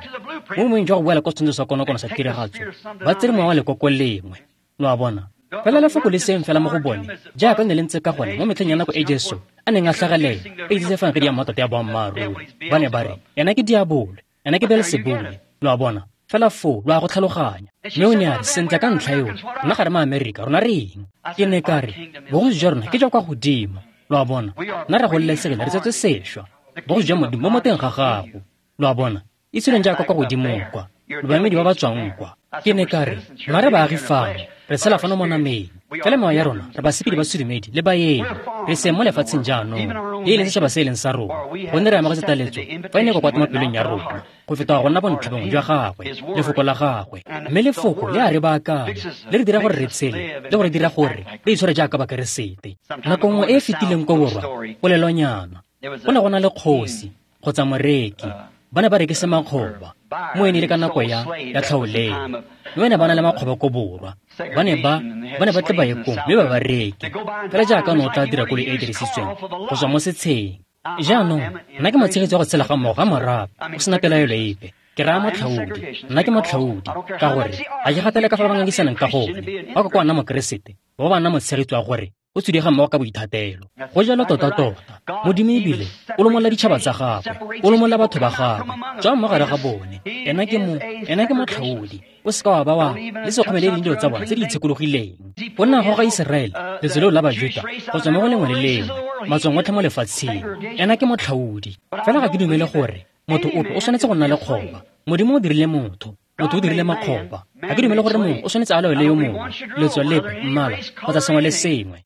Mo mongwe jwa go boela kwa setshwantsho sa konokono sa tiragatso, ba tsere mowa wa lekoko lengwe. Lo a bona, fela lefoko le seng fela mo go bone, jaaka le ne le ntse ka gone mo metlheng ya nako e Jesu a neng a tlhagelela, a itsise efangedi ya mmatota ya boammaaruri. Ba ne ba re, ena ke diabolo, ena ke Beelsebule. Lo a bona, Fela foo lo a go tlhaloganya. Mme o ne a re, sentle ka ntlha eo, rona ga re maAmerika, rona re eng? Ke ne ka re, bogosi jwa rona ke jwa kwa godimo. Lo a bona, nna re gololesegile, re tsetswe sešwa. Bogosi jwa Modimo bo mo teng ga gago. Lo a bona, itsholeng jaaka kwa godimo kwa, lo baemedi ba ba tswang kwa. Ke ne ka re, rona re baagi fano, re tshela fano mo nameng. Fela mewa ya rona, re basepedi ba sedumedi le baeng. Re seng mo lefatsheng jaanong, le e leng setšhaba se e leng sa rona. Gonne re amogetse taletso, fa e ne e kokota mo pelong ya rona, go feta go nna bontlhabongwe jwa gagwe, lefoko la gagwe. Mme lefoko le a re baakanya, le re dira gore re tshele, le go re dira gore re itshware jaaka Bakeresete. Nako nngwe e e fetileng ko borwa, polelonyana, go ne go na le kgosi kgotsa moreki. Ba ne ba rekisa makgoba mo e ne e le ka nako ya ya tlhaolele. Mme ba ne ba na le makgoba ko borwa. Ba ne ba ba ne ba tle ba ye kong mme ba ba reke. Fela jaaka o ne o tla dira koloi e e dirisitsweng go tswa mo setsheng. Jaanong, nna ke motshegetsi wa go tshela ga mmogo ga morafe go sena pelaelo epe. Ke raya motlhaodi, nna ke motlhaodi, ka gore ga ke gatele ka fa ba ngangisanang ka gone. Ba ka kwa nna Mokeresete, ba ba nna motshegetsi wa gore o tswile ga mmogo ka boithatelo. Go jalo tota-tota, Modimo ebile o lomolla ditšhaba tsa gagwe, o lomolla batho ba gagwe, tswang mo gare ga bone. Ena ke mo, ena ke motlhaodi. O seka wa ba wa le se kgomele dilo tsa bona tse di itshekologileng. Go nna go ga Iseraele, letso leo la Bajuta, go tswa mo go lengwe le lengwe, matswang otlhe mo lefatsheng. Ena ke motlhaodi. Fela ga ke dumele gore motho ope o tshwanetse go nna le kgoba. Modimo o dirile motho, motho o dirile makgoba. Ga ke dumele gore mongwe o tshwanetse a laole yo mongwe, letso lepe, mmala, kgotsa sengwe le sengwe.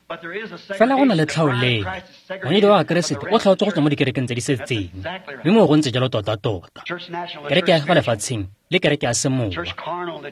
Fela go na le tlhaolele. Monyadi wa Keresete o tlhaotswe go tswa mo dikerekeng tse di setseng, mme moo go ntse jalo tota-tota. Kereke ya fa lefatsheng le kereke ya semowa,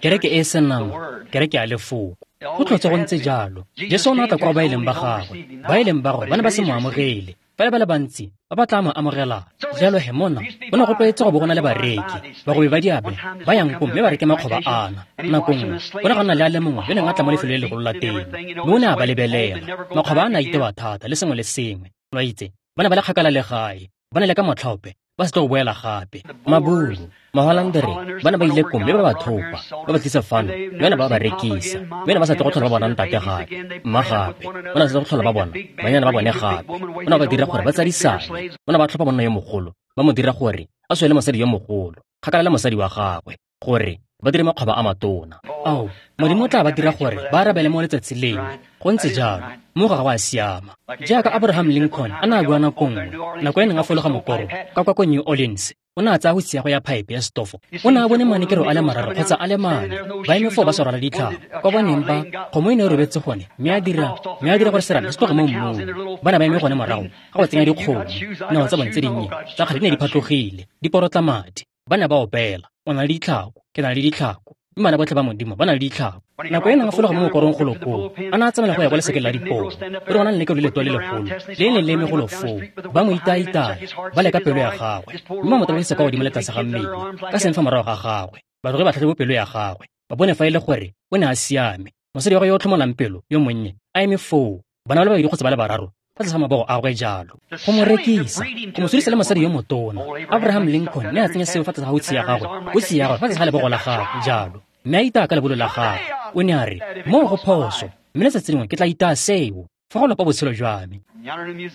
kereke e e senama, kereke ya lefoko. Go tlhotse go ntse jalo. Jesu o ne a tla kwa ba e leng ba gagwe, ba e leng ba gagwe ba ne ba se mo amogele. Fela ba le bantsi ba ba tla mo amogelang. Jalo he mona, go ne go tlwaetse go bo go na le bareki, bagwebi ba diabe ba yang koo mme ba reke makgoba ana. Nako nngwe go ne ga nna le a le mongwe yo neng a tla mo lefelong le legolo la temo, mme o ne a ba lebelela. Makgoba a ne a itewa thata le sengwe le sengwe. Lo a itse, ba ne ba le kgakala le gae, ba ne le ka motlhaope, ba se tlo go boela gape. Maburu, Maholandere, ba ne ba ile koo mme ba ba thopa, ba ba tlisa fano, mme ba ba rekisa. Mme ba sa tle go tlhola ba bona ntate gape, mma gape, ba ne ba sa tle go tlhola ba bona banyana ba bone gape. Ba ne ba dira gore ba tsadisane, ba ne ba tlhopha monna yo mogolo, ba mo dira gore a swele mosadi yo mogolo, kgakala le mosadi wa gagwe, gore ba dire makgoba a matona. Ao, Modimo o tla ba dira gore ba arabele mo letsatsi lengwe. Go ntse jalo, mo ga go a siama. Jaaka Abraham Lincoln a ne a bua nako nngwe, nako e neng a fologa mokoro ka kwa ko New Orleans, o ne a tsaya go ya pipe ya stofo. O ne a bone manekero a le mararo kgotsa a le mane, ba eme foo ba sa rwala ditlhako. Kwa boneng ba, kgomo e ne e robetse gone, mme a dira, mme a dira gore serame se tloge mo mmung. Ba ne ba eme gone morago ga go tsenya dikgomo, dinao tsa bone tse dinnye tsa kgale di ne di phatlogile, di porotla madi. Ba ne ba opela, o na le ditlhako, ke na le ditlhako. Mme bana botlhe ba Modimo ba na le ditlhako. Nako e neng a fologa mo mokorong golo koo, a ne a tsamaela go ya kwa lesekeng la dipoo. O re go na le lekelo le letoa le legolo, le le neng le eme golo foo. Ba mo itaitaya, ba leka pelo ya gagwe, mme ba mo tabogisa kwa godimo le tlase ga mmele, ka seng fa morago ga gagwe. Ba tloge ba tlhatlhobe pelo ya gagwe, ba bone fa e le gore o ne a siame. Mosadi wa gagwe yo o tlhomolang pelo, yo monnye, a eme foo, bana ba le babedi kgotsa ba le bararo, fa tlase ga mabogo a gagwe jalo. Go mo rekisa, go mo sodisa le mosadi yo motona. Abraham Lincoln ne a tsenya seo fa tlase ga hutse ya gagwe, hutse ya gagwe fa tlase ga lebogo la gagwe jalo. Mme a itaya ka lebolo la gagwe. O ne a re, moo go phoso, mme letsatsi lengwe ke tla itaya seo fa go lopa botshelo jwa me.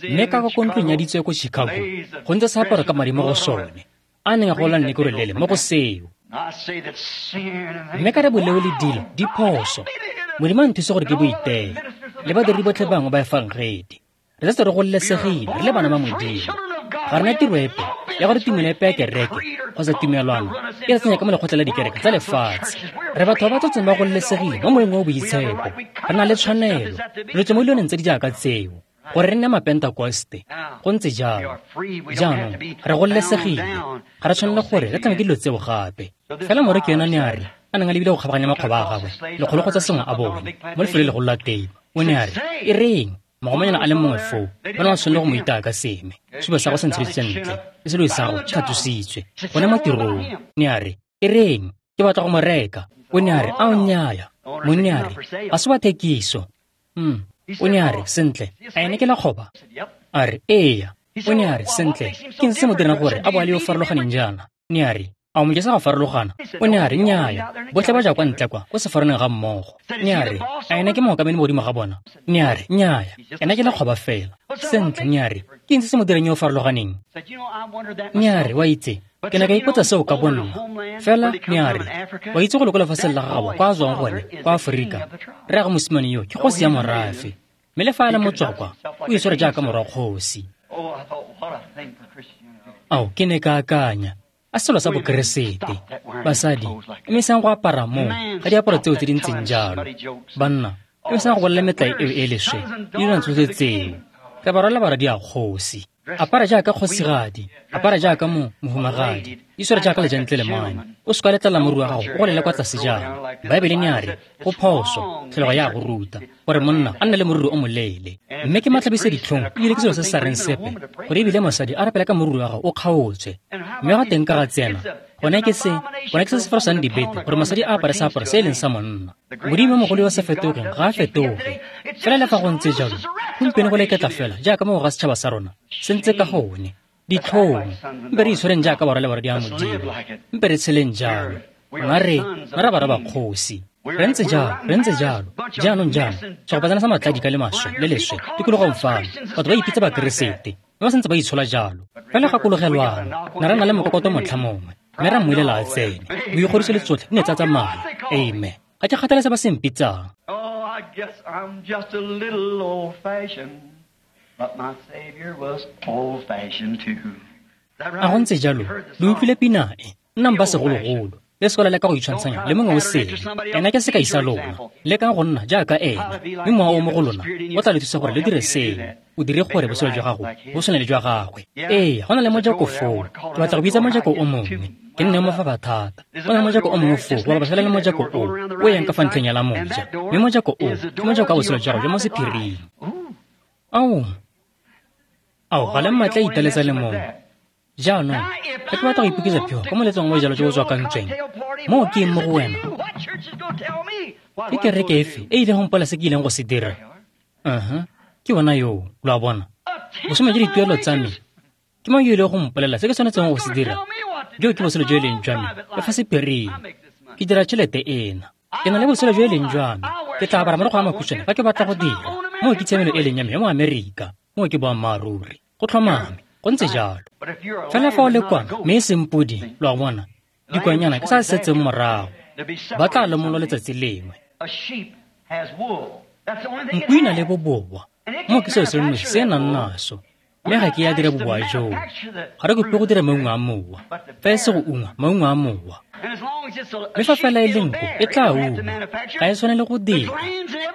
Mme ka kwa ntlong ya ditso ko Chicago, go ntse seaparo ka madi mo go sone, a neng a gola nnekoro lele mo go seo. Mme ka re boleo le dilo di phoso, Modimo a nthuse gore ke bo iteye, le badiredi botlhe bangwe ba efangedi. Re setse re gololesegile, re le bana ba Modimo. Ga rena tiro epe ya gore tumelo epe ya kereke kgotsa tumelwana e re tsenya ka mo lekgotla la dikereke tsa lefatshe. Re batho ba ba tsotseng ba gololesegile mo moeng o boitshepo. Re na le tshwanelo, re tswe mo dilwaneng tse di jaaka tseo, gore re nne mapentekoste. Go ntse jalo. Jaanong re gololesegile, ga re tshwanele gore re tlame ke dilo tseo gape. Fela moreki yona ne a re, a neng a lebile go kgabaganya makgoba a gagwe, lekgolo kgotsa sengwe a bone, mo lefelong le legolo la temo. O ne a re, e reng? Mogomanyana a le mongwe foo, ba ne ba tshwanele go mo itaya ka seme. Sehuba sa gagwe se ntsheditswe ntle, le seloi sa gagwe se tlhatlositswe, gone mo tirong. Ne a re, e reng? Ke batla go mo reka. O ne a re, a o nnyaya. Monni a re, ga se wa thekiso. Hmm. O ne a re, sentle, a ene ke lekgoba? A re, eya. O ne a re, sentle, ke eng se mo dirang gore a bo a le yo farologaneng jaana? Ne a re, a o mo jesa go farologana? O ne a re, nnyaya, botlhe ba ja kwa ntle kwa, ko sefaraneng ga mmogo. Ne a re, a ene ke mookamedi mo godimo ga bona? Ne a re, nnyaya, ena ke lekgoba fela. Sentle, ne a re, ke eng se se mo dirang yo o farologaneng? Ne a re, wa itse, Ke ne ka ipotsa seo ka bonna. Fela ne a re, wa itse go le ko lefatsheng la gagabo kwa a tswang gone, kwa Aforika, rraagwe mosimane yo ke kgosi ya morafe. Mme le fa a le motswakwa, o itshwere jaaka morwa kgosi. Ao, ke ne ka akanya, a selo sa bokeresete. Basadi, emisang go apara moo ka diaparo tseo tse di ntseng jalo. Banna, emisang go bolela metlae eo e leswe le dilwana tsotlhe tseo. Re ba rwala barwadi a kgosi. Apara jaaka kgosigadi, apara jaaka mo mohumagadi, itshware jaaka lejantlelemane. O se ka letlela moriri wa gago o golele kwa tlase jalo. Baebele ne a re, go phoso, tlholego ya go ruta, gore monna a nne le moriri o moleele. Mme ke matlhabisa ditlhong ebile ke selo se se sa reng sepe, gore ebile mosadi a rapele ka moriri wa gago o kgaotswe. Mme ga teng ka ga tsena, gone ke se, gone ke se se ferosang dibete, gore mosadi a apare seaparo se e leng sa monna. Modimo mogolo yo sa fetogeng ga a fetoge. Fela le fa go ntse jalo, gompieno go leketla fela jaaka mo go ga setšhaba sa rona se ntse ka gone. Ditlhong, mpe re itshwareng jaaka barwa le barwadi a Modimo, mpe re tsheleng jalo. Rona re, rona re barwa ba kgosi. Re ntse jalo, re ntse jalo. Jaanong jaanong, segopatsana sa matladi ka le maswe le leswe tikologong fano, batho ba ipitsa bakeresete, mme ba santse ba itshola jalo. Fela gakologelwang, ne ra nna le mokokoto motlha mongwe, mme ra mmuelela a tsene. Boikgodiso le tsotlhe di ne tsa tsamaya. Amen. Ga ke kgathale se ba se mpitsang. Oh, I guess I'm just a little old-fashioned, but my Savior was old-fashioned too. A go ntse jalo, lo utlwile pina e, nnang ba segologolo. Le se ka la leka go itshwantshanya le mongwe o sele. Ena ke sekai sa lona. Lekang go nna jaaka ena, mme mowa o mo go lona o tla le thusa gore le dire seno. O dire gore botshelo jwa gago bo tshwane le jwa gagwe. Ee, go na le mojako foo. Ke batla go bitsa mojako o mongwe. Ke nne mo fa thata. Go na le mojako o mongwe foo, wa ba fela le mojako o o yang ka fa ntlheng ya la moja. Mme mojako o ke mojako wa botshelo jwa gago jwa mo sephiring. Ao, ao, ga le mmatla italetsa le mongwe. Jaanong, ga ke batla go ipoketsa phego ka moletsong wa jalo jo bo tswakantsweng. Moo ke eng mo go wena? Ke kereke efe e ileng go mpolela se ke ileng go se dira? Uh-huh. Ke bona yoo, lo a bona. Bosome jwa dituelo tsa me. Ke mang yo ileng go mpolela se ke tshwanetseng go se dira? Jo ke botshelo jo e leng jwa me, le fa sephiring. Ke dira tšhelete ena. Ke na le botshelo jo e leng jwa me. Ke tla apara marokgwe a makhutshwane fa ke batla go dira. Moo ke tshiamelo e leng ya me ya mo Amerika. Moo ke boammaaruri. Go tlhomame. Go ntse jalo. Fela fa o le kwana, mme e seng podi, lo a bona, dikwanyana ke sa setseng morago. Ba tla lemolwa letsatsi lengwe. Nku e na le boboa. Moo ke selo se le nosi se e nang naso. Mme ga ke ya dira boboa joo. Ga re kope go dira maungo a mowa, fa e se go ungwa maungo a mowa. Mme fa fela e le nku, e tla ungwa. Ga e tshwanele go dira.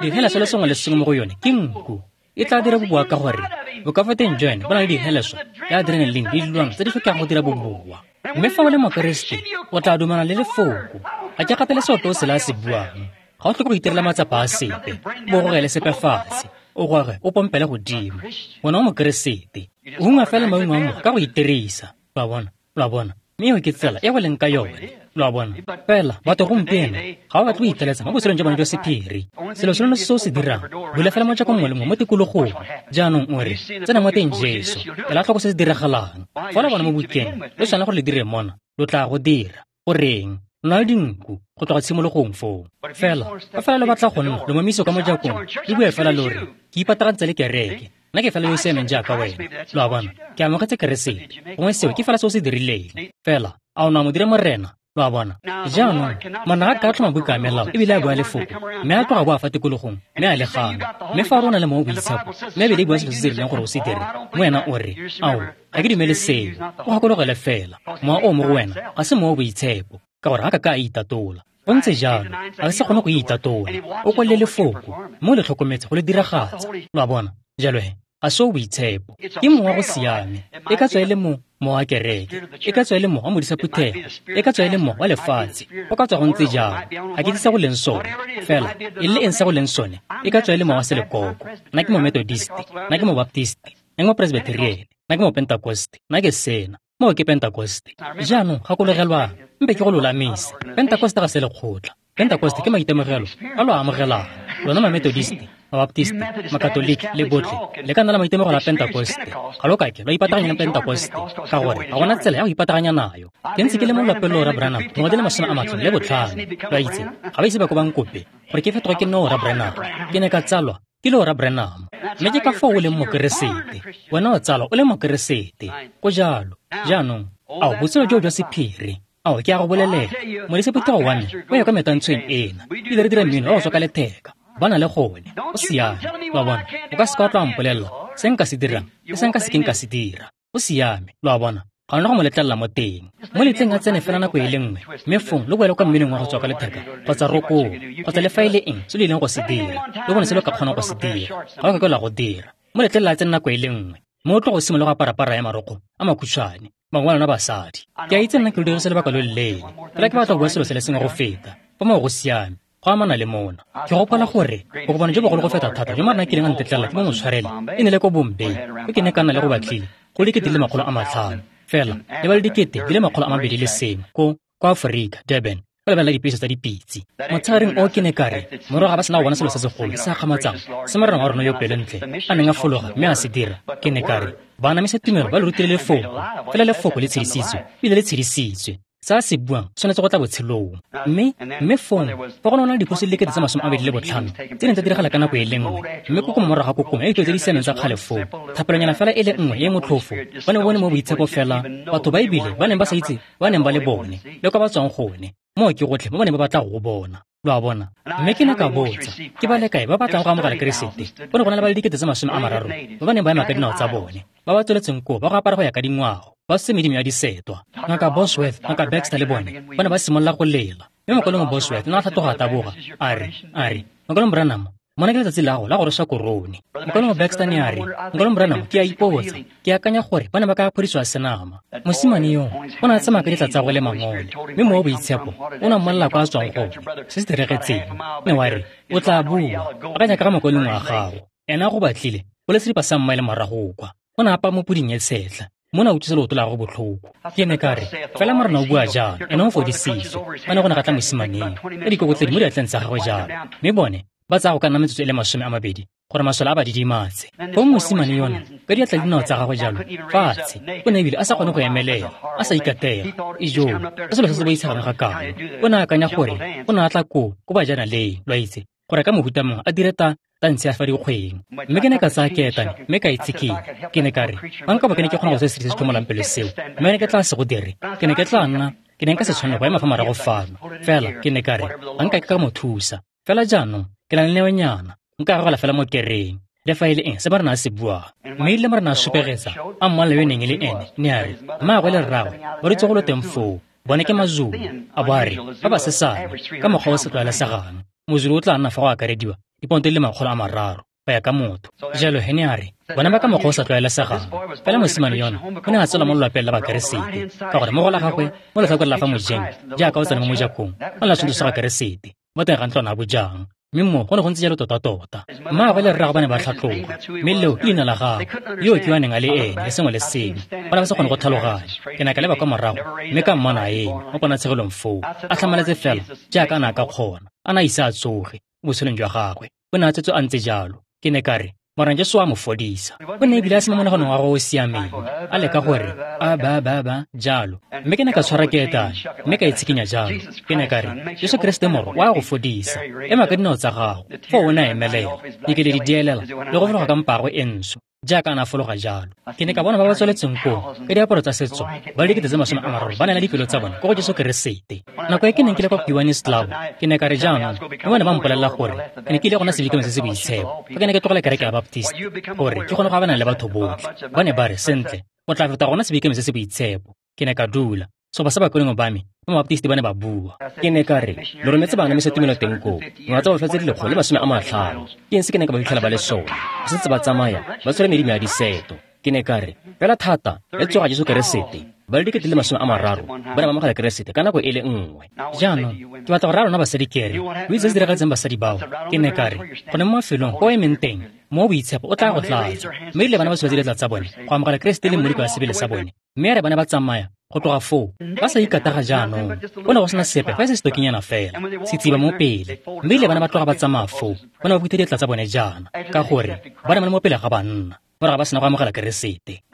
Dihela selo sengwe le sengwe mo go yone ke nku. E tla dira boboa ka gore bokafateng jwa yone bo na le diheleso le adrenaline le dilwana tse di tlhokegang go dira boboa. Mme fa o le mokeresete, o tla dumana le lefoko. Ga ke kgathale se ope o sele a se buang. Ga o tlhoke go itirela matsapa a sepe, o gogele sepe fatshe, o goge o pompele godimo. Wena o mokeresete, o ungwa fela maungo a mowa ka go itirisa. Lo a bona, lo a bona. Mme eo ke tsela e go leng ka yone. Lo a bona. Fela batho gompieno ga ba batle go italetsa mo botshelong jwa bone jwa sephiri. Selo se lone se o se dirang, bula fela mojako mongwe le mongwe mo tikologong. Jaanong o re, tsena mo teng Jesu, ela tlhoko se se diragalang. Fa lo bona mo bukeng, lo tshwanela gore le dire mona, lo tla go dira. Goreng? Lo na le dinku go tloga tshimologong foo. Fela, fa fela lo batla go nna lo momiso ka mojakong, le bue fela lo re, ke ipatagantse le kereke. Nna ke fela yo o siameng jaaka wena. Lo a bona, ke amogetse Keresete. Gongwe seo ke fela se o se dirileng. Fela, a o ne a mo dire morena? Lo a bona. Jaanong, monna ga ka tlhoma buka ya melao ebile a bua lefoko, mme a tloga boa fa tikologong, mme a le gana. Mme fa o re o na le mowa o boitshepo, mme ebile e bua selo se se rileng gore o se dire, mo wena o re, ao, ga ke dumele seo. O gakologele fela, mowa o mo go wena ga se mowa o boitshepo, ka gore ga ka ka a itatola. Go ntse jalo, ga se kgone go itatola. O kwalele lefoko, mme o le tlhokometse go le diragatsa. Lo a bona. Jalo he, ga se o boitshepo. Ke mowa go siame. E ka tswa e le mo mowa wa kereke, e ka tswa e le mowa wa modisa phuthego, e ka tswa e le mowa wa lefatshe. Go ka tswa go ntse jalo. Ga ke itse se go leng sone. Fela, e le eng se go leng sone, e ka tswa e le mowa wa selekoko. Nna ke mo Methodist, nna ke mo Baptist, nna ke mo Presbyterian, nna ke mo Pentecost, nna ke sena. Moo ke Pentecost. Jaanong gakologelwang, mpe ke go lolamise. Pentecost ga se lekgotla. Pentecost ke maitemogelo a lo a amogelang. Lona ma Methodist, ma Baptist, ma Katoliki le botlhe le ka nna la maitemogelo a Pentecost. Ga lo kake lwa ipataganya le Pentecost, ka gore ga gona tsela ya go ipataganya nayo. Ke ntse ke le mo lwapeng loo ra Branham dingwaga di le masome a matlhano le botlhano. Lo a itse, ga ba ise ba ko ba nkope gore ke fetoge ke nne oora Branham. Ke ne ka tsalwa ke le oora Branham. Mme ke ka foo o leng mokeresete. Wena o tsalwa o le mokeresete. Go jalo. Jaanong, Ao, botshelo joo jwa sephiri. Ao, ke a go bolelela. Modisa phuthego wa me o ya kwa metantshweng ena. Ebile re dira mmino wa go tswa ka letheka. Ba na le gone. Go siame. Lo a bona? O ka se ka wa tla wa mpolelela se nka se dirang le se nka se keng ka se dira. Go siame. Lo a bona? Ga ona go mo letlelela mo teng. Mo letleng a tsene fela nako e le nngwe, mme fong lo boele kwa mminong wa go tswa ka letheka kgotsa rokong kgotsa le fa e le eng se lo ileng go se dira, lo bone se lo ka kgonang go se dira. Ga o ka ke la go dira. Mo letlelela a tsene nako e le nngwe, mme o tlo go simolola go apara para ya marokgo a makhutshwane, bangwe ba lona basadi. Ke a itse nna ke lo dirise lebaka lo loleele, fela ke batla go bua selo se le sengwe go feta. Fa moo go siame, go amana le mona. Ke gopola gore bokopano jo bogolo go feta thata jo Morena a kileng a ntetlelela ke bo mo tshwarele e ne le ko Bombay, ko ke ne ka nna le go batlile go le dikete di le makgolo a matlhano. Fela le ba le dikete di le makgolo a mabedi le sengwe ko ko Aforika, Durban, ba lebelela dipeso tsa dipitse. Motshegareng o ke ne ka re morago ga ba sena go bona selo se segolo se gakgamatsang se Morena wa rona yo pelontle a neng a fologa mme a se dira, ke ne ka re baanamisa tumelo ba le rutile lefoko, fela lefoko le tshedisitswe ebile le tshedisitswe. Se a se buang tshwanetse go tla botshelong. Mme mme fong fa go ne go na le diphoso di le dikete tse masome a mabedi le botlhano tse neng tsa diragala ka nako e le nngwe, mme kokomo morago ga kokomo ya ditiro tse di siameng tsa kgale foo, thapelonyana fela e le nngwe e e motlhofo, ba ne ba bone mo boitshepo fela batho ba ebile ba neng ba sa itse ba neng ba le bone le kwa ba tswang gone. Moo ke gotlhe mo ba neng ba batla go go bona. Lo a bona? Mme ke ne ka botsa, ke ba le kae ba batlang go amogela Keresete? Go ne go na le ba le dikete tse masome a mararo ba ba neng ba ema ka dinao tsa bone, ba ba tsweletseng koo ba go apara go ya ka dingwao, ba se medimo ya disetwa. Ngaka Bosworth, Ngaka Baxter le bone ba ne ba simolola go lela. Mme mokwalong Bosworth o ne a tlhatloga a taboga, a re, a re, Mokwalong Branham, mona ke letsatsi la gago la go rweswa korone. Mokwalong Baxter ne a re, Mokwalong Branham, ke a ipotsa, ke akanya gore ba ne ba ka phodisiwa senama. Mosimane yo o ne a tsamaya ka ditla tsa gagwe le mangole, mme mowa o boitshepo o ne a mmolelela kwa a tswang gone se se diregetseng. Ne wa re, o tla bua, akanya ka ga mokwalong wa gago. Ena a go batlile, o le seripa sa mmaele morago kwa. O ne a apaya mo puding e tshetlha, mme o ne a utlwisa leoto la gagwe botlhoko. Ke ne ka re, fela Morena o bua jalo, ene o fodisitswe. Ba ne go ne ga tla mosimaneng ka dikokotledi mo diatleng tsa gagwe jalo, mme bone ba tsaya go ka nna metsotso e le masome a mabedi gore masole a ba didimatse. Fong mosimane yona ka diatla le dinao tsa gagwe jalo fatshe, o ne ebile a sa kgone go emelela, a sa ikatega. Ijoo, ka selo se se boitshegang ga kalo. O ne a akanya gore o ne a tla koo ko bajanaleng, lo a itse, gore ka mohuta mongwe a dire ta tantshe ya fa dikgweng. Mme ke ne ka tsaya keetane mme ka itshekenya. Ke ne ka re, fa nka bo ke ne ke kgona go se se se tlhomolang pelo seo, mme ne ke tla se go dire, ke ne ke tla nna, ke ne nka se tshwanela go ema fa morago fano. Fela ke ne ka re, ga nka ke ka mo thusa. Fela jaanong ke na le neonyana, nka gagela fela mo kereng. Le fa e le eng se Morena a se buang. Mme erile Morena a supegetsa a mmolelela yo e neng e le ene, ne a re, mmaagwe le rraagwe ba dutse go lo teng foo, bone ke Mazulu. A bo a re, ba ba sesane ka mokgwa o sa tlwaelesegang. Mozulu o tla nna fa go akarediwa diponto di le makgolo a mararo go ya ka motho. Jalo he ne a re, bona ba ka mokgwa o sa tlwaelesegang. Fela mosimane yona o ne a tswela mo lelapeng la Bakeresete, ka gore mo go la gagwe mo letlhakoreng la fa mojeng, jaaka o tsena mo mojakong, o ne a tshwantsho sa Keresete mo teng ga ntlwana ya bojang. Mme mo go ne go ntse jalo tota-tota. Mmaagwe le rraagwe ba ne ba tlhatloga, mme leo ke leina la gagwe, yo ke yo a neng a le ene le sengwe le sengwe. Ba ne ba sa kgone go tlhaloganya. Ke ne ka leba kwa morago mme ka mmona a eme mo ponatshegelong foo, a tlhamaletse fela jaaka a ne a ka kgona, a ne a ise a tsoge mo botshelong jwa gagwe. O ne a tsetswe a ntse jalo. Ke ne ka re, Morena Jesu a mo fodisa. O ne ebile a se mo monaganong wa gagwe o o siameng, a leka gore a ba ba ba jalo. Mme ke ne ka tshwara keetane mme ka itshekenya jalo. Ke ne ka re, Jesu Keresete Morwa o a go fodisa. Ema ka dinao tsa gago. Foo o ne a emelela, dikeledi di elela le go fologa ka mpa gagwe e ntsho, jaaka a ne a fologa jalo. Ke ne ka bona ba ba tsweletseng koo ka diaparo tsa setso ba le dikete tse masome a mararo ba neela dipelo tsa bone ko go Jesu Keresete. Nako e ke neng ke le kwa Kiwanis Club, ke ne ka re jaanong, mme ba ne ba mpolelela gore ke ne ke ile go nna sebikeng se se boitshepo fa ke ne ke tlogela kereke ya Baptist gore ke kgone go abana le batho botlhe. Ba ne ba re, sentle, o tla feta gona sebikeng se se boitshepo. Ke ne ka dula. Setlhopha sa bakolengwe ba me ba Mabaptist ba ne ba bua. Ke ne ka re, lo rometse baanamisa tumelo teng koo, ngwaga tsa botlhwa tse di lekgolo le masome a matlhano. Ke eng se ke ne ka ba fitlhela ba le sone? Ba santse ba tsamaya, ba tshwere medimo ya diseto. Ke ne ka re, fela thata le tsoga Jesu Keresete, ba le dikete le masome a mararo ba ne ba amogela Keresete ka nako e le nngwe. Jaanong ke batla go raya lona basadi ke re, lo itse se se diragetseng basadi bao. Ke ne ka re, gone mo mafelong ko o emeng teng, mo boitshepo o tla go tlatsa. Mme erile bana ba tshola diatla tsa bone go amogela Keresete le mmoloko wa sebele sa bone, mme ya re ba ne ba tsamaya go tloga foo ba sa ikataga jaanong. Go ne go sena sepe fa e se setokinyana fela, setsiba mo pele. Mme erile bana ba tloga ba tsamaya foo, ba ne ba phutha diatla tsa bone jaana, ka gore ba ne ba le mo pele ga banna, morago ba sena go amogela Keresete.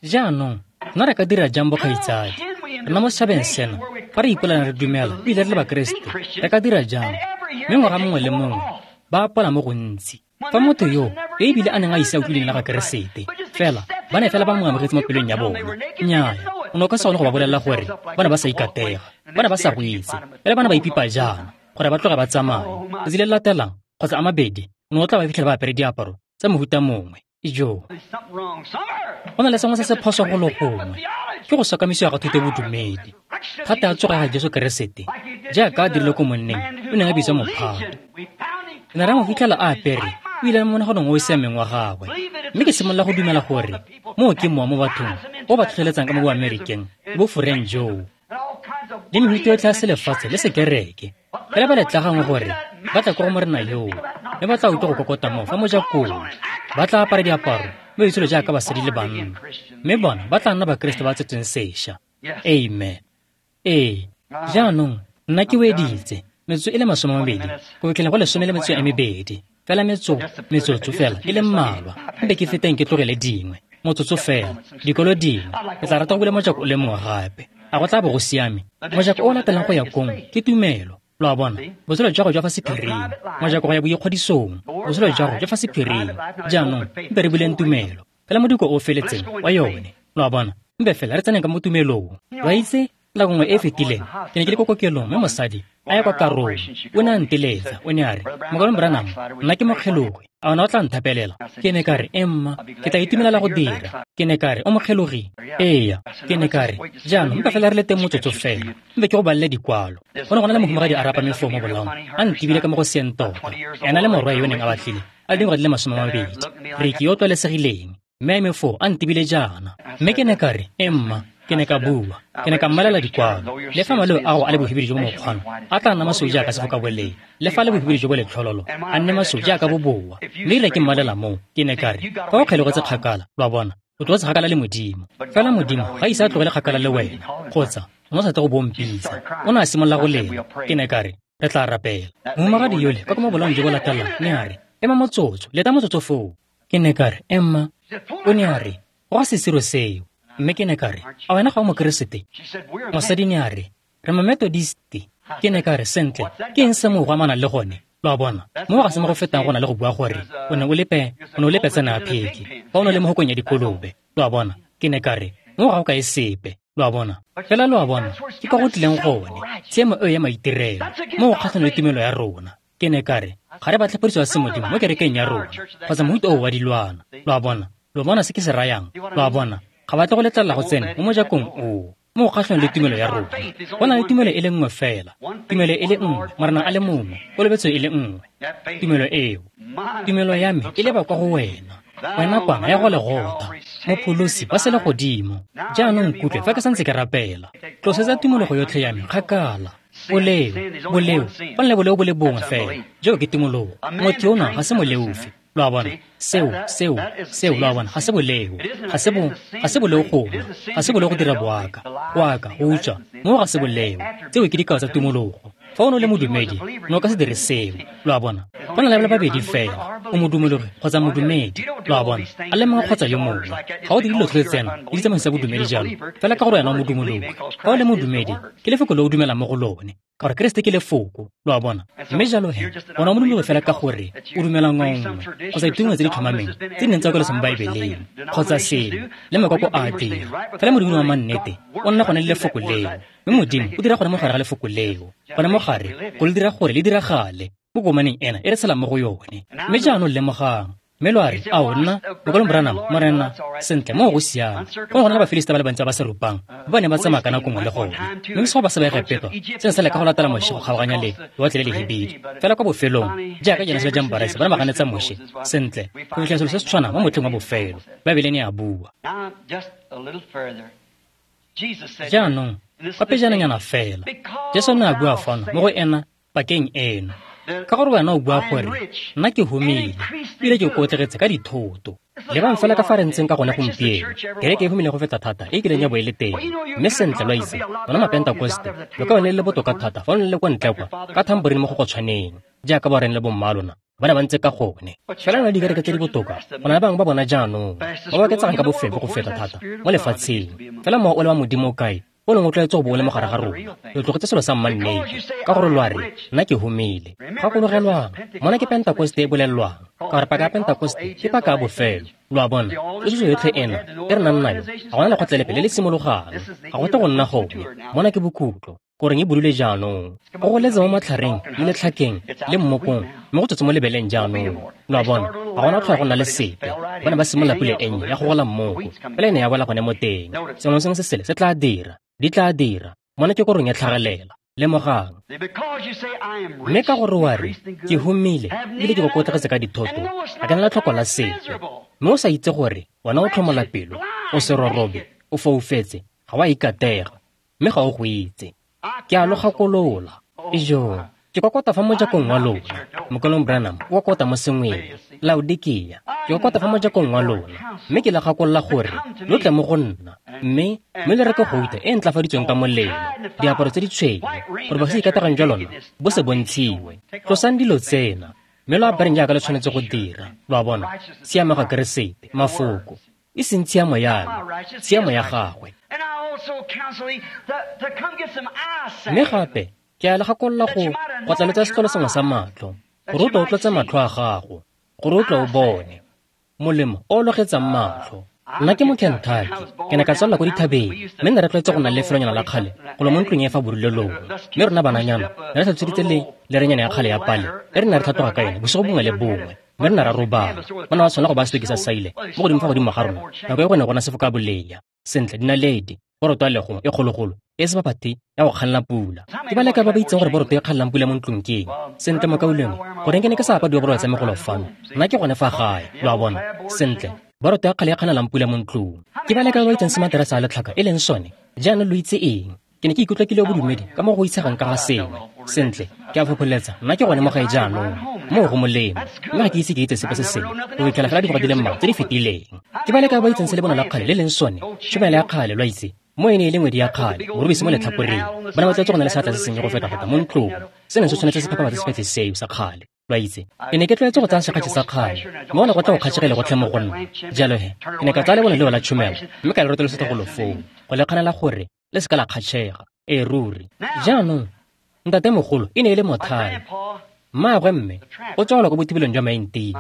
Jaanong nna re ka dira jang bokgaitsadi? Rena mo setšhabeng sena, fa re ipolana re dumela ebile re le Bakeresete, re ka dira jang? Mme ngwaga mongwe le mongwe ba apola mo gontsi. Fa motho yo yo ebile a neng a ise a utlwe leina la ga Keresete, fela Ba ne fela ba mo amogetse mo pelong ya bona. Nnyaya, o ne o ka se kgone go ba bolelela gore ba ne ba sa ikatega, ba ne ba sa go itse, fela ba ne ba ipipa jaana gore ba tloge ba tsamaye. Letsatsi le le latelang kgotsa a mabedi, o ne o tla ba fitlhela ba apere diaparo tsa mohuta mongwe. Ijoo, go na le sengwe se se phoso go le gongwe. Ke go sokamisiwa ga thuto bodumedi. Thata ya tsogo ya ga Jesu Keresete, jaaka a dirile ko monneng o neng a bitswa mophato. Re ne ra mo fitlhela a apere, o ile mo monaganong o o siameng wa gagwe. Mme ke simolola go dumela gore moo ke mowa mo bathong o ba tlhotlheletsang ka mo boamerikeng le boforeng joo le mehuta yotlhe ya selefatshe le sekereke. Fela ba letlagangwe gore ba tla kwa go morena yoo, mme ba tla utlwa go kokota moo fa mojakong. Ba tla apara diaparo mme itsholo jaaka basadi le banna, mme bona ba tla nna Bakeresete ba tsetsweng sešwa. Amen. Ee, jaanong nna ke weditse metsotso e le masome a mabedi go fitlhela go lesome le metsotso e mebedi fela, metso metsotso fela e le mmalwa, mpe ke feteng ke tlogele dingwe motsotso fela dikolo dingwe. Ke tla rata go bula mojako o le mongwe gape. A go tla bo go siame? Mojako o o latelang go ya kong ke tumelo. Lo a bona, botshelo jwa gago jwa fa sephiring, mojako go ya boikgodisong, botshelo jwa gago jwa fa sephiring. Jaanong mpe re buleng tumelo fela modiko o o feletseng wa yone. Lo a bona, mpe fela re tseneng ka mo tumelong. Wa itse, nako nngwe e e fetileng ke ne ke le ko kokelong, mme mosadi a ya kwa karong. O ne a nteletsa, o ne a re, "Mokalong Branham, nna ke mokgelogi, a ona o tla nthapelela?" Ke ne ka re, "Emma, ke tla itumelela go dira." Ke ne ka re, "O mokgelogi?" Eya. Ke ne ka re, "Jaanong mpa fela re le teng motsotso fela, mpe ke go balele dikwalo." Go ne go na le mohumagadi a rapame foo mo bolaong, a ntibile ka mo go seeng tota, ena le morwa yo o neng a batlile a le dingwaga di le masome a mabedi, Ricky yo o tlwaelesegileng, mme a eme foo a ntibile jaana. Mme ke ne ka re, "Emma," ke ne ka bua, ke ne ka mmalela dikwalo. Le fa maleo a go a le bohibidu jo bo mokgwana, a tla nna masweu jaaka sefokabolea, le fa a le bohibidu jo bo letlhololo, a nne masweu jaaka boboa. Mme erile ke mmalela moo, ke ne ka re, fa o kgelogetse kgakala, lo a bona, o tlogetse kgakala le Modimo. Fela Modimo ga ise a tlogele kgakala le wena, kgotsa o ne o sa tle go bompitsa. O ne a simolola go lela. Ke ne ka re, re tla rapela. Mohumagadi yole kwa ko mo bolaong jo bo latelang ne a re, "Ema motsotso, leta motsotso foo." Ke ne ka re, "Emma." O ne a re, "Go ga sesiro seo." Mme ke ne ka re, "A wena ga o Mokeresete?" Mosadi ne a re, "Re Mametodisti." Ke ne ka re, "Sentle, ke eng se moo go amanang le gone?" Lo a bona, moo ga se mo go fetang go na le go bua gore o ne o le pe, o ne o le petsana ya pheke, fa o ne o le mo hokong ya dikolobe. Lo a bona, ke ne ka re, moo ga o kae sepe. Lo a bona, fela lo a bona, ke kwa go tlileng gone, tshiamo eo ya maitirelo, mo go kgatlhanong le tumelo ya rona. Ke ne ka re, ga re batle phodiso ya semodimo mo kerekeng ya rona, kgotsa mohuta oo wa dilwana. Lo a bona, lo bona se ke se rayang. Lo a bona, ga ba tle go letlelela go tsena mo mojakong oo, mo go kgatlhanong le tumelo ya rona. Go na le tumelo e le nngwe fela, tumelo e le nngwe, Morena a le mongwe, kolobetso e le nngwe. Tumelo eo, tumelo ya me e leba kwa go wena, wena kwana ya go Legotha, mopholosi wa selegodimo. Jaanong nkutlwe fa ke santse ke rapela. Tlosetsa tumologo yotlhe ya me kgakala. Boleo, boleo, go na le boleo bo le bongwe fela, joo ke tumologo. Motho yono ga se moleofi. Lo a bona, seo, seo, seo, lo a bona, ga se boleo, ga se bo, ga se boleo go nwa, ga se boleo go dira boaka, go aka, go utswa, moo ga se boleo. Tseo ke dikao tsa tumologo. Fa o ne o le modumedi, o ne o ka se dire seo. Lo a bona, go na le ba babedi fela, o modumologi kgotsa modumedi. Lo a bona, a le mongwe kgotsa yo mongwe. Ga o dire dilo tsotlhe tsena le ditsamaiso tsa bodumedi jalo, fela ka gore wena o modumologi. Fa o le modumedi, ke lefoko le o dumelang mo go lone, ka gore Keresete ke lefoko. Lo a bona, mme jalo he, wena o modumologi fela ka gore o dumela ngwao nngwe kgotsa ditumelo tse di tlhomameng tse di neng tsa kwaleswa mo Baebeleng kgotsa sengwe, le makoko a a dira. Fela modumedi wa mannete o nna gone le lefoko leo, mme Modimo o dira gone mo gare ga lefoko leo, gone mo gare go le dira gore le diragale mo komaneng ena e re tshelang mo go yone. Mme jaanong lemogang, mme lo a re, "Ao nna, Mokalong Branham, Morena, sentle, moo go siame." Go ne go na le Bafilista ba le bantsi ba ba sa rupang, ba ba neng ba tsamaya ka nako nngwe le gone. Mme bosigo ba sa ba Egepeto, se ne sa leka go latela Moshe go kgaoganya le lewatle le lehibidu. Fela kwa bofelong, jaaka Janese le Jambarese ba ne ba ganetsa Moshe, sentle, go fitlhela selo se se tshwanang mo motlheng wa bofelo, Baebele ne ya bua. Jaanong, kwa pejananyana fela, Jesu ne a bua fano mo go ena pakeng eno, ka gore wena o bua gore, "Nna ke humile, ebile ke okotlegetse ka dithoto." Lebang fela ka fa re ntseng ka gone gompieno, kereke e humile go feta thata e kileng ya bo e le teng. Mme sentle lo a itse, lona Mapentakoste, lo ka bone le le botoka thata fa lo ne le kwa ntle kwa, ka thamborine mo go go tshwaneng, jaaka boreng le bomma lona ba ne ba ntse ka gone. Fela na le dikereke tse di botoka, go na le bangwe ba bona jaanong, ba ba oketsegang ka bofefo go feta thata mo lefatsheng. Fela mowa o le wa Modimo o kae, o neng o tlwaetse go bo o le mo gare ga rona? Lo tlogetse selo sa mmannete, ka gore lo a re, "Nna ke humile." Gakologelwang, mona ke Pentakoste e bolelwang, ka gore paka ya Pentakoste ke paka ya bofelo. Lo a bona, tsoso yotlhe ena e re nang nayo, ga gona lekgotla lepe le le simologang, ga go tle go nna gone. Mona ke bokhutlo, korong e budule jaanong. Go goletse mo matlhareng le letlhakeng le mmokong, mme go tswetse mo lebeleng jaanong. Lo a bona, ga gona tlhola go nna le sepe. Ba ne ba simolola pula e nnye ya go gola mmoko, fela e ne ya wela gone mo teng. Sengwe le sengwe se sele se tla dira, di tla dira. Mona ke korong ya tlhagelela. Lemogang. Mme ka gore wa re, ke humile, ebile ke kokotlegetse ka dithoto, ga ke na letlhoko la sepe. Mme o sa itse gore wena o tlhomola pelo, o serorobe, o foufetse, ga wa ikatega, mme ga o go itse. Ke a lo gakolola. Ijoo, ke kokota fa mojakong wa lona. Mokolong Branham o kokota mo sengweng. Laodikea, ke kokota fa mojakong wa lona, mme ke le gakolola gore lo tle mo go nna, mme mme le reke gouta e ntlafaditsweng ka molelo, diaparo tse di tshweu, gore ba se ikategang jwa lona bo se bontshiwe. Tlosang dilo tsena, mme lo apareng jaaka le tshwanetse go dira. Lo a bona, tshiamo ga Keresete, mafoko, e seng tshiamo ya me, tshiamo ya gagwe. Mme gape ke a le gakolola go go tlaletsa setlolo sengwe sa matlho, gore o tle o tlotse matlho a gago, gore o tle o bone molemo o o logetsang matlho. Nna ke mo Kentucky, ke ne ka tswalela ko dithabeng, mme ne re tlwaetse go nna le lefelonyana la kgale golo mo ntlong e fa borulelong. Mme rona bananyana ne re tlhatsweditse le lerenyana ya kgale ya pale e re ne re tlhatloga ka yone bosigo bongwe le bongwe, mme re ne ra robala. Ba ne ba tshwanela go ba setokisa saile mo godimo fa godimo ga rona nako e go ne go na sefoka boleya. Sentle, dinaledi, boroto ya legong e kgologolo e se baphati ya go kganna pula. Ke ba leka ba ba itseng gore boroto e kganlang pula mo ntlong ke eng. Sentle, mokaulengwe, goreng ke ne ke sa apadiwa boroto tsa megolo fano? Nna ke gone fa gae, lo a bona. Sentle, boroto ya kgale e kganelang pula mo ntlong. Ke ba leka ba ba itseng se materase a letlhaka e leng sone. Jaanong lo itse eng? Ke ne ke ikutlwa ke le bodumedi ka mo go itshegang ka ga sengwe. Sentle, ke a fopholetsa, nna ke gone mo gae jaanong. Moo go molemo, mme ga ke ise ke itse sepe se sengwe go fitlhela fela dingwaga di le mmalwa tse di fetileng. Ke ba leka ba ba itseng se lebone la kgale le leng sone, tšhomela ya kgale, lo a itse. Mo e ne e le ngwedi ya kgale, morubisi mo letlhakoreng. Ba ne ba tlwaetse go na le seatla se sennye go feta-feta mo ntlong. Se neng se tshwanetse se phepafatse sepetlele seo sa kgale, lo a itse. Ke ne ke tlwaetse go tsaya sekgatšhe sa kgale, mme go ne go tla go kgatšhegele gotlhe mo go nna. Jalo he, ke ne ka tsaya lebone leo la tšhomelo, mme ka le rotolosetsa golo foo, go le kganela gore le se ka la kgatšhega. Ee ruri. Jaanong, ntatemogolo e ne e le mothale. Mmaagwe mme o tswa ko bothibelong jwa Maintia.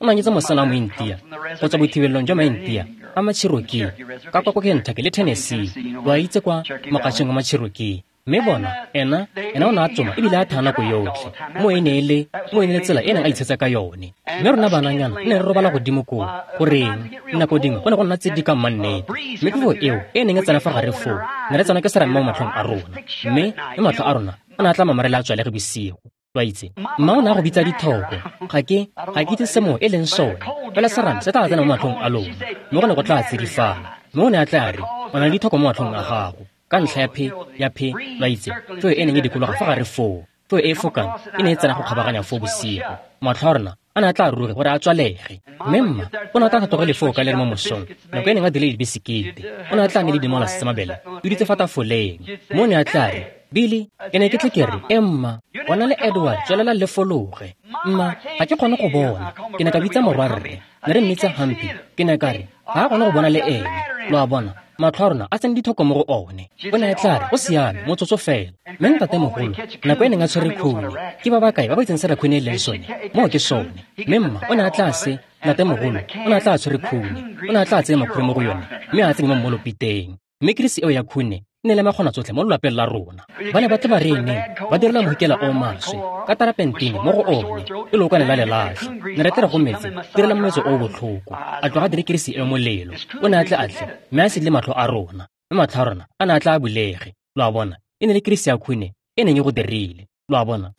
O ne a nyetse mosetsana wa Mointia go tswa bothibelong jwa Maintia a Macherokee ka kwa ko Kentucky le Tennessee. Lo a itse kwa mokgatšheng wa Macherokee. Mme bona, ena, ena o ne a tsoma ebile a thaya nako yotlhe. Mo e ne e le, mo e ne le tsela e neng a itshetsa ka yone. Mme rona bananyana ne re robala godimo koo. Goreng, nako dingwe go ne go nna tse di ka mmannete. Mme phefo eo e neng e tsena fa gare foo, ne re tsena ke serame mo matlhong a rona. Mme mme matlho a rona a ne a tla mamarela a tswalege bosigo. Lo a itse, mma o ne a go bitsa dithoko. Ga ke, ga ke itse se moo e leng sone. Fela serame se tla tsena mo matlhong a lona, mme go ne go tla tsidifala. Mme o ne a tla re, o na le dithoko mo matlhong a gago. Ka ntlha ya phe, ya phe, lo a itse, feo e neng e dikologa fa gare foo, feo e e fokang e ne e tsena go kgabaganya foo bosigo. Matlho a rona a ne a tla ruge gore a tswalege. Mme mma o ne a tla tlhatlogele foo ka le re mo mosong, nako e neng a dile dibisikete. O ne a tla ne le dimola tsa mabele, di dutse fa tafoleng. Mme o ne a tla re, Billy, ke ne ke tle ke re, e mma, wena le Edward tswelela le fologe. Mma, ga ke kgone go bona. Ke ne ka bitsa morwarre, ne re mmitsa Humpy. Ke ne ka re, ga a kgone go bona le ene. Lo a bona, matlho a rona a tsene dithoko mo go one. O ne a tla re, go siame, motsotso fela. Mme ntatemogolo, nako e neng a tshwere khune, ke ba ba kae ba ba itseng se rakhune e leng sone? Moo ke sone. Mme mma o ne a tla se, ntatemogolo o ne a tla tshwere khune, o ne a tla tseye makhure mo go yone, mme a tsenye mo mmolopiteng. Mme kirisi eo ya khune e ne le makgona tsotlhe mo lelapeng la rona. Ba ne ba tle ba re neng ba direla mohikela o maswe ka tarapentine mo go one e leokwane la lelatlha. Ne re tle re go metse direla mometso o botlhoko, a tloga dire kirisi e molelo. O ne a tle a tle mme a se le matlho a rona, mme matlho a rona a ne a tla a bulege. Lo a bona, e ne le kirisi ya khune e neng e go dirile. Lo a bona.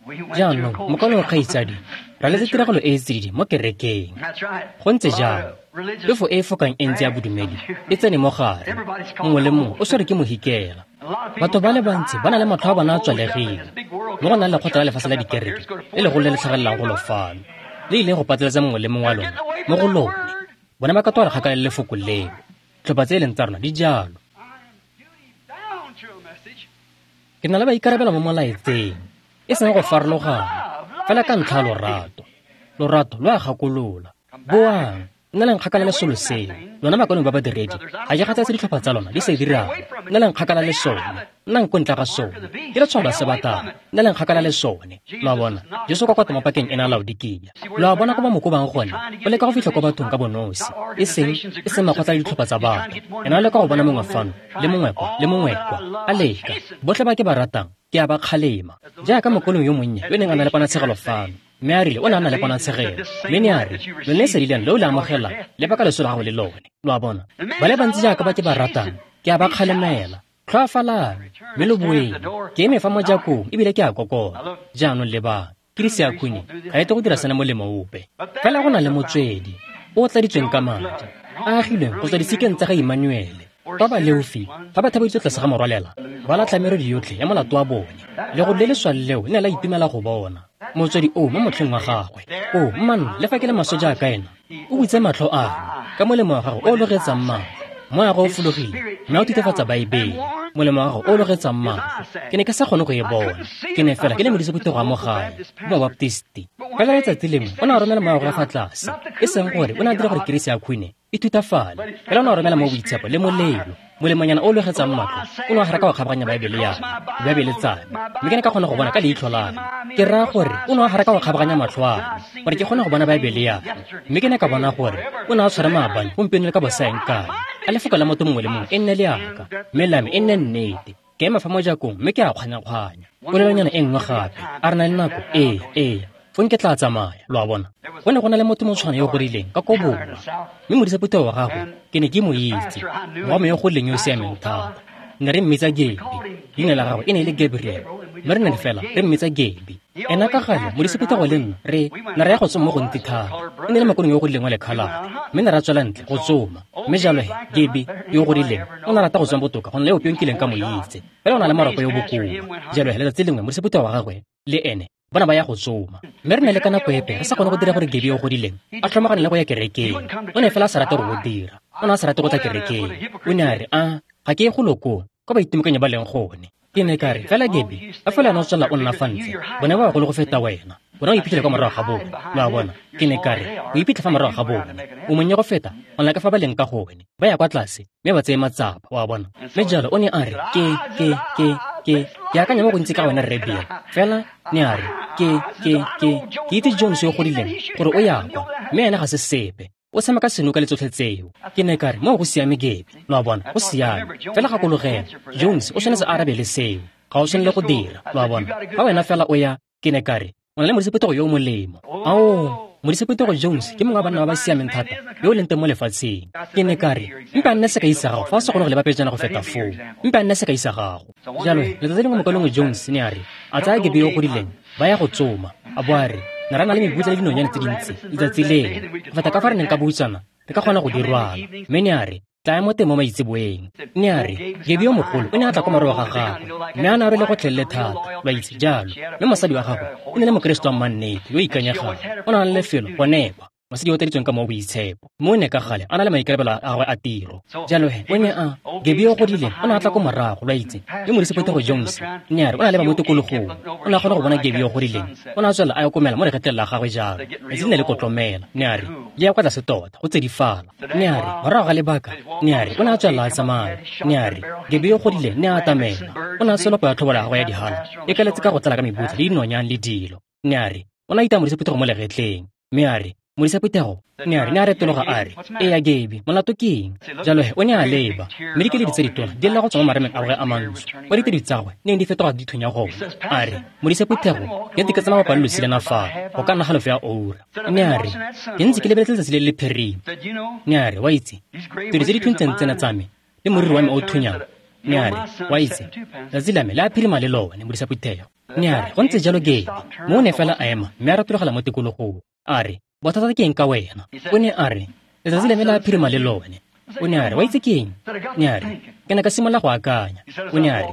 Jaanong, mokaulengwe kgaitsadi, ra letse tiragalo e e tsididi mo kerekeng. Go ntse jalo, phefo e e fokang e ntse ya bodumedi e tsene mo gare. Mongwe le mongwe o tshwerwe ke mohikela. Batho ba le bantsi ba na le matlho a bona a tswalegile. Mme go na le lekgotla la lefatshe la dikereke le legolo le le tlhagelelang golo fano, le ile go pateletsa mongwe le mongwe wa lona mo go lone. Bona ba ka toga kgakala le lefoko leo. Tlhopha tse e leng tsa rona di jalo. Ke na le maikarabelo mo molaetseng, e seng go farologana, fela ka ntlha ya lorato. Lorato lo a gakolola. Boang, Nna leng kgakala le solo seo. Lona makonong ba badiredi, ga ke kgathatse ditlhopha tsa lona di se dirang. Nna leng kgakala le sone. Nnang ko ntle ga sone. Ke letshwao la sebatana. Nna leng kgakala le sone. Lo a bona? Jesu kwa kwata mo pakeng ena Laodikia. Lo a bona ko ba mo kobang gone? O leka go fitlha kwa bathong ka bonosi, e seng e seng makgotla le ditlhopha tsa batho. Ena o leka go bona mongwe fano, le mongwe kwa, le mongwe kwa. A leka. Botlhe ba ke ba ratang, ke a ba kgalema. Jaaka mokolong yo monnye yo neng a na le ponatshegelo fano. Mme a rile o ne a na le ponatshegelo. Mme ne a re, lone lesedi leno le o le amogelang, le baka leso la gago le lone. Lo a bona? Ba le bantsi jaaka ba ke ba ratang, ke a ba kgalemela. Tlhoafalang, mme lo boeng. Ke eme fa mojakong ebile ke a kokota. Jaanong lebang, Kirisi ya khune ga e tle go dira sena molemo ope. Fela go na le motswedi o o tladitsweng ka madi, a agilweng go tswa disikeng tsa ga Emmanuele. Fa ba leofi, fa ba thabeditswe tlase ga morwalela, ba latlha merwedi yotlhe ya molato wa bone. Legodu le leswa leo le ne la itumela go bona motswedi oo mo motlheng wa gagwe. O mmanna, le fa ke le maswe jaaka ena, o butse matlho a me ka molemo wa gagwe o o logetsang matlho. Moya wa gagwe o fologile mme a o thutafatsa Baebele. Molemo wa gagwe o o logetsang matlho. Ke ne ke sa kgone go e bona. Ke ne fela ke le modisa phuthego wa mo gae, mo Baptisti. Fela letsatsi lengwe o ne a romela moya wa gagwe fa tlase, e seng gore o ne a dira gore kerese ya khune e thutafale, fela o ne a romela mo boitshepo le molelo. Molemonyana o o logetsang matlho o ne wa garaka wa kgabaganya Baebele ya me, Baebele tsa me, mme ke ne ka kgona go bona ka leitlho la me. Ke raya gore o ne wa garaka wa kgabaganya matlho a me gore ke kgone go bona Baebele ya me, mme ke ne ka bona gore o ne a tshwara maabane, gompieno le ka bosaeng kae. A lefoko la motho mongwe le mongwe e nne leaka, mme la me e nne nnete. Ke ema fa mojakong mme ke a kgwanya-kgwanya. Polelonyana e nngwe gape, a re na le nako? Ee, ee. Fong ke tla tsamaya, lo a bona. Go ne go na le motho motshwana yo o godileng ka ko borwa, mme modisa phuthego wa gagwe ke ne ke mo itse, wa me yo godileng yo o siameng thata. Ne re mmitsa Gabi, leina la gagwe e ne e le Gabriel, mme re ne re fela re mmitsa Gabi. Ena ka gale modisa phuthego le nna re ne re ya go tsoma mo gontsi thata. E ne e le makonong yo o godileng wa lekhalate, mme ne ra tswela ntle go tsoma. Mme jalo he, Gabi yo o godileng o ne a rata go tsoma botoka go na le ope yo nkileng ka mo itse, fela o na le maropo yo bokoa. Jalo he, letsatsi lengwe modisa phuthego wa gagwe le ene bona ba ya go tsoma, mme re ne le ka nako epe re sa kgone go dira gore Gabi yo o godileng a tlhomagane le go ya kerekeng. O ne fela a sa rate go go dira, o ne a sa rate go tla kerekeng. O ne a re, a ga ke ye golo koo kwa baitimokanyi ba leng gone. Ke ne ka re, fela Gabi, a fela ena o tswelela o nna fa ntle, bone ba bagolo go feta wena, bona o iphitlhele kwa morago ga bone. Lo a bona? Ke ne ka re, o iphitlhe fa morago ga bone, o monnye go feta go na ka fa ba leng ka gone, ba ya kwa tlase mme ba tseye matsapa, o a bona. Mme jalo o ne a re, ke ke ke ke ke akanya mo gontsi ka wena Rre Bill, fela ne a re, ke ke ke ke itse Jones yo o godileng gore o ya kwa, mme ene ga se sepe, o tshameka senoka le tsotlhe tseo. Ke ne ka re, moo go siame Gabi, lo a bona, go siame. Fela gakologela, Jones o tshwanetse a arabe le seo, ga o tshwanele go dira, lo a bona. Fa wena fela o ya, ke ne ka re, o na le modisa phuthego yo o molemo. Ao, modisa phuthego Jones ke mongwe wa banna ba ba siameng thata yo o leng teng mo lefatsheng. Ke ne ka re, mpe a nne sekai sa gago fa o sa kgone go leba pejana go feta foo, mpe a nne sekai sa gago. Jalo letsatsi lengwe mokalengwe Jones ne a re, a tsaya Gabi yo o godileng, ba ya go tsoma, a bo a re, ne ra na le mebutla le dinonyane tse dintsi letsatsi leno, go feta ka fa re neng ka buisana re ka kgona go di rwala. Mme ne a re, tlaya mo teng mo maitseboeng. Ne a re, Gabi yo mogolo o ne a tla kwa morago ga gagwe, mme a ne a rwele gotlhelele thata, lo a itse jalo. Mme mosadi wa gagwe e ne le mokeresete wa mmannete yo o ikanyegang, o ne a na le lefelo go nekwa, mosadi yo o tladitsweng ka mo boitshepo, mme o ne ka gale a na le maikarabelo a gagwe a tiro. Jalo he, o ne a, Gabi yo o godileng o ne a tla ko morago, lo a itse, mme modisa phuthego Jones ne a re o na le ba mo tikologong, o ne a kgona go bona Gabi yo o godileng, o ne a tswelela a okomela mo legetleng la gagwe jalo, letsatsi le ne le kotlomela. Ne a re, le ya kwa tlase tota, go tsedifala. Ne a re, morago ga lebaka, ne a re, o ne a tswelela a tsamaya. Ne a re, Gabi yo o godileng ne a atamela, o ne a tswela go ya tlhobolo ya gagwe ya dihala, e kaletse ka go tlala ka mebutla le dinonyane le dilo. Ne a re, o ne a itaya modisa phuthego mo legetleng, mme a re, modisa phuthego, ne a re, ne a retologa a re, eya Gabi, molato ke eng? Jalo he, o ne a leba, mme dikeledi tse ditona di lla go tswa mo marameng a gagwe a mantsho, kwa ditedu tsa gagwe neng di fetoga di thunya gone. A re, modisa phuthego, ke ntse ke tsamaya mabapi le losi lena fa, go ka nna halofo ya oura. Ne a re, ke ntse ke lebeletse letsatsi le le phirima. Ne a re, wa itse, tedu tse di thuntseng tsena tsa me, le moriri wa me o thunyang. Ne a re, wa itse, letsatsi la me le a phirima le lone, modisa phuthego. Ne a re, go ntse jalo Gabi. Mo o ne fela a ema, mme a retologela mo tikologong. A re, bothata ke eng ka wena? O ne a re, letsatsi la me le a phirima le lone. O ne a re, wa itse ke eng? Ne a re, ke ne ka simolola go akanya. O ne a re,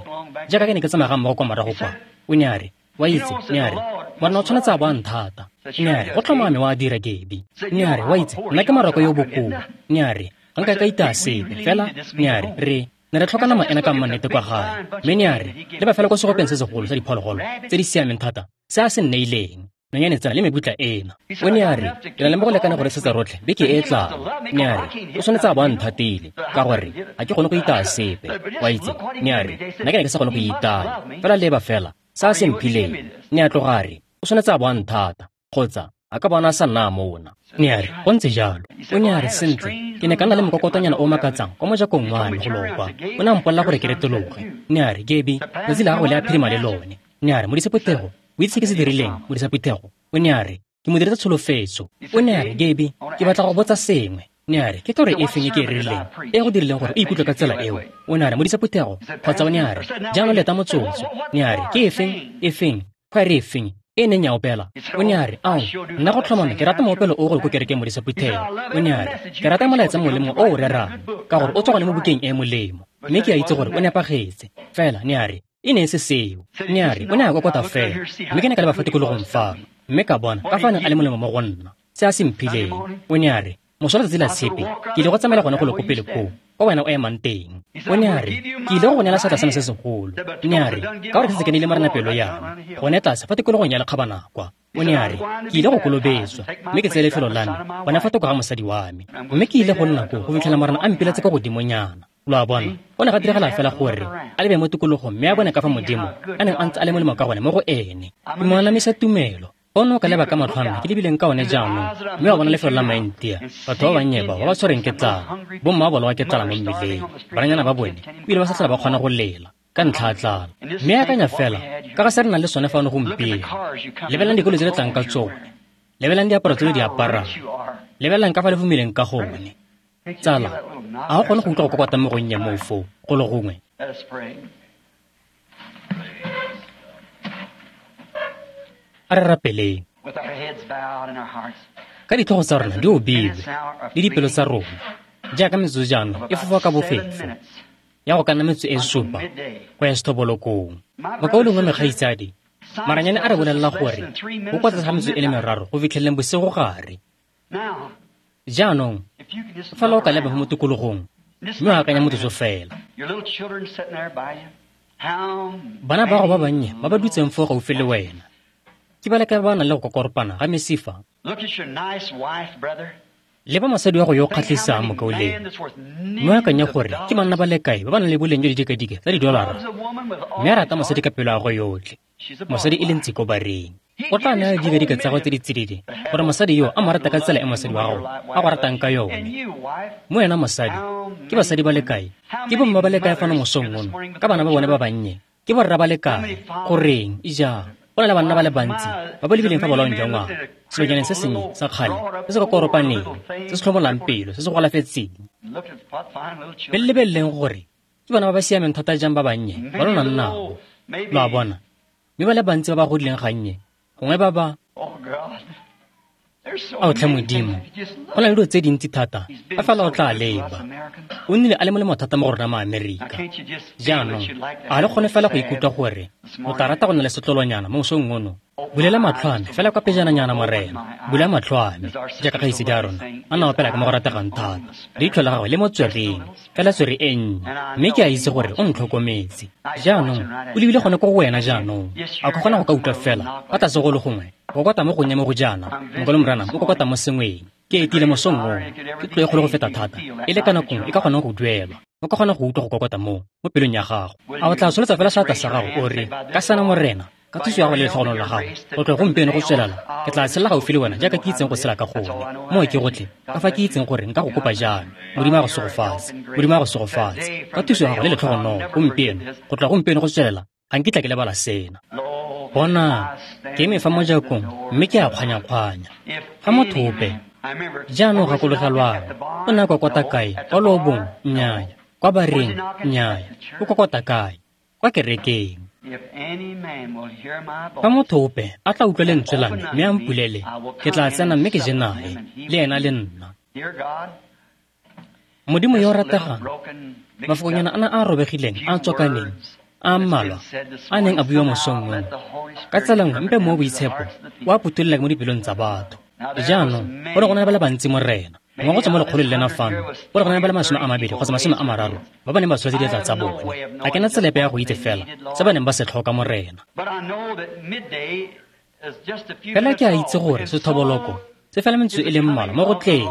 jaaka ke ne ke tsamaya ga mmogo kwa morago kwa. O ne a re, wa itse, ne a re, morena o tshwanetse a bo a nthata. Ne a re, go tlhomame wa dira Gabi. Ne a re, wa itse, nna ke maroko yo bokoa. Ne a re, ga nka ka itaya sepe, fela, ne a re, re ne re tlhoka nama ena ka mmannete kwa gae. Mme ne a re, le ba fela kwa segopeng se segolo sa diphologolo tse di siameng thata se a se nneileng. Nonyane tsena le mebutla ena. O ne a re, ke na le mo go lekane go re setsa rotlhe beke e e tlang. Ne a re, o tshwanetse a bo a nthatile, ka gore ga ke kgone go itaya sepe. Wa itse, ne a re, nna ke ne ke sa kgone go itaya. Fela leba fela, sa a se mphileng. Ne a tloga a re, o tshwanetse a bo a nthata, kgotsa a ka bona a sa nna mona. Ne a re, go ntse jalo. O ne a re, sentle, ke ne ka nna le mokokotonyana o makatsang kwa mojakong wa me go lokwa. O ne a mpolelela gore ke retologe. Ne a re, Gabi, letsatsi la gago le a phirima le lone. Ne a re, modisa phuthego, o itse ke se dirileng, modisa phuthego? O ne a re, ke mo diretse tsholofetso. O ne a re, Gabi, ke batla go botsa sengwe. Ne a re, ke toro e feng e ke e rerileng e go dirileng gore o ikutlwe ka tsela eo? O ne a re, modisa phuthego, kgotsa o ne a re, jaanong leta motsotso. Ne a re, ke efeng, efeng, khwaere efeng e neng ya opela? O ne a re, ao, nna go tlhomame ke rata moopelo o go ko kerekeng modisa phuthego. O ne a re, ke rata molaetsa mongwe le mongwe o o rerang, ka gore o tswa gone mo bukeng e e molemo, mme ke a itse gore o nepagetse. Fela, ne a re, e ne e se seo. Ne a re, o ne a kokota fela, mme ke ne ka leba fa tikologong fano, mme ka bona ka fa a neng a le molemo mo go nna, se a se mphileng. O ne a re, moso letsatsi la tshepe, ke ile go tsamaela gone go lo ko pele koo, kwa wena o emang teng. O ne a re, ke ile go go neela seatla sa me se segolo. Ne a re, ka gore ke setse ke neile Morena pelo ya me, gone tlase fa tikologong ya lekgabana kwa. O ne a re, ke ile go kolobetswa, mme ke tseye lefelo la me gone fa thoko ga mosadi wa me, mme ke ile go nna koo go fitlhela Morena a mpiletse kwa godimonyana. Lo a bona, go ne ga diragala fela gore a lebe mo tikologong mme a bone ka fa Modimo a neng a ntse a le molemo ka gone mo go ene. Ke mo anamisa tumelo. Ono ka leba ka matlho a me ke lebileng ka one jaanong, mme wa bona lefelo la Maintia, batho ba bannye bao ba ba tshwereng ke tlala, bomma ba bolawa ke tlala mo mmileng, bananyana ba bone ebile ba sa tlhola ba kgona go lela ka ntlha ya tlala. Mme akanya fela ka ga se re nang le sone fano gompieno. Lebelelang dikolo tse le tlang ka tsone, lebelelang diaparo tse le di aparang, lebelelang ka fa le fumileng ka gone. Tsala, a go kgone go utlwa go kokota mo gonnye moo foo go le gongwe? A re rapeleng. Ka ditlhogo tsa rona di obilwe le dipelo tsa rona, jaaka metsotso jaanong e fofa ka bofefo ya go ka nna metsotso e supa go ya sethobolokong. Mokaulengwe mekgaitsadi, maranyane a re bolelela gore go kwa tlase ga metsotso e le meraro go fitlheleleng bosigo gare. Jaanong fela o ka leba mo tikologong mme o akanya motsotso fela. Bana ba gago ba bannye ba ba dutseng foo gaufi le wena, ke ba leka ba nang le go kokoropana ga mesifa. Leba mosadi wa go yo o kgatlhisang, mokaulengwe, mme o akanya gore ke banna ba le kae ba ba nang le boleng jwa didikadike tsa didolara, mme a rata mosadi ka pelo ya gagwe yotlhe, mosadi e le ntsi ko bareng. O tla naya didikadike tsa gagwe tse di tsididi gore mosadi yo a mo rata ka tsela e mosadi wa gago a go ratang ka yone. Mo wena mosadi, ke basadi ba le kae, ke bomma ba le kae fano mosong ono ka bana ba bone ba bannye, ke borra ba le kae, goreng ija go na le banna ba le bantsi ba ba lebileng fa bolaong jwa ngwaga, selonyaneng se sennye sa kgale se se kokoropaneng, se se tlhomolang pelo, se se golafetseng. Be le lebeleleng gore ke bana ba ba siameng thata jang ba bannye ba lo nang nabo. Lo a bona, mme ba le bantsi ba ba godileng gannye, gongwe ba ba ao tlhe Modimo, go na le dilo tse dintsi thata a fela o tla leba. O nnile a le molemo thata mo go rona maAmerika. Jaanong a le kgone fela go ikutlwa gore o tla rata go nna le setlolonyana mo mosong ono? Bulela matlho a me fela kwa pejananyana, Morena, bula matlho a me jaaka kgaitsedi a rona a na opela ka mo go rategang thata, leitlho la gagwe le mo tswereng fela tswere e nnye, mme ke a itse gore o ntlhokometse. Jaanong o lebile gone ko go wena jaanong, a ka kgona go ka utlwa fela kwa tlase go le gongwe go kokota mo gonnye mo go jaana, mokolo Morena o kokota mo sengweng. Ke etile mosong ono, ke tlo e kgolo go feta thata e le ka nako nngwe e ka kgonang go duelwa. O ka kgona go utlwa go kokota mo mo pelong ya gago. A o tla tsholetsa fela seatla sa gago o re, ka sana Morena, ka thuso ya gago le letlhogonolo la gago, go tloga gompieno go tswelela, ke tla tshela gaufi le wena jaaka ke itseng go tshela ka gone. Moo ke gotlhe ka fa ke itseng gore nka go kopa jang. Modimo a go segofatse, Modimo a go segofatse ka thuso ya gago le letlhogonolo gompieno, go tloga gompieno go tswelela, ga nkitla ke lebala sena. Bona, ke eme fa mojakong mme ke a kgwanya-kgwanya. Fa motho ope, jaanong gakologelwang, o ne a kokota kae? Kwa loobong? Nnyaya. Kwa bareng? Nnyaya. O kokota kae? Kwa kerekeng. Fa motho ope a tla utlwa lentswe la me mme a mpulele, ke tla tsena mme ke je nae, le ena le nna. Modimo yo o rategang, mafokonyana ana a a robegileng a a tswakaneng, a mmalwa a neng a buiwa mosong ono, ka tsela nngwe mpe mo boitshepo o a phutholola mo dipelong tsa batho. Jaanong go ne go na le ba le bantsi, Morena, gongwe go tswa mo lekgolong lena fano go ne go na le ba le masome a mabedi kgotsa masome a mararo ba ba neng ba tsholetse diatla tsa bone. Ga ke na tsela epe ya go itse fela se ba neng ba se tlhoka, Morena. Fela ke a itse gore sethoboloko se fela metsotso e le mmalwa mo go tleng,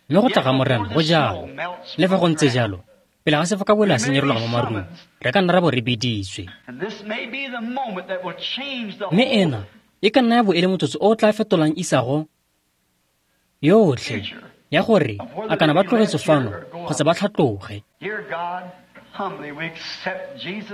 mme go tla ga Morena go jalo. Le fa go ntse jalo, pele ga sefokabola se nyerologa mo marung, re ka nna ra bo re biditswe. Mme ena e ka nna ya bo e le motsotso o o tla fetolang isago yotlhe ya gore a kana ba tlogetse fano kgotsa ba tlhatloge.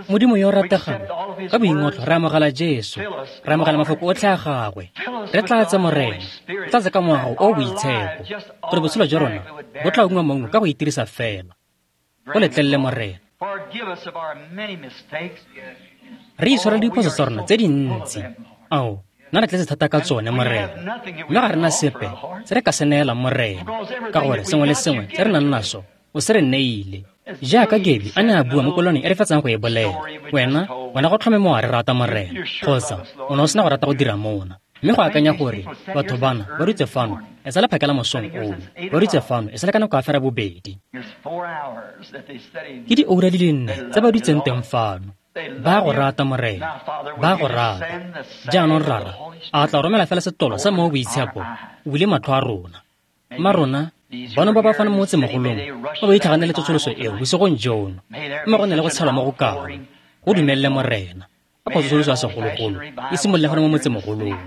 Modimo yo o rategang, ka boingotlo re amogela Jesu, re amogela mafoko otlhe a gagwe. Re tlatse Morena, re tlatse ka moago o o boitshepo, gore botshelo jwa rona bo tla ungwa maungo ka go itirisa fela. Go letlelele Morena. Re itshwarele diphoso tsa rona tse dintsi. Ao, nna re tletse thata ka tsone Morena, mme ga re na sepe se re ka se neelang Morena, ka gore sengwe le sengwe se re nang naso o se re neile. Jaaka Gabi a ne a bua mo koloneng e re fetsang go e bolela, wena wena go tlhome mo wa re rata Morena, kgotsa o ne o sena go rata go dira mona. Mme go akanya gore batho bana ba dutse fano e sa le phakela mosong ono, ba dutse fano e sa le ka nako ya fera bobedi. Ke dioura di le nne tse ba dutseng teng fano. Ba go rata Morena, ba go rata. Jaanong Rara a tla romela fela setlolo sa Mowa o Boitshepo o bule matlho a rona. Mma rona bano ba ba fano mo motsemogolong ba ba itlhaganele tsosoloso eo bosigong jono, mme go ne le go tshelwa mo go kalo. Go dumelele Morena, ka tsosoloso ya segologolo e simolole fano mo motsemogolong.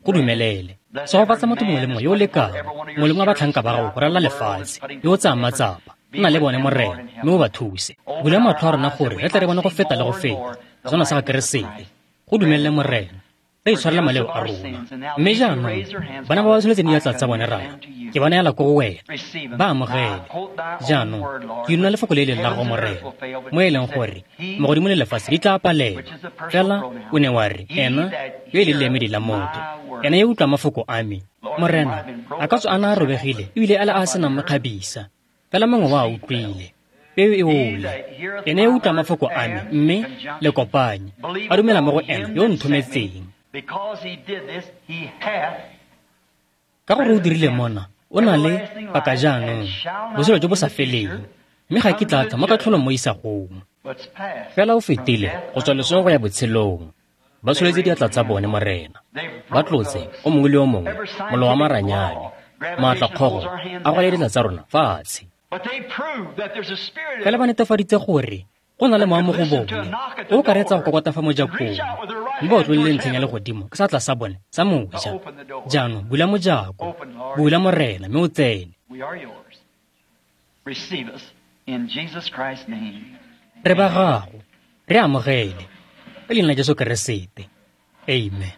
Go dumelele. Segofatsa motho mongwe le mongwe yo o lekang, mongwe le mongwe wa batlhanka ba gago go ralala lefatshe, yo o tsayang matsapa. Nna le bone Morena, mme o ba thuse. Bula matlho a rona gore re tle re bone go feta le go feta sona sa ga Keresete. Go dumelele Morena, re itshwarele maleo a rona. Mme jaanong bana ba ba tsholetseng diatla tsa bone Rara, ke ba neela ko go wena, ba amogele. Jaanong ke nna lefoko le e leng la gago Morena, mo e leng gore magodimo le lefatshe di tla palelwa. Fela o ne wa re ena yo e leng leemedi la motho, ena yo utlwa mafoko a me. Morena a ka tswa a na a robegile ebile a le a senang mokgabisa, fela mongwe wa a utlwile. Peo e ole. Ene yo utlwa mafoko a me, mme le kopanye, a dumela mo go ena yo o nthometseng. Ka gore o dirile mona, o na le paka jaanong botshelo jo bo sa feleng, mme ga ke tla tla mo katlholong mo isagong. Fela o fetile go tswa lesong go ya botshelong. Ba tsholetse diatla tsa bone Morena, ba tlotse o mongwe le o mongwe mollo wa maranyane, maatlakgogo a go le diatla tsa rona fatshe. Fela ba netefaditse gore go na le mowa mo go bone o ka reetsa go kokota fa mojakong, mme ba otlolole ntlheng ya legodimo ka seatla sa bone sa moja. Jaanong bula mojako, bula Morena, mme o tsene. Re ba gago, re amogele ka leina la Jesu Keresete. Amen.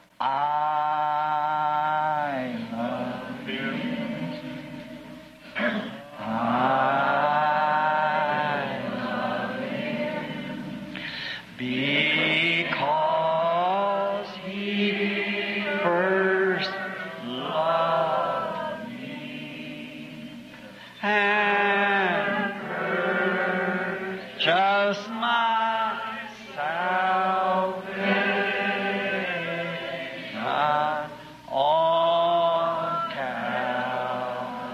Because he first loved me and purchased my salvation on Calvary's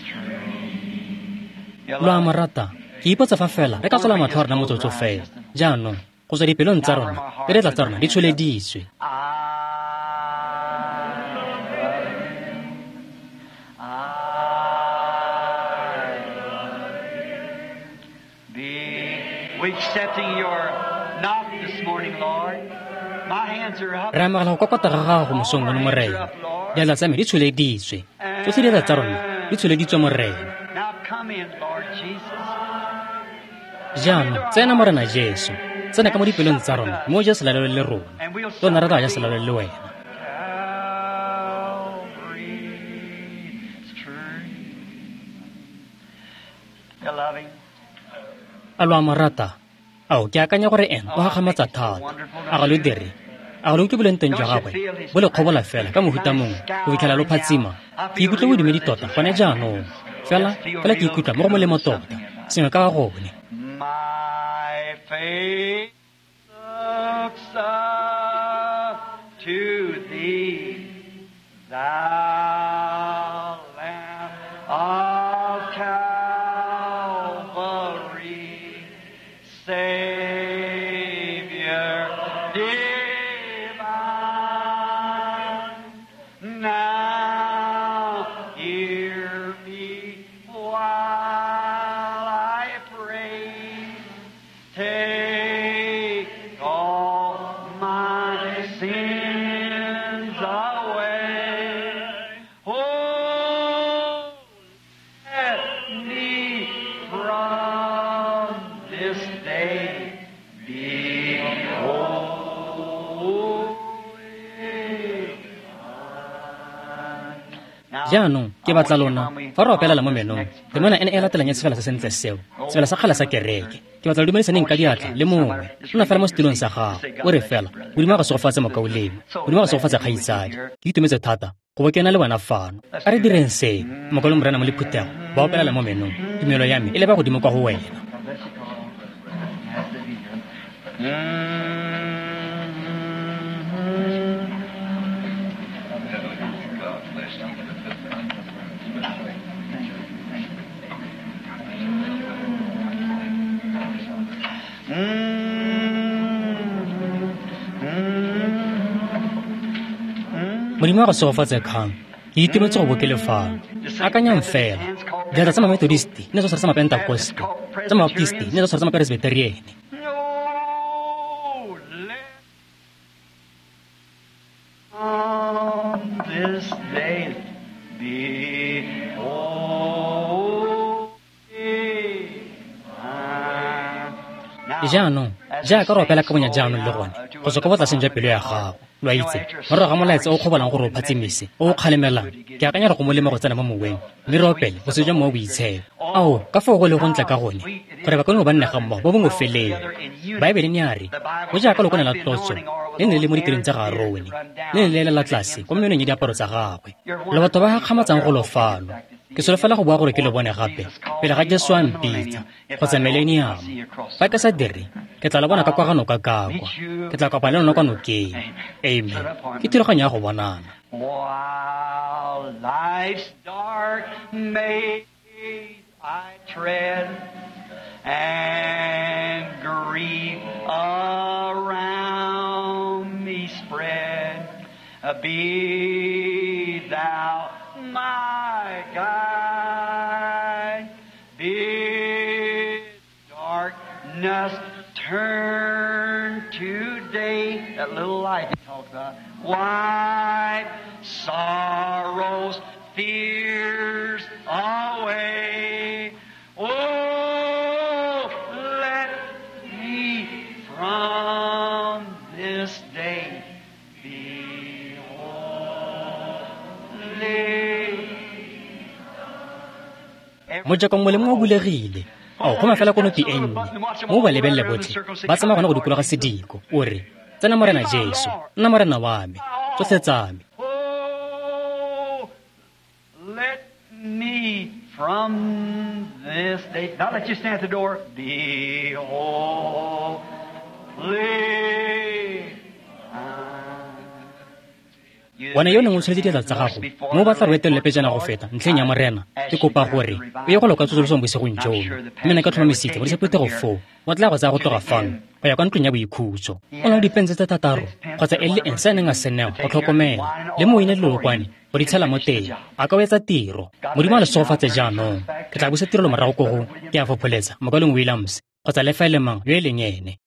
tree. Lo a mo rata. Ke ipotsa fa fela re ka tswala matlho a rona motsotso fela. Jaanong go tswa dipelong tsa rona le diatla tsa rona di tsholeditswe. Re amogela go kokota ga gago mosong ono Morena. Diatla tsa me di tsholeditswe. Tsotlhe diatla tsa rona di tsholeditswe Morena. Jaanong tsena Morena Jesu, tsena ka mo dipelong tsa rona, mme o je selalelo le rona. Lona re tla ja selalelo le wena. A lo a mo rata? Ao, ke akanya gore ena o gakgamatsa thata. A ga lo dire? A ga lo utlwe boleng teng jwa gagwe bo le kgobola fela ka mohuta mongwe go fitlhela lo phatsima? Ke ikutlwa bodumedi tota gone jaanong. Fela fela ke ikutlwa mo go molemo tota, sengwe ka ga gone. My faith looks up to thee, thou Lamb of Calvary, Savior divine. Jaanong ke batla lona fa re opelela mo menong temana ene e latelang ya sefela se sentle seo, sefela sa kgale sa kereke. Ke batla lo dumedisaneng ka diatla le mongwe. Nna fela mo setilong sa gago, o re fela Modimo a go segofatse mokaulengwe, Modimo a go segofatse kgaitsadi. Ke itumetse thata go bo ke na le wena fano. A re direng seo. Mokaulengwe Morena mo le phuthego ba opelela mo menong, tumelo ya me e leba godimo kwa go wena. Modimo a go segofatse kgang. Ke itumetse go bo ke le fano. Akanyang fela, diatla tsa Mamethodist ne tsa tshwara tsa Mapentakoste, tsa Mabaptist ne tsa tshwara tsa Mapresbyteriene. On this day be holy. Jaanong jaaka re opela ka bonya jaanong le gone go tswa ka botlaseng jwa pelo ya gago, lo a itse, morago ga molaetsa o kgobolang gore o phatsimise, o o kgalemelang, ke akanya re go molemo go tsena mo moweng mme re opele go se jwa mowa boitshepo. Ao, ka foo go le go ntle ka gone gore bakaulengwe ba nne ga mmogo bo bongwe feleng. Baebele ne a re go jaaka lokwane la tlotso le ne le mo ditireng tsa ga Arone, le ne le elela tlase kwa menong ya diaparo tsa gagwe. Le batho ba gakgamatsang go lo fano. Ke solofela go bua gore ke lo bone gape pele ga Jesu a mpitsa kgotsa millennium. Fa ke sa dire, ke tla lo bona ka kwa ga noka ka kwa. Ke tla kopana le lona kwa nokeng. Amen. Ke thulaganyo ya go bonana. While life's dark maze I tread and grief around me spread, be thou my guide, bid darkness turn to day. That little light he talked about. Wipe sorrows, fears away. Oh, let me from this day be holy. Mojako mongwe le mongwe o bulegile. Ao, go mafela konopi e nnye mo ba lebelele botlhe ba tsamaya gone go dikologa sediko. O re, tsena Morena Jesu, nna Morena wa me, tsotlhe tsa me. Oh, let me from this day, not let you stand at the door, be holy. Wena yo neng o tsholetse diatla tsa gago mo o batla re etelele pejana go feta ntlheng ya Morena, ke kopa gore o ye go loka tsosolosong bosigong jono. Mme nna ke tlhomamisitse modisa phuthego foo o tla go tsaya go tloga fano go ya kwa ntlong ya boikhutso. O na le dipense tse thataro kgotsa e le eng se a neng a se newa go tlhokomela le moine le lolokwane go di tshela mo teng. A ka o etsa tiro. Modimo a le segofatse jaanong. Ke tla busa tirelo morago ko go ke a fopholetsa mokaulengwe Williams kgotsa le fa e le mang yo e leng ene.